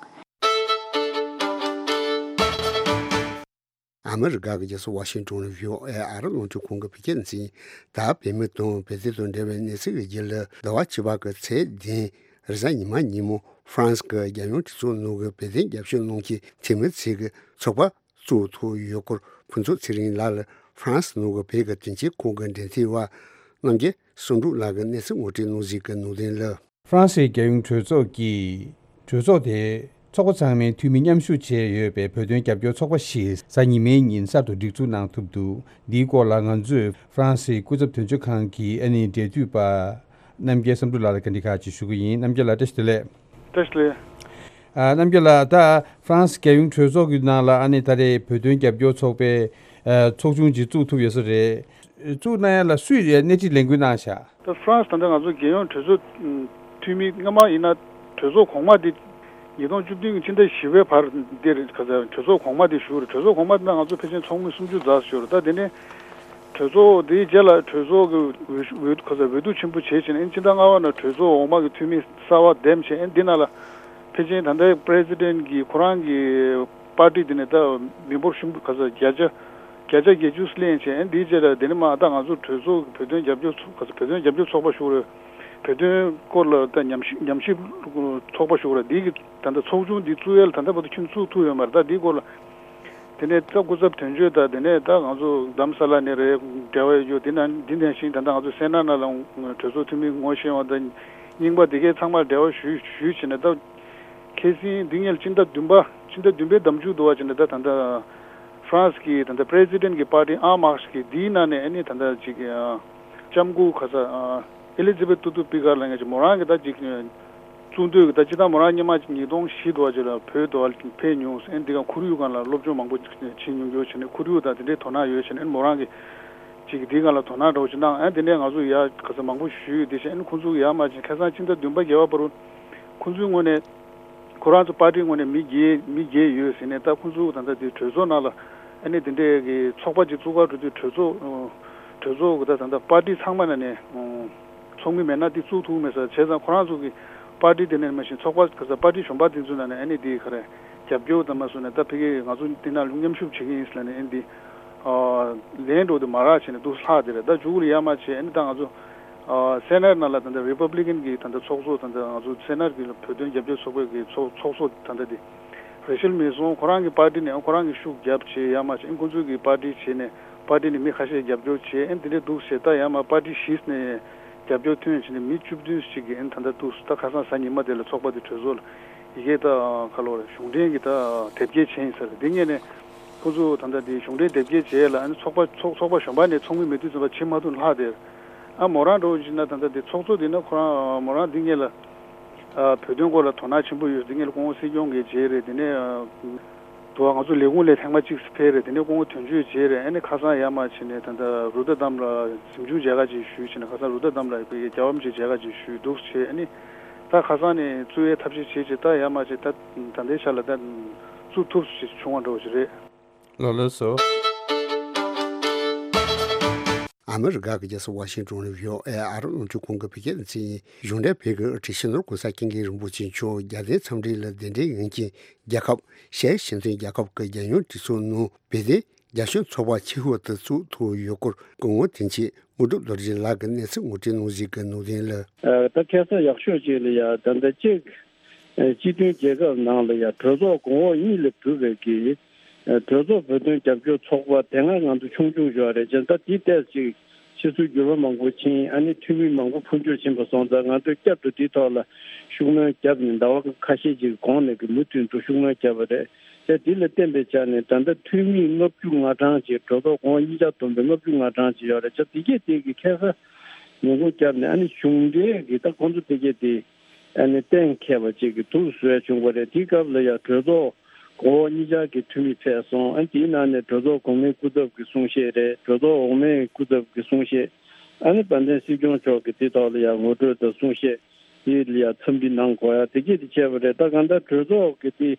ཨ་མི་རི་ཀ་གི་རྒྱལ་ས་ཝ་ཤིང་ཏོན་ནས་བྷི་ཨོ་ཨེ་ཨ་རི་རླུང་འཕྲིན་ཁང་གི་བོད་སྐད་སྡེ་ཚན་ཡིན། ད་བོད་མི་དང་བོད་དོན་དང་འབྲེལ་བའི་གནས་ཚུལ་གྱི་རྒྱུད་ལ། ཟླ་བ་བཅུ་པ་གི་ཚེས་བདུན་རེས་གཟའ་ཉི་མ་ཉིན་མོ། ཧྥ་རན་སི་གི་རྒྱལ་ཡོངས་གྲོས་ཚོགས་ནང་གི་བོད་དོན་རྒྱབ་སྐྱོར་གནང་མཁན་འཐུས་མི་ཚོས་ཀྱི་ཚོགས་པ་བཙུགས་ཐུབ་ཡོད་སྐོར། ཕུན་ཚོགས་ཚེ་རིང་ལགས་ལ་ཧྥ་རན་སི་ནང་གི་བོད་ཀྱི་དོན་རྐྱེན་ཁང་གི་འབྲེལ་མཐུད་པ་རྣམ་རྒྱལ་བསམ་གྲུབ་ལགས་ཀྱིས་གནས་ཚུལ་ངོ་སྤྲོད་གནང་གཟིགས་ཀྱི་ནང་དོན་ལ། ཧྥ་རན་སིའི་རྒྱལ་ཡོངས་གྲོས་ཚོགས་ཀྱི་གྲོས་ཚོགས་དེ་ཚོགས་པ་ཚང་མའི་འཐུས་མི་མཉམ་ཞུགས་བྱས་ཡོད་པའི་བོད་དོན་རྒྱབ་སྐྱོར་ཚོགས་པ་ཞིག་གཟའ་ཉི་མའི་ཉིན་གསར་དུ་སྒྲིག་འཛུགས་གནང་ཐུབ་འདུག་འདིའི་སྐོར་ལ་ང་ཚོས་ཧྥ་རན་སིའི་སྐུ་ཚབ་དོན་གཅོད་ཁང་གི་ཨ་ནི་འབྲེལ་མཐུད་པ་རྣམ་རྒྱལ་བསམ་གྲུབ་ལགས་ལ་བཀའ་འདྲི་ཁག་ཅིག་ཞུ་གི་ཡིན། རྣམ་རྒྱལ་ལགས་བཀྲ་ཤིས་བདེ་ལེགས། བཀྲ་ཤིས་བདེ་ལེགས། ཨ། རྣམ་རྒྱལ་ལགས། ད་ཧྥ་རན་སི་རྒྱལ་ཡོངས་གྲོས་ཚོགས་ཀྱི་ནང་ལ་ཨ་ནི་ད་རེས་བོད་དོན་རྒྱབ་སྐྱོར་ཚོགས་པའི་ཨ་ཚོགས་ཆུང་ཅིག་བཙུགས་ཐུབ་ཡོད་ས་རེད། བཙུགས་གནང་ཡ་ལ་སུས་སྣེ་ཁྲིད་ལས་འགུལ་གནང་ཤག་ད་ཧྥ་རན་སི་ད་ལྟ་ང་ཚོ་རྒྱལ་ཡོངས་གྲོས་ཚོགས་འཐུས་མི་སྔ་མ་ཡིན་ན་གྲོས་ཚོགས་གོང་མ་དེ་ཉིས་སྟོང་བཅུ་བདུན་གྱི་ཕྱི་ཟླ་བཞི་པའི་བར་འདིར་ག་ཚ་གྲོས་ཚོགས་གོང་མ་དེ་བཞུགས་རེད། གྲོས་ཚོགས་གོང་མ་དེ་ན་ང་ཚོ་ཕལ་ཆེར་ཚོགས་མི་སུམ་ཅུ་ཙམ་བཞུགས་རེད། ད་དེ་ནས་གྲོས་ཚོགས་དེའི་རྗེས་ལ་གྲོས་ཚོགས་ཀྱི་འོས་ཤོག་འོས་ག་ཚ་འོས་བསྡུ་ཆེན་པོ་བྱས་བྱས་ནས་ཕྱི་ཟླ་ལྔ་པ་ན་གྲོས་ཚོགས་འོག་མ་གི་འཐུས་མི་གསར་པ་འདེམས་བྱས། ཨ་ནི་འདི་ནང་ལ་ཕལ་ཆེར་ད་ལྟའི་པི་རེ་སི་ཌེན་གྱི་ཁོ་རང་གི་པར་ཊི་དེ་ནས་ད་མི་འབོར་ཤིན་ཏུ་ག་ཚ་བརྒྱ་ཆ་བརྒྱ་ཆ་བརྒྱད་ཅུ་ལེན་བྱས། ཨ་ནི་འདིའི་རྗེས་ལ་དེ་ནས་མ་ད་ང་ཚོ་གྲོས་ཚོགས་ཀྱི་བོད་དོན་རྒྱབ་སྐྱོར་ཚོགས་ག་ཚ་བོད་དོན་རྒྱབ་སྐྱོར་ཚོགས་པ་ཞུ་རེད། བོད་དོན་སྐོར་ལ་ད་ཉམས་ཞིབ་ཉམས་ཞིབ་ཚོགས་པ་ཞུ་རེད། འདི་གི་ད་ལྟ་ཚོགས་ཆུང་འདི་བཙུགས་ཡས་ལ་ད་ལྟ་བར་དུ་ཁྱོན་བཙུགས་ཐུབ་ཡོད་མ་རེད། ད་འདིའི་སྐོར་ལ་དེ་ནས་ད་སྐུ་ཚབ་དོན་གཅོད་དང་དེ་ནས་ད་ང་ཚོ་རྡ་རམ་ས་ལ་ནས་རེད། འབྲེལ་བ་ཡོད་རྒྱུ་དེ་ན་འདི་ནང་བཞིན་ད་ལྟ་ང་ཚོ་སེ་ན་ན་ལ་གྲོས་ཚོགས་འཐུས་མི་ངོ་ཤེས་པ་དང་རྙིང་པ་དེ་གའི་ཚང་མར་འབྲེལ་བ་ཞུས་ཞུས་བྱས་ནས། ད་ཁ་སང་འདི་ངས་ཕྱི་ཟླ་བདུན་པ་ཕྱི་ཟླ་བདུན་པའི་ཟླ་མཇུག་དུ་བ་བྱས་ནས་ད་ད་ལྟ་ཧྥ་རན་སི་གི་ད་ལྟ་པི་རེ་སི་ཌེན་གི་པར་ཊི་ཨན་མཱར་ཤི་གི་འདིའི་ནང་ནས་ཨ་ནི་ད་ལྟ་ཅིག་ལྕམ་སྐུ་ག་ཚ་ཨེ་ལི་ཛི་བེད་ཏུ་ཏུ་པི་ཀར་ལ་ངས་ཅིག་མོ་རང་གི་ད་ཅིག་གཙུག་འདུས་ཀྱི་ད་སྤྱི་བཏང་མོ་རང་སྔོན་མ་ཉིས་སྟོང་བཞི་དུ་བ་ཅིག་ལ་བོད་དུ་བ་ཕེབས་མྱོང་། ཨ་ནི་འདི་ག་ཁོར་ཡུག་སྒང་ལ་སློབ་སྦྱོང་མང་པོ་བྱེད་མྱོང་ཡོད་བྱས་ནས་ཁོར་ཡུག་དང་དེ་འདྲའི་དོ་སྣང་ཡོད་བྱས་ནས། ཨ་ནི་མོ་རང་གི་ཅིག་འདི་སྒང་ལ་དོ་སྣང་འདྲ་བོ་ཅིག་གནང་། ཨ་ནི་དེ་ནས་ང་ཚོ་ཡ་ག་ཚ་མང་པོ་ཞུས་ཡོད། དེ་བཞིན་ཨ་ནི་ཁོང་ཚོ་ཡ་མ་ཅིག་ཁ་སང་ཕྱི་ཟླ་བདུན་པ་བརྒྱད་པ་བར་དུ་ཁོང་ཚོའི་ངོས་ནས་ཁོ་རང་ཚོ་པར་ཊིའི་ངོས་ནས་མི་བརྒྱད་མི་བརྒྱད་ཡོད་ཟེར་ནས། ད་ཁོང་ཚོ་ད་ལྟ་དེ་གྲོས་ཚོགས་ནང་ལ་ཨ་ནི་དེ་འདྲའི་གི་ཚོགས་པ་ཅིག་བཙུགས་ག་འགྲོ་དུས་གྲོས་ཚོགས་གྲོས་ཚོགས་གི་ད་ད་ལྟ་པར་ཊི་ཚང་མ་ནང་ནས་ཚོགས་མི་མེད་ན་དེ་བཙུགས་ཐུབ་མེད་ས། བྱས་ཙང་ཁོ་རང་ཚོ་གི་པར་ཊི་དེ་ནས་མ་གཞི་ཚོགས་པ་ག་ས་པར་ཊི་གཞན་པ་དེ་ཚོ་ནང་ནས་ཨ་ནི་དེ་ག་རེ་རྒྱབ་སྐྱོར་དང་མ་སོང་ནས་ད་ཕ་གི་ང་ཚོ་དེ་ནང་ལ་མཉམ་ཞུགས་བྱེད་ཀྱི་ཡིན་ཟེར་ནས་ཨ་ནི་དེ་ལན་འགྲོ་དུ་མ་རག་བྱས་ནས་འདུག་ལྷག་དེ་རེད། ད་མཇུག་ལ་ཡ་མ་བྱས་ཨ་ནི་ད་ང་ཚོ་སེ་ནེཊ་ནང་ལ་ད་ལྟ་རི་པབ་ལི་ཀན་གི་ད་ལྟ་ཚོགས་གཙོ་ད་ལྟ་ང་ཚོ་སེ་ནེཊ་གི་བོད་དོན་རྒྱབ་སྐྱོར་ཚོགས་པའི་གི་ཚོགས་ཚོགས་གཙོ་ད་ལྟ་དེ་རེ་ཆལ་མེ་སོན་ཁོ་རང་གི་པར་ཊི་ནས་ཁོ་རང་གི་ཤུགས་རྒྱབ་བྱས་ཡ་མ་བྱས། ཨ་ནི་ཁོང་ཚོའི་གི་པར་ཊི་བྱས་ནས་པར་ཊི་ནས་མི་ཁ་ཤས་རྒྱབ་སྐྱོར་བྱས། ཨ་ནི་དེ་འདྲའི་འདུག་བྱས། ད་ཡ་མ་པར་ཊི་བཞི་ནས་རྒྱབ་སྐྱོར་ཐོན་བྱས་ནས་མི་བཅུ་བདུན་ཞིག་གི་ཨ་ནི་ད་ལྟ་འདུག་ད་ཁ་སང་གཟའ་ཉི་མ་དེ་ལ་ཚོགས་པ་དེ་གྲོས་ཚོགས་ལ་ཡི་གེ་ད་ཁ་ལོ་རེ་གཞུང་འབྲེལ་གི་ད་དེབ་སྐྱེལ་བྱས་ཡིན་ས་རེད། དེ་ངས་ནས་ཁོང་ཚོ་ད་ལྟ་དེ་གཞུང་འབྲེལ་དེབ་སྐྱེལ་བྱས་ལ་ཨ་ནི་ཚོགས་པ་ཚོགས་ཚོགས་པ་གཞན་པ་ནས་ཚོགས་མི་མེད་དུས་ཙམ་པ་ཕྱིན་མ་ཐུབ་ལྷག་དེ། ཨ་མོ་རང་འགྲོ་བཞིན་ན་ད་ལྟ་དེ་ཚོགས་གཙོ་དེ་ན་ཁོ་རང་མོ་རང་འདི་ངེད་ལ་ཨ་བོད་དོན་སྐོར་ལ་དོ་སྣང་ཆེན་པོ་ཡོད། འདི་ངེད་ལ་སྐུ་ངོ་སྲིད་སྐྱོང་གིས་བྱས་རེད། དེ་ནས་ཨ་དུ་བ་ང་ཚོ་ལས་ཁུངས་ལས་ཐེངས་མ་གཅིག་ཕེབས་རེད། དེ་ནས་སྐུ་ངོ་དོན་གཅོད་བྱས་རེད། ཨ་ནི་ཁ་སང་ཡར་མར་ཕྱིན་ནས་ད་ལྟ་རུ་ཏ་དམ་ལ་གཟིམ་ཆུང་མཇལ་ཁ་ཅིག་ཞུས་བྱས་ནས་ཁ་སང་རུ་ཏ་དམ་ལ་ཡི་གེ་རྒྱལ་བ་རིན་པོ་ཆེ་མཇལ་ཁ་ཅིག་ཞུས་འདུག་བྱས། ཨ་ནི་ད་ཁ་སང་ནས་བཙུགས་ཡའི་ཐབས་ཤེས་བྱས་བྱས་ད་ཡར་མར་བྱས་ད་ད་ལྟའི་ཆ་ལ་ད་བཙུགས་ཐུབ་ཞིག་བྱུང་བ་འདྲ་བོ་ཞིག་རེད། ལགས་ལགས་སོ། ཨ་མི་རི་ཀ་གི་རྒྱལ་ས་ཝ་ཤིང་ཏོན་ནས་བྷི་ཨོ་ཨེ་ཨ་རོ་རླུང་འཕྲིན་ཁང་གི་བོད་སྐད་སྡེ་ཚན་ཡིན། གཞུང་འབྲེལ་བོད་ཀྱི་དབུ་ཁྲིད་སྤྱི་ནོར་༸གོང་ས་༸སྐྱབས་མགོན་རིན་པོ་ཆེ་མཆོག་རྒྱལ་བསྟན་འཚམས་འདྲི་ལ་གདན་འདྲེན་ཡོད་མཁན་རྒྱལ་ཁབ་གཞན་ཕྱི་འཐེན་རྒྱལ་ཁབ་ཀྱི་རྒྱལ་ཡོངས་གྲོས་ཚོགས་ནང་བོད་དོན་རྒྱབ་སྐྱོར་ཚོགས་པ་ཆེ་ཤོས་དེ་བཙུགས་ཐུབ་ཡོད་སྐོར་སྐུ་ངོ་དོན་གཅོད་དངོས་གྲུབ་རྡོ་རྗེ་ལགས་ཀྱིས་གནས་ཚུལ་ངོ་སྤྲོད་གནང་གཞིགས་ཀྱི་ནང་དོན་ལ། ད་ཁ་སང་ཡག་ཤོས་ཅིག་ལ་ཡ་ད་ལྟ་གཅིག་སྤྱི་མཐུན་རྒྱལ་ཁབ་ནང་ལ་ཡ་གྲོས་ཚོགས་གོང་འོག་གཉིས་ལས་གྲུབ་པའི་གི་གྲོས་ཚོགས་བོད་དོན་རྒྱབ་སྐྱོར་ཚོགས་པ་དེ་སྔ་ང་ཚོ་ཆུང་ཆུང་ཞིག་རེད། བྱས་ཙང་ད་དེ་ཏོག་ཙམ་ཕྱི་ཚུལ་འགྱུར་བ་མང་པོ་ཕྱིན། ཨ་ནི་འཐུས་མི་མང་པོ་འཕོ་འགྱུར་ཕྱིན་པ་སོང་ཙང་ང་ཚོས་བསྐྱར་དུ་དེའི་ཐོག་ལ་ཤུགས་སྣོན་བརྒྱབ་ནས་ཟླ་བ་ཁ་ཤས་ཅིག་གོང་ནས་ཀྱི་མུ་མཐུད་དུ་ཤུགས་སྣོན་བརྒྱབ་པ་རེད། བྱས་དེ་ལ་བརྟེན་པའི་ཆ་ནས་ད་ལྟ་འཐུས་མི་ལྔ་བཅུ་ང་གྲངས་ཅིག་གྲོས་ཚོགས་གོང་འོག་གཉིས་ཆ་བསྡོམས་པའི་ལྔ་བཅུ་ང་གྲངས་ཅིག་ཡོད་རེད། བྱས་དེ་གས་དེ་གི་ཁ་སང་ཉིན་གུང་བརྒྱབ་ནས་ཨ་ནི་གཞུང་འབྲེལ་གྱི་ད་ཁོང་ཚོ་དེ་གས་དེ་ཨ་ནི་གཏན་འཁེལ་བ་ཅིག་གི་དུས་སུ་བྱུང་བ་རེད། དེའི་སྐབས་ལ་ཡང་གྲོས་ཚོགས་གོང་འོག་གཉིས་ཆར་གྱི་འཐུས་མི་ཕེབས་སོང་། ཨ་ནི་དེའི་ནང་ནས་གྲོས་ཚོགས་གོང་མའི་སྐུ་ཚབ་ཀྱི་གསུང་བཤད་རེད། གྲོས་ཚོགས་འོག་མའི་སྐུ་ཚབ་ཀྱི་གསུང་བཤད། ཨ་ནི་དཔལ་ལྡན་སྲིད་སྐྱོང་མཆོག་གིས་དེ་ཐོག་ལ་ཡང་ངོ་སྤྲོད་དང་གསུང་བཤད་དེ་ལ་ཡང་འཚམས་འདྲི་གནང་དགོས་ཡ་དེ་གས་དེ་བྱས་པ་རེད། ད་གང་ལྟར་གྲོས་ཚོགས་ཀྱི་དེ་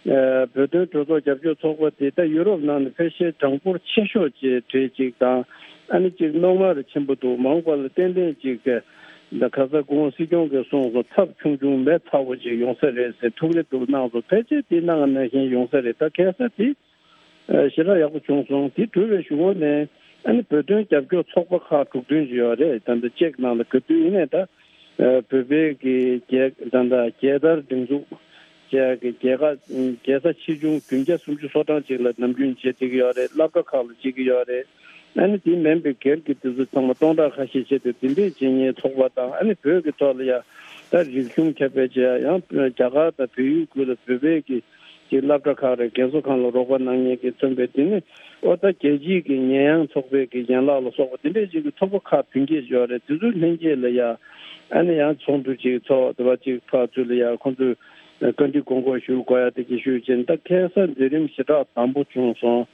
ཨ་བོད་དོན་གྲོས་ཚོགས་རྒྱབ་སྐྱོར་ཚོགས་པ་དེ་ད་ཡུ་རོབ་ནང་ནས་ཕལ་ཆེར་གྲངས་འབོར་ཆེ་ཤོས་ཀྱི་གྲས་ཅིག་དང་། ཨ་ནི་ཅིག་རྣོ་ངར་ཆེན་པོ་འདུག་མ་འོངས་པ་ལ་ཏན་ཏན་ཅིག་གི་ད་ཁ་ས་སྐུ་ངོ་སྲིད་སྐྱོང་གིས་གསུངས་སོང་། ཚབས་ཆུང་ཆུང་མེ་ཚ་བོ་ཅིག་ཡོང་ས་རེད་ཟེར་ཐུགས་རེ་འདུག་གནང་སོང་། ཕལ་ཆེར་དེ་གནང་གནང་བཞིན་ཡོང་ས་རེད། ད་ཁ་ས་དེ་ཨ་ཞེ་དྲག་ཡག་པོ་བྱུང་སོང་། དེ་གྲུབ་པའི་གཞུག་གུ་ནས་ཨ་ནི་བོད་དོན་རྒྱབ་སྐྱོར་ཚོགས་པ་ཁག་དྲུག་བདུན་ཅིག་ཡོད་རེད། ད་ལྟ་ཅེཀ་ནང་ལ་ག་དུས་ཡིན་ནའི་ད་ཨ་བོད་པའི་གི་རྒྱལ་ད་ལྟ་རྒྱལ་དར་སྒྲེང་འཛུགས་བཅས་ཀྱི་རྒྱལ་ཁ་རྒྱལ་ས་ཆེ་ཆུང་བདུན་བརྒྱ་སུམ་ཅུ་སོ་གྲངས་ཅིག་ལ་ནམ་རྒྱུན་བྱེད་བསྡད་ཀྱི་ཡོད་རེད། སློབ་གྲྭ་ཁག་ལ་བྱེད་ཀྱི་ཡོད་རེད། ཨ་ནི་དེ་མིན་པའི་སྒེར་གྱི་དུས་ཚོད་ཚང་མ་སྟོང་ཕྲག་ཁ་ཤས་བྱས་ཏེ་དེ་འདྲས་བྱེད་མཁན་ཚོགས་པ་དང་། ཨ་ནི་བོད་ཀྱི་ཐོག་ལ་ཡ་ད་རིག་གཞུང་ཁྱབ་སྤེལ་བྱེད་ཡ། ཡང་རྒྱ་གར་དང་བལ་ཡུལ་ཁུལ་ལ་བོད་པའི་གི་ཅིག་སློབ་གྲྭ་ཁག་རེད། རྒན་གསོ་ཁང་ལ་རོགས་པ་གནང་མཁན་གྱིས་མཚོན་པའི་དེ་ནི་ཨོ་ད་རྒྱལ་སྤྱིའི་གི་ཉེས་ཡངས་ཚོགས་པའི་གི་ཡན་ལག་ལ་སོགས་པ་དེ་འདྲས་ཅིག་གི་ཚོགས་པ་ཁག་བདུན་བརྒྱད་ཡོད་རེད། དེ་ཚོའི་ལྷན་རྒྱས་ལ་ཡ་ཨ་ནི་ཡང་ཚོགས་འདུ་ཅིག་ཚོགས་དེ་བ་ཅིག་ཕར་ཚུར་ལ་ཡ་ཁོང་ཚོས་ བཀའ་འདྲི་དགོངས་སྐོར་ཞུ་དགོས་ཡ་དེ་གི་ཞུས་ཅིང་། ད་ཁ་སང་མཛད་རིམ་ཞེ་དྲག་དམ་པོ་བྱུང་སོང་།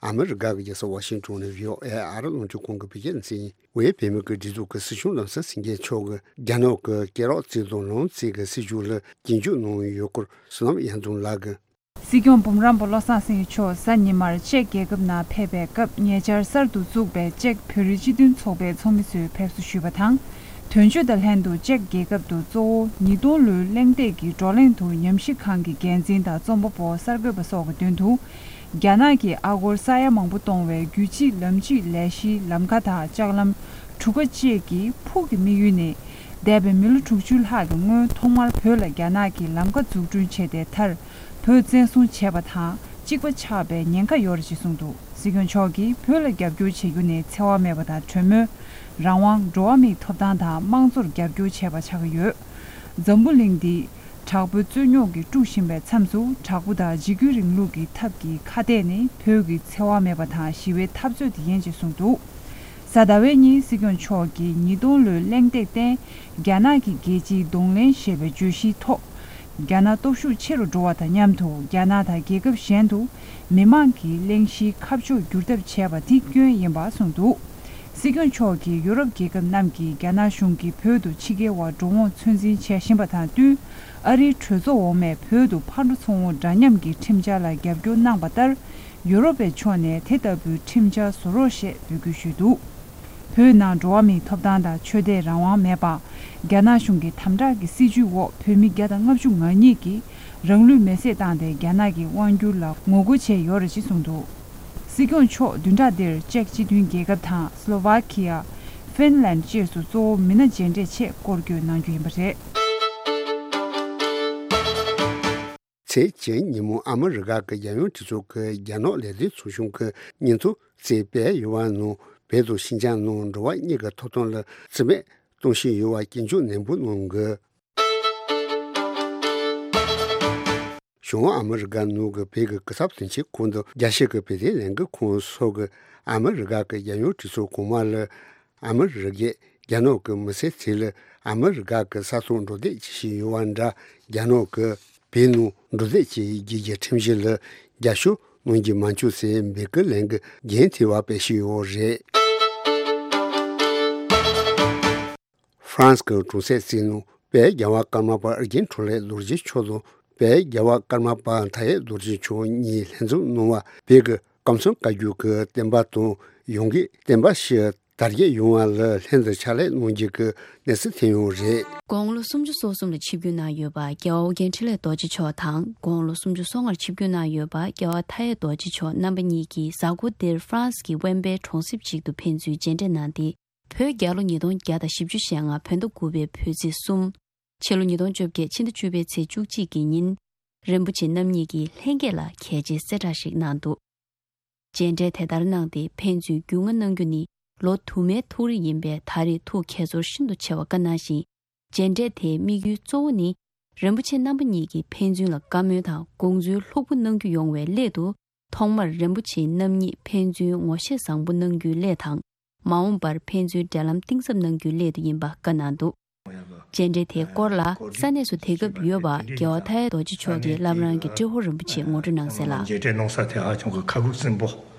ཨ་མི་རི་ཀ་གི་རྒྱལ་ས་ཝ་ཤིང་ཏོན་ནས་བྷི་ཨོ་ཨེ་ཨ་རི་རླུང་འཕྲིན་ཁང་གི་བོད་སྐད་སྡེ་ཚན་ཡིན། ཝེ་བོད་མི་གི་སྒྲིག་འཛུགས་ཀྱི་སྲིད་སྐྱོང་བློ་བཟང་སེང་གེ་མཆོག་གིས་རྒྱ་ནག་གི་སྐད་རགས་རྩིས་དང་ལུང་རྩིས་ཀྱི་སྲིད་བྱུས་ལ་རྒྱུན་འཇུག་གནང་ཡོད་སྐོར་བསོད་ནམས་གཡང་འཛོམས་ལགས་ཀྱིས། སྲིད་སྐྱོང་འབུམ་རམས་པ་བློ་བཟང་སེང་གེ་མཆོག་གཟའ་ཉི་མར་ཅེཀ་རྒྱལ་ཁབ་ནང་ཕེབས་པའི་སྐབས། ཉེ་ཆར་གསར་དུ་བཙུགས་པའི་ཅེཀ་བོད་རིགས་སྤྱི་མཐུན་ཚོགས་པའི་ཚོགས་མི་ཚོས་ཕེབས་བསུ་ཞུས་པ་དང་། དོན་གཅོད་དང་ལྷན་དུ་ཅེཀ་རྒྱལ་ཁབ་ཏུ་གཙོ་བོ་ཉིས་སྟོང་ལོའི་གླེང་སྟེགས་ཀྱི་བགྲོ་གླེང་དུ་ཉམས་ཞིབ་ཁང་གི་འགན་འཛིན་དང་རྩོམ་པ་པོ་གསར་འགོད་པ་སོགས་ཀྱི་མདུན་དུ། རྒྱ་ནག་གིས་ཨ་སྒོར་ས་ཡ་མང་པོ་གཏོང་བའི་རྒྱུད་གཅིག་ལམ་གཅིག་ལས་གཞིའི་ལམ་ཁ་དང་ལྕགས་ལམ་གྲུ་ཁ་བཅས་ཀྱི་ཕུགས་ཀྱི་དམིགས་ཡུལ་ནི། འདས་པའི་མི་ལོ་དྲུག་ཅུ་ལྷག་གི་སྔོན་ཐོག་མར་བོད་ལ་རྒྱ་ནག་གིས་ལམ་ཁ་འཛུགས་སྐྲུན་བྱས་ཏེ། མཐར་བོད་བཙན་བཟུང་བྱས་པ་དང་གཅིག་པ་ཆགས་པའི་ཉེན་ཁ་ཡོད་རེད་ཅེས་གསུངས་འདུག། སྲིད་སྐྱོང་མཆོག་གིས་བོད་ལ་རྒྱབ་སྐྱོར་བྱེད་རྒྱུ་ནི་འཚེ་བ་མེད་པ་དང་གྲོས་མོལ། རང་དབང་། འགྲོ་བ་མིའི་ཐོབ་ཐང་དང་དམངས་གཙོར་རྒྱབ་སྐྱོར་བྱས་པ་ཆགས་ཀྱི་ཡོད། འཛམ་བུ་གླིང་འདི་དྲག་པོའི་རྩོད་རྙོག་གིས་དཀྲུགས་བཞིན་པའི་མཚམས་སུ། དྲག་པོ་དང་འཇིགས་སྐུལ་རིང་ལུགས་ཀྱི་ཐབས་ཀྱི་ཁ་གཏད་ནི་བོད་ཀྱི་འཚེ་བ་མེད་པ་དང་ཞི་བའི་འཐབ་རྩོད་དེ་ཡིན་ཅེས་གསུངས་འདུག། གཟའ་ཟླ་བའི་ཉིན་སྲིད་སྐྱོང་མཆོག་གིས་ཉིས་སྟོང་ལོའི་གླེང་སྟེགས་སྟེང་རྒྱ་ནག་གི་རྒྱལ་སྤྱིའི་གདོང་ལེན་ཞེས་པའི་བརྗོད་གཞིའི་ཐོག། རྒྱ་ནག་སྟོབས་ཤུགས་ཆེ་རུ་འགྲོ་བ་དང་མཉམ་དུ། རྒྱ་ནག་དང་རྒྱལ་ཁབ་གཞན་དུ་མི་མང་གི་གླེང་གཞིའི་ཁ་ཕྱོགས་བསྒྱུར་ཐབས་བྱས་པ་དེ་སྐྱོན་ཡིན་པ་གསུངས་འདུག། སྲིད་སྐྱོང་མཆོག་གིས་ཡུ་རོབ་རྒྱལ་ཁབ་རྣམས་ཀྱིས་རྒྱ་ནག་གཞུང་གིས་བོད་དུ་ཕྱི་རྒྱལ་བ་འགྲོ་འོང་ཚོད་འཛིན་བྱེད་བཞིན་པ་དང་བསྟུན། ཨ་རིའི་གྲོས་ཚོགས་འོག་མས་བོད་དུ་ཕར་འགྲོ་ཚུར་འོང་འདྲ་མཉམ་གྱི་ཁྲིམས་འཆར་ལ་རྒྱབ་སྐྱོར་གནང་བ་ལྟར། ཡུ་རོབ་པའི་ཕྱོགས་ནས་དེ་ལྟ་བུའི་ཁྲིམས་འཆར་བཟོ་རོགས་ཞེས་འབོད་སྐུལ་ཞུས་འདུག། བོད་ནང་འགྲོ་བ་མིའི་ཐོབ་ཐང་དང་ཆོས་དད་རང་དབང་མེད་པ། རྒྱ་ནག་གཞུང་གི་དམ་དྲག་གི་སྲིད་བྱུས་འོག་བོད་མི་བརྒྱ་དང་ལྔ་བཅུ་ང་གཉིས་ཀྱིས་རང་ལུས་མེར་སྲེག་བཏང་སྟེ་རྒྱ་ནག་གི་དབང་སྒྱུར་ལ་ངོ་རྒོལ་བྱས་ཡོད་རེད་ཅེས་གསུངས་འདུག། སྲིད་སྐྱོང་མཆོག་བདུན་ཕྲག་འདིར་ཅེཀ་སྤྱི་མཐུན་རྒྱལ་ཁབ་དང་སློ་ཝཱ་ཁི་ཡ། ཧྥིན་ལན་བཅས་སུ་གཙོ་བོ་མི་སྣ་མཇལ་འཕྲད་ཆེད་སྐོར་སྐྱོད་གནང་རྒྱུ་ཡིན་པ་རེད། ཚེས་བཅུ་ཉིན་མོ་ཨ་མི་རི་ཀ་གི་རྒྱལ་ཡོངས་གྲོས་ཚོགས་ཀྱི་རྒྱ་ནག་ལས་དོན་ཚོགས་ཆུང་གི་སྙན་ཐོ་བརྩིས་སྤེལ་ཡོད་པ་ནང་། བོད་དང་ཤིན་ཅང་ནང་འགྲོ་བ་མིའི་ཐོབ་ཐང་ལ་བརྩི་མེད་གཏོང་བཞིན་ཡོད་པ་སྐྱོན་བརྗོད་ནན་པོ་གནང་གི། བྱང་ཨ་མི་རི་ཀ་ནང་གི་བོད་ཀྱི་སྐུ་ཚབ་དོན་གཅོད་ཁང་དང་རྒྱལ་སྤྱི་གི་བོད་དོན་ལས་འགུལ་ཁང་སོགས་ཀྱིས་ཨ་མི་རི་ཀ་གི་རྒྱལ་ཡོངས་གྲོས་ཚོགས་གོང་མ་ལ། ཨ་མི་རི་ཀས་རྒྱ་ནག་གི་མི་སེར་ཚོ་ལ་ཨ་མི་རི་ཀ་གི་ས་ཐོག་འགྲོ་སྡོད་བྱེད་བཞིན་ཡོད་པ་འདྲ། རྒྱ་ནག་གིས་བོད་ནང་འགྲོ་སྡོད་བྱེད་རྒྱུ་གི་ཁྲིམས་གཞི་ལ་རྒྱབ་སྐྱོར་གནང་རྒྱུ་མ་བྱུང་ཟེར་འབོད་སྐུལ་ལས་འགུལ་རྒྱུན་མཐུད་པ་སྤེལ་བཞིན་ཡོད་རེད། ཧྥ་རན་སི་གི་གྲོང་གསེབ་ཅིག་ནང་བོད་རྒྱལ་བ་ཀརྨ་པ་ཨེ་རྒྱན་འཕྲིན་ལས་རྡོ་རྗེ་མཆོག་དང་། བོད་རྒྱལ་བ་ཀརྨ་པ་མཐའ་ཡས་རྡོ་རྗེ་མཆོག་གཉིས་ལྷན་འཛོམས་གནང་བ། བོད་ཀྱི་ཀམ་ཚང་བཀའ་བརྒྱུད་ཀྱི་བསྟན་པ་དང་ཡོངས་ཀྱི་བསྟན་པ་ཞིག་དར་རྒྱས་ཡོང་བ་ལ་ལྷན་དུ་ཕྱག་ལས་གནང་རྒྱུ་གི་གནས་ཚུལ་ཐོན་ཡོད་རེད། དགུང་ལོ་སུམ་ཅུ་སོ་གསུམ་ལ་ཆིབས་བསྒྱུར་གནང་ཡོད་པ་རྒྱལ་བ་ཨོ་རྒྱན་འཕྲིན་ལས་རྡོ་རྗེ་མཆོག་དང་། དགུང་ལོ་སུམ་ཅུ་སོ་ལྔར་ཆིབས་བསྒྱུར་གནང་ཡོད་པ་རྒྱལ་བ་མཐའ་ཡས་རྡོ་རྗེ་མཆོག་རྣམ་པ་གཉིས་ཀྱིས་གཟའ་འཁོར་འདིར་ཧྥ་རན་སི་གི་ཝེན་པེ་གྲོང་གསེབ་ཅིག་ཏུ་ཕན་ཚུན་མཇལ་འཕྲད་གནང་སྟེ། བོད་རྒྱལ་ལོ་ཉིས་སྟོང་བརྒྱ་དང་བཞི་བཅུ་ཞེ་ལྔ་བོད་ཟླ་དགུ་པའི་བོད་ཚེས་གསུམ། ཕྱི་ལོ་ཉིས་སྟོང་བཅོ་བརྒྱད་ཕྱི་ཟླ་བཅུ་པའི་ཚེས་བཅུ་གཅིག་གི་ཉིན། རིན་པོ་ཆེ་རྣམ་གཉིས་ཀྱིས་ལྷན་རྒྱས་ལ་གལ་ཆེའི་གསལ་བསྒྲགས་ཤིག་གནང་འདུག། མཇལ་འཕྲད་དེ་ལྟར་གནང་སྟེ་ཕན་ཚུན་རྒྱུས་མངའ་གནང་རྒྱུ་ནི་ལོ་དུ་མའི་ཐུགས་རེ་ཡིན་པས། ད་རེས་ཐུགས་དགྱེས་ཚོར་ཤིན་ཏུ་ཆེ་བ་བཀའ་གནང་ཞིང་། མཇལ་འཕྲད་དེའི་དམིགས་ཡུལ་གཙོ་བོ་ནི། རིན་པོ་ཆེ་རྣམ་པ་གཉིས་ཀྱིས་ཕན་ཚུན་ལ་བཀའ་མོལ་དང་དགོངས་ཚུལ་ལྷུག་པོ་གནང་རྒྱུ་ཡོང་བའི་སླད་དུ། ཐོག་མར་རིན་པོ་ཆེ་རྣམ་གཉིས་ཕན་ཚུན་ངོ་ཤེས་བཟང་པོ་གནང་རྒྱུའི་སླད་དང་། མ་འོངས་པར་ཕན་ཚུན་འབྲེལ་ལམ་གཏིང་ཟབ་གནང་རྒྱུའི་སླད་དུ་ཡིན་པ་བཀའ་གནང་འདུག། མཇལ་འཕྲད་དེའི་སྐོར་ལ་ས་གནས་སུ་དེང་སྐབས་ཡོད་པ་རྒྱལ་བ་མཐའ་ཡས་རྡོ་རྗེ་མཆོག་གི་བླ་བྲང་གི་ཏྲེ་ཧོར་རིན་པོ་ཆེས་ངོ་སྤྲོད་གནང་གསལ་ལ། མཇལ་འཕྲད་གནང་ས་དེ་ཧ་ཅང་གི་ཁ་ཁུག་སིམ་པོ་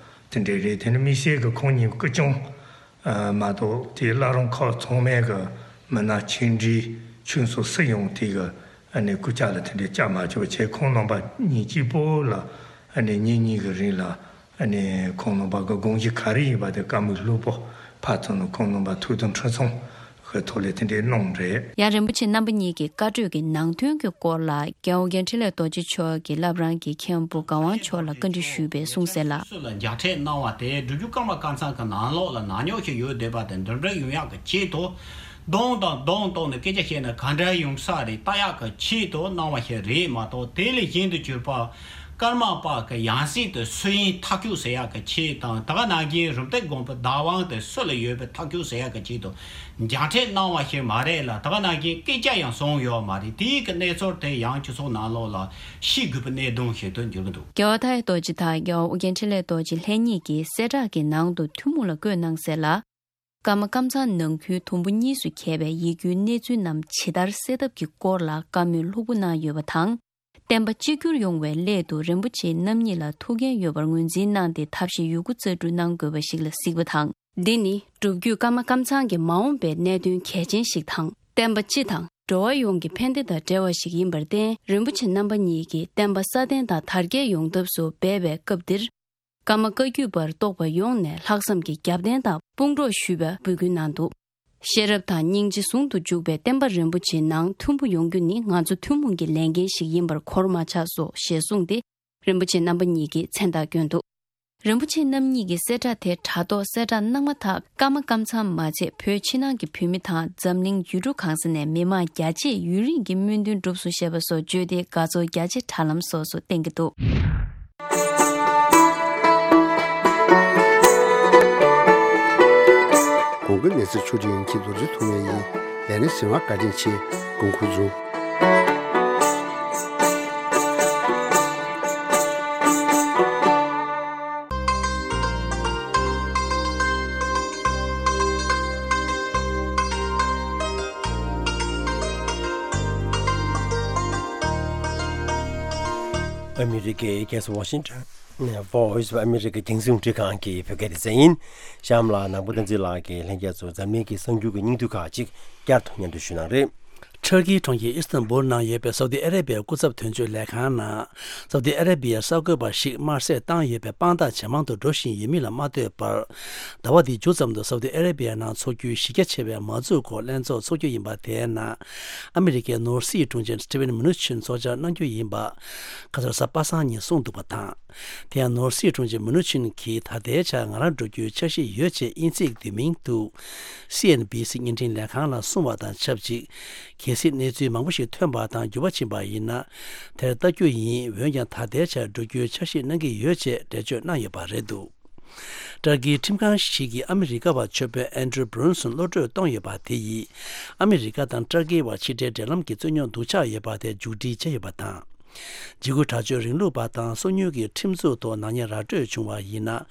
དེ་འདྲས་རེད། དེ་ནི་དམིགས་བསལ་གྱི་ཁོང་གཉིས་སྐུ་སྐྱོང་མ་གཏོགས་དེའི་བླ་བྲང་ཁག་ཚང་མའི་གི་མི་སྣ་ཆེ་འབྲིང་ཆུང་སོགས་སུ་ཡང་དེ་གི་ཨ་ནི་སྐུ་ཕྱག་ལ་དེ་འདྲས་བཅར་མ་བཅུག་པ་བྱས། ཁོང་རྣམ་པ་གཉིས་གཅིག་པོ་ལ་ཨ་ནི་ཉིན་གཉིས་ཀྱི་རིང་ལ་ཨ་ནི་ཁོང་རྣམ་པ་གི་དགོངས་གཞི་ག་རེ་ཡིན་པ་དེ་བཀའ་མོལ་ལྷུག་པོ་ཕར་ཚུར་ནས་ཁོང་རྣམ་པ་ཐུགས་དམ་ཁྲི་སྲོང་གི་ཐོག་ལས་དེ་འདྲས་གནང་རེད། ཡང་རིན་པོ་ཆེ་རྣམ་པ་གཉིས་ཀྱི་བཀའ་གྲོས་ཀྱི་ནང་དོན་གྱི་སྐོར་ལ་རྒྱལ་བ་ཨོ་རྒྱན་འཕྲིན་ལས་རྡོ་རྗེ་མཆོག་གིས་བླ་བྲང་གི་མཁན་པོ་གར་དབང་མཆོག་ལ་བཀའ་འདྲི་ཞུས་པའི་གསུང་གསལ་ལ། སུ་ལ་མཇལ་འཕྲད་གནང་བ་དེ་སྒྲུབ་བརྒྱུད་ཀརྨ་ཀཾ་ཚང་གི་ནང་ལོགས་ལ་ནག་ཉོག་ཞིག་ཡོད་བསྡད་པ་དེ་འདི་འདྲ་ཡོང་ཡག་གི་ཆེད་དུ། གདོང་དང་གདོང་གཏོང་ནས་སྐད་ཆ་བཤད་ན་ག་འདྲ་ཡོང་ས་རེད་ལྟ་ཡག་གི་ཆེད་དུ་གནང་བ་ཞིག་རེད་མ་གཏོགས། དེ་ལས་གཞན་དུ་གྱུར་པ་ཀརྨ་པ་གི་ཡང་སྲིད་དུ་སུ་ཡིན་ཐག་གཅོད་ཟེར་ཡག་གི་ཆེད་དང་། ད་ག་ནང་བཞིན་རུམ་བཏེག་དགོན་པའི་བདག་དབང་དེ་སུ་ལ་ཡོད་པའི་ཐག་གཅོད་ཟེར་ཡག་གི་ཆེད་དུ་མཇལ་འཕྲད་གནང་བ་ཞིག་མ་རེད་ལ། ད་ག་ནང་བཞིན་སྐད་ཆ་ཡང་གསུངས་ཡོད་མ་རེད། དེའི་གི་གནས་ཚུལ་དེ་ཡང་སྤྱི་ཚོགས་ནང་ལོགས་ལ་ཤེས་དགོས་པའི་གནད་དོན་ཞིག་ཏུ་འགྱུར་གྱི་འདུག། རྒྱལ་བ་མཐའ་ཡས་རྡོ་རྗེ་དང་རྒྱལ་བ་ཨོ་རྒྱན་འཕྲིན་ལས་རྡོ་རྗེ་ལྷན་གཉིས་ཀྱིས་གསལ་བསྒྲགས་ཀྱི་ནང་དུ་ཐུན་མོང་ལ་བཀོད་གནང་གསལ་ལ། ཀརྨ་ཀམ་ཚང་ནང་ཁུལ་དུམ་བུ་གཉིས་སུ་གྱེས་པའི་ཡིད་སྐྱོའི་གནས་ཚུལ་རྣམས་ཇི་ལྟར་སེལ་ཐབས་ཀྱི་སྐོར་ལ་བཀའ་མོལ་ལྷུག་པོ་གནང་ཡོད་པ་དང་། བསྟན་པ་གཅིག་གྱུར་ཡོང་བའི་སླད་དུ་རིན་པོ་ཆེ་རྣམ་གཉིས་ལ་ཐུགས་འགན་ཡོད་པར་ངོས་འཛིན་གནང་སྟེ། ཐབས་ཤེས་ཡོད་རྒུ་རྩལ་སྤྲུགས་གནང་དགོས་པ་ཞིག་ལ་གཟིགས་པ་དང་། འདི་ནི་སྒྲུབ་བརྒྱུད་ཀརྨ་ཀམ་ཚང་གི་མ་འོངས་པའི་གནད་དོན་གལ་ཆེན་ཞིག་དང་། བསྟན་པ་སྤྱི་དང་འགྲོ་བ་ཡོངས་ཀྱི་ཕན་བདེ་དང་འབྲེལ་བ་ཞིག་ཡིན་པར་བརྟེན། རིན་པོ་ཆེ་རྣམ་པ་གཉིས་ཀྱིས་བསྟན་པ་སྲ་བརྟན་དང་དར་རྒྱས་ཡོང་ཐབས་སུ་འབད་པའི་སྐབས་འདིར། ཀརྨ་བཀའ་བརྒྱུད་པར་གཏོགས་པ་ཡོངས་ནས་ལྷག་བསམ་གྱི་རྒྱབ་རྟེན་དང་དཔུང་གྲོགས་ཞུ་བའི་འབོད་སྐུལ་གནང་འདུག་ཤེས་རབ་དང་སྙིང་རྗེ་ཟུང་དུ་འཇུག་པའི་བསྟན་པ་རིན་པོ་ཆེའི་ནང་མཐུན་པོ་ཡོང་རྒྱུ་ནི་ང་ཚོ་ཐུན་མོང་གི་ལས་འགན་ཞིག་ཡིན་པར་གོར་མ་ཆག་སོ་ཞེས་གསུངས་ཏེ། རིན་པོ་ཆེ་རྣམ་པ་གཉིས་ཀྱིས་མཚན་རྟགས་བསྐྱོན་འདུག་རིན་པོ་ཆེ་རྣམ་གཉིས་ཀྱི་གསལ་བསྒྲགས་དེ་དྲ་ཐོག་གསལ་བསྒྲགས་གནང་མ་ཐག་ཀརྨ་ཀམ་ཚང་མ་ཚད་བོད་ཕྱི་ནང་གི་བོད་མི་དང་འཛམ་གླིང་ཡུལ་གྲུ་གང་ས་ནས་མི་མང་རྒྱ་ཆེས་ཡུན་རིང་གི་སྨོན་འདུན་གྲུབ་སོང་ཞེས་པ་སོགས་བརྗོད་དེ་དགའ་ཚོར་རྒྱ་ཆེ་དྲ་ལམ་སོགས་སུ་བསྟན་གྱི་འདུག་གོང་གི་གནས་ཚུལ་ཕྱོགས་སྒྲིག་ཡིན་གྱི་རྡོ་རྗེ་ཐུགས་མེད་ཡིན། ལས་ནི་ཟིན་བ་བཀའ་དྲིན་ཆེ། དགོངས་ཁུར་བཟུང་། ཨ་མི་རི་ཀའི་རྒྱལ་ས་ཝ་ཤིང་ཊོན། Voice of America རྒྱང་སྲིང་རླུང་འཕྲིན་ཁང་གི་བོད་སྐད་སྡེ་ཚན་ཡིན། གཤམ་ལ་ནང་པ་བསྟན་འཛིན་ལགས་ཀྱིས་ལྷན་རྒྱས་ཚོར་འཛམ་གླིང་གི་གསར་འགྱུར་གྱི་སྙིང་བསྡུས་ཁག་ཅིག་བསྐྱར་དུ་སྙན་སྒྲོན་ཞུ་གནང་རེད། ཊར་ཀིའི་གྲོང་ཁྱེར་ཨི་སི་ཐན་བུལ་ནང་ཡོད་པའི་སའུ་ཏི་ཨ་རེ་བྷི་ཡའི་སྐུ་ཚབ་དོན་གཅོད་ལས་ཁང་ནང་། སའུ་ཏི་ཨ་རེ་བྷི་ཡའི་གསར་འགོད་པ་ཞིག་དམར་གསོད་བཏང་ཡོད་པའི་དཔང་རྟགས་ཇེ་མང་དུ་འགྲོ་བཞིན་ཡོད་མིན་ལ་མ་ལྟོས་པར། ཟླ་བ་འདིའི་མཇུག་ཙམ་དུ་སའུ་ཏི་ཨ་རེ་བྷི་ཡའི་ནང་འཚོགས་རྒྱུའི་གཞི་རྒྱ་ཆེ་བའི་མ་འཛུགས་སྐོར་ལྷན་ཚོགས་འཚོགས་རྒྱུ་ཡིན་པ་དེའི་ནང་། ཨ་མི་རི་ཀའི་ནོར་སྲིད་དྲུང་ཆེ་སི་ཊི་ཝེན་མུ་ནུ་ཆིན་ཚོགས་བཅར་གནང་རྒྱུ་ཡིན་པ། ཁ་སང་རེས་གཟའ་པ་སངས་ཉིན་གསུངས་འདུག་པ་དང་། དེ་ཡང་ནོར་སྲིད་དྲུང་ཆེ་མུ་ནུ་ཆིན་གྱིས་ད་ལྟའི་ཆར་ང་རང་འགྲོ་རྒྱུའི་འཆར་གཞི་ཡོད་ཅེས་དབྱིན་ཚིག་བསྡུས་མིང་དུ། སི་ཨེན་བྷི་སི་བརྙན་འཕྲིན་ལས་ཁང་ལ་གསུངས་པ་དང་ཆབས་ཅིག་གལ་སྲིད་གནས་ཚུལ་མང་པོ་ཞིག་ཐོན་པ་དང་འགྱུར་བ་ཕྱིན་པ་ཡིན་ན། དེར་ལྟ་རྒྱུ་ཡིན། འོན་ཀྱང་ད་ལྟའི་ཆར་འགྲོ་རྒྱུའི་འཆར་གཞི་གནང་གི་ཡོད་ཅེས་འགྲེལ་བརྗོད་གནང་ཡོད་པ་རེད་འདུག་ཏར་ཀིའི་ཁྲིམས་ཁང་ཞིག་གིས་ཨ་མི་རི་ཀ་བ་ཆོས་དཔོན་ཨན་ཌྲུ་བྷུ་རུན་སོན་གློད་བཀྲོལ་གཏོང་ཡོད་པ་དེ་ཡིས། ཨ་མི་རི་ཀ་དང་ཏར་ཀིའི་བར་ཕྱི་འབྲེལ་འབྲེལ་ལམ་གྱི་རྩོད་རྙོག་སྡུག་ཆགས་ཡོད་པ་དེ་མཇུག་སྒྲིལ་བྱས་ཡོད་པ་དང་། འཇིགས་སྐུལ་དྲག་སྤྱོད་རིང་ལུགས་པ་དང་སོ་ཉུལ་གྱི་ཁྲིམས་འཛུགས་ཐོག་ནག་ཉེས་ར་སྤྲོད་བྱུང་བ་ཡིན་ན།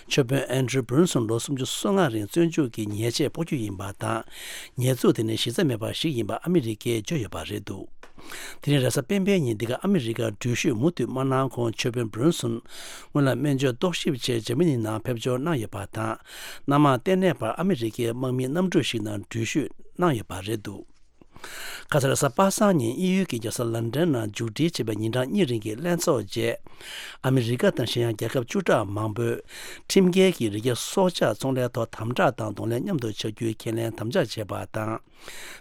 ཆོས་དཔོན་ཨན་ཌྲུ་བྷུ་རུན་སོན་ལོ་སུམ་ཅུ་སོ་ལྔ་རིང་བཙོན་འཇུག་གི་ཉེས་ཆད་ཕོག་རྒྱུ་ཡིན་པ་དང་། ཉེས་འཛུགས་དེ་ནི་གཞི་རྩ་མེད་པ་ཞིག་ཡིན་པ་ཨ་མི་རི་ཀས་བརྗོད་ཡོད་པ་རེད་འདུག་དེ་རིང་རེས་གཟའ་སྤེན་པའི་ཉིན་འདི་ག་ཨ་མི་རི་ཀར་འགྲུལ་བཞུད་མུ་མཐུད་མ་གནང་གོང་ཆོས་དཔོན་བྷུ་རུན་སོན་སྔོན་ལ་སྨན་བཅོས་རྟོག་ཞིབ་ཆེད་འཇར་མ་ནི་ནང་ཕེབས་འབྱོར་གནང་ཡོད་པ་དང་། སྣ་མང་ལྟེ་གནས་བར་ཨ་མི་རི་ཀའི་དམག་མིའི་གནམ་གྲུ་ཞིག་ནང་འགྲུལ་བཞུད་གནང་ཡོད་པ་རེད་འདུག་ཁ་སང་རེས་གཟའ་པ་སངས་ཉིན་དབྱིན་ཡུལ་གྱི་རྒྱལ་ས་ལན་ཌན་ནང་མཇུག་སྒྲིལ་བྱས་པའི་ཉིན་གྲངས་གཉིས་རིང་གི་ལྷན་ཚོགས་རྗེས། ཨ་མི་རི་ཀ་དང་གཞན་ཡང་རྒྱལ་ཁབ་བཅུ་ཕྲག་མང་པོས་ཁྲིམས་འགལ་གྱི་རི་སྐྱེས་སྲོག་ཆགས་ཚོང་ལས་ཐོག་དམ་དྲག་དང་གདོང་ལེན་མཉམ་དུ་བྱ་རྒྱུའི་ཁས་ལེན་དམ་བཅའ་བྱས་པ་དང་།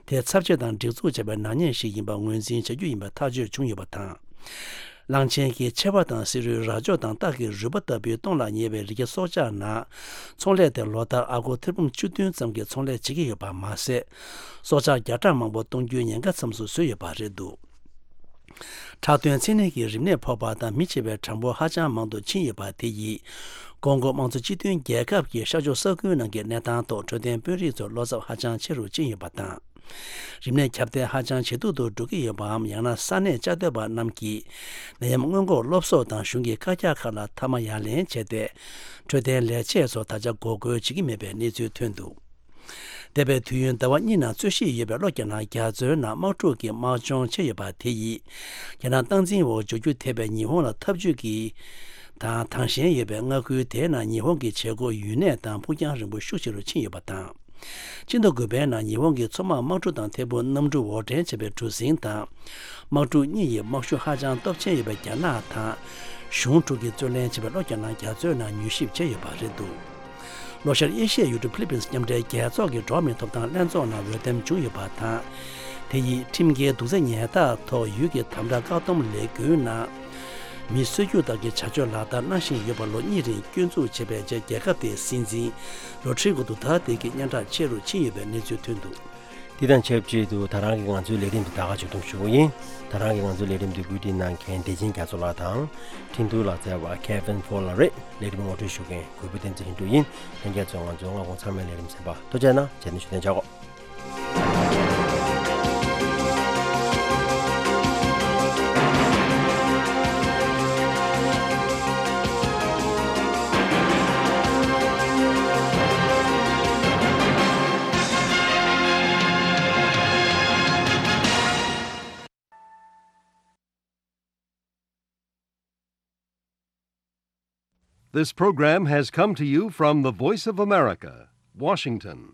དེ་ཚབས་ཆེ་དང་སྒྲིག་འཛུགས་བྱས་པའི་ནག་ཉེས་ཤིག་ཡིན་པ་ངོས་འཛིན་བྱ་རྒྱུ་ཡིན་པའི་ཐག་གཅོད་བྱུང་ཡོད་པ་དང་། གླང་ཆེན་གྱི་མཆེ་བ་དང་བསེ་རུའི་རྭ་ཅོ་དང་སྟག་གི་རུས་པ་ལྟ་བུའི་སྟོངས་ལ་ཉེ་བའི་རི་སྐྱེས་སྲོག་ཆགས་ནང་། ཚོང་ལས་དེ་ལོ་ལྟར་ཨ་སྒོར་ཐེར་འབུམ་བཅུ་བདུན་ཙམ་གྱི་ཚོང་ལས་བྱེད་ཀྱི་ཡོད་པ་མ་ཟད། སྲོག་ཆགས་བརྒྱ་ཕྲག་མང་པོ་གཏོང་རྒྱུའི་ཉེན་ཁ་མཚམས་སུ་བཟོས་ཡོད་པ་རེད་འདུག་ཁྲག་དོན་མཚན་ནད་ཀྱི་རིམས་ནད་ཕོག་པ་དང་མི་འཆི་བའི་གྲངས་འབོར་ཧ་ཅང་མང་དུ་ཕྱིན་ཡོད་པ་དེ་ཡིས། ཀོང་ཀོ་དམངས་གཙོ་སྤྱི་མཐུན་རྒྱལ་ཁབ་ཀྱི་ཤར་ཕྱོགས་ས་ཁུལ་ནང་གི་གནས་སྟངས་ཐོག་འཕྲོད་བསྟེན་དཔོན་རིགས་ཚོར་བློ་འཚབ་ཧ་ཅང་ཆེ་རུ་ཕྱིན་ཡོད་པ་དང་། རིམས་ནད་ཁྱབ་གདལ་ཧ་ཅང་ཇེ་སྡུག་ཏུ་འགྲོ་གི་ཡོད་པའམ། ཡང་ན་ས་གནས་བཅའ་སྡོད་པ་རྣམས་ཀྱིས་ནད་ཡམས་སྔོན་འགོག་སློབ་གསོ་དང་གཞུང་གི་བཀའ་རྒྱ་ཁག་ལ་མཐའ་མ་ཡ་ལན་བྱས་ཏེ། འཕྲོད་བསྟེན་ལས་བྱེད་ཚོ་ད་ཆ་འགོག་རྒོལ་བྱེད་ཀྱི་མེད་པའི་གནས་ཚུལ་ཐོན་འདུག་འདས་པའི་དུས་ཡུན་ཟླ་བ་གཉིས་ནང་རྩོད་གཞི་ཡོད་པའི་གློ་རྒྱ་ནག་རྒྱ་མཚོའི་ནང་དམག་འཁྲུག་གི་དམག་སྦྱོང་བྱས་ཡོད་པ་དེ་ཡིས། རྒྱ་ནག་སྟངས་འཛིན་འོག་འཇོག་རྒྱུ་ཐེབས་པའི་ཉི་ཧོང་ལ་འཐབ་ཇུས་ཀྱི་དང་དང་ཞེན་ཡོད་པའི་མངའ་ཁུལ་དེའི་ནང་ཉི་ཧོང་གི་བྱེད་སྒོ་ཡུན་གནས་དང་ཕུགས་རྒྱང་རིང་པོ་ཤུགས་ཆེ་རུ་ཕྱིན་ཡོད་པ་དང་། ཕྱི་ཟླ་དགུ་པའི་ནང་ཉི་ཧོང་གི་མཚོ་དམག་དམག་གྲུ་དང་ཐད་འཕུར་གནམ་གྲུ་འོར་འདྲེན་བྱས་པའི་གྲུ་གཟིངས་དང་། དམག་གྲུ་གཉིས་ཡི་དམག་ཤུགས་ཧ་ཅང་སྟོབས་ཆེན་ཡོད་པའི་རྒྱ་ནག་དང་། གཞུང་དྲུག་གིས་རྩོད་ལེན་བྱས་པའི་གློ་རྒྱ་ནག་རྒྱ་མཚོའི་ནང་མྱུལ་ཞིབ་བྱས་ཡོད་པ་རེད་འདུག་ལྷོ་ཤར་ཨེ་ཤི་ཡའི་ཡུལ་གྲུ་ཕི་ལི་པིན་སི་མཉམ་འབྲེལ་རྒྱལ་ཚོགས་ཀྱི་འགྲོ་བ་མིའི་ཐོབ་ཐང་ལྷན་ཚོགས་ནང་འོས་འདེམས་བྱུང་ཡོད་པ་དང་། དེ་ཡིས་ཁྲིམས་འགལ་གདུག་རྩལ་ཉལ་ཐ་ཐོག་ཡུལ་གྱི་དམ་དྲག་བཀག་སྡོམ་ལས་འགུལ་ནང་། མི་གསོད་རྒྱུ་དག་གི་བྱ་སྤྱོད་ལག་བསྟར་གནང་བཞིན་ཡོད་པ་ལོ་གཉིས་རིང་སྐྱོན་འཛུགས་བྱས་པའི་རྗེས་རྒྱལ་ཁབ་དེའི་སྲིད་འཛིན་རོ་ཌི་རི་གོ་ཌུ་ཐར་ཏེ་གྱི་སྙན་གྲགས་ཆེ་རུ་ཕྱིན་ཡོད་པའི་གནས་ཚུལ་ཐོན་འདུག་དེ་དང་ཆབས་ཅིག་ཏུ་ད་རང་གི་ང་ཚོའི་ལས་རིམ་འདི་ད་ག་མཇུག་བསྡོམས་ཞུ་གི་ཡིན། ད་རང་གི་ང་ཚོའི་ལས་རིམ་འདི་བཀོད་སྒྲིག་གནང་མཁན་བདེ་ཆེན་རྒྱ་མཚོ་ལགས་དང་། འཕྲིན་ཐུང་ལག་རྩལ་བ་ཁེ་ཝིན་ཕོ་ལགས་རེད། ལས་རིམ་ངོ་སྤྲོད་ཞུ་མཁན་གུས་པ་བསྟན་འཛིན་ལྷུན་གྲུབ་ཡིན། ལྷན་རྒྱས་ཚོས་ང་ཚོའི་སྔ་དགོང་ཚང་མའི་ལས་རིམ་གསན་པར་ཐུགས་རྗེ་གནང་། རྗེས་ནས་ཞུ་དོན་བྱ་གོ། This program has come to you from the Voice of America, Washington.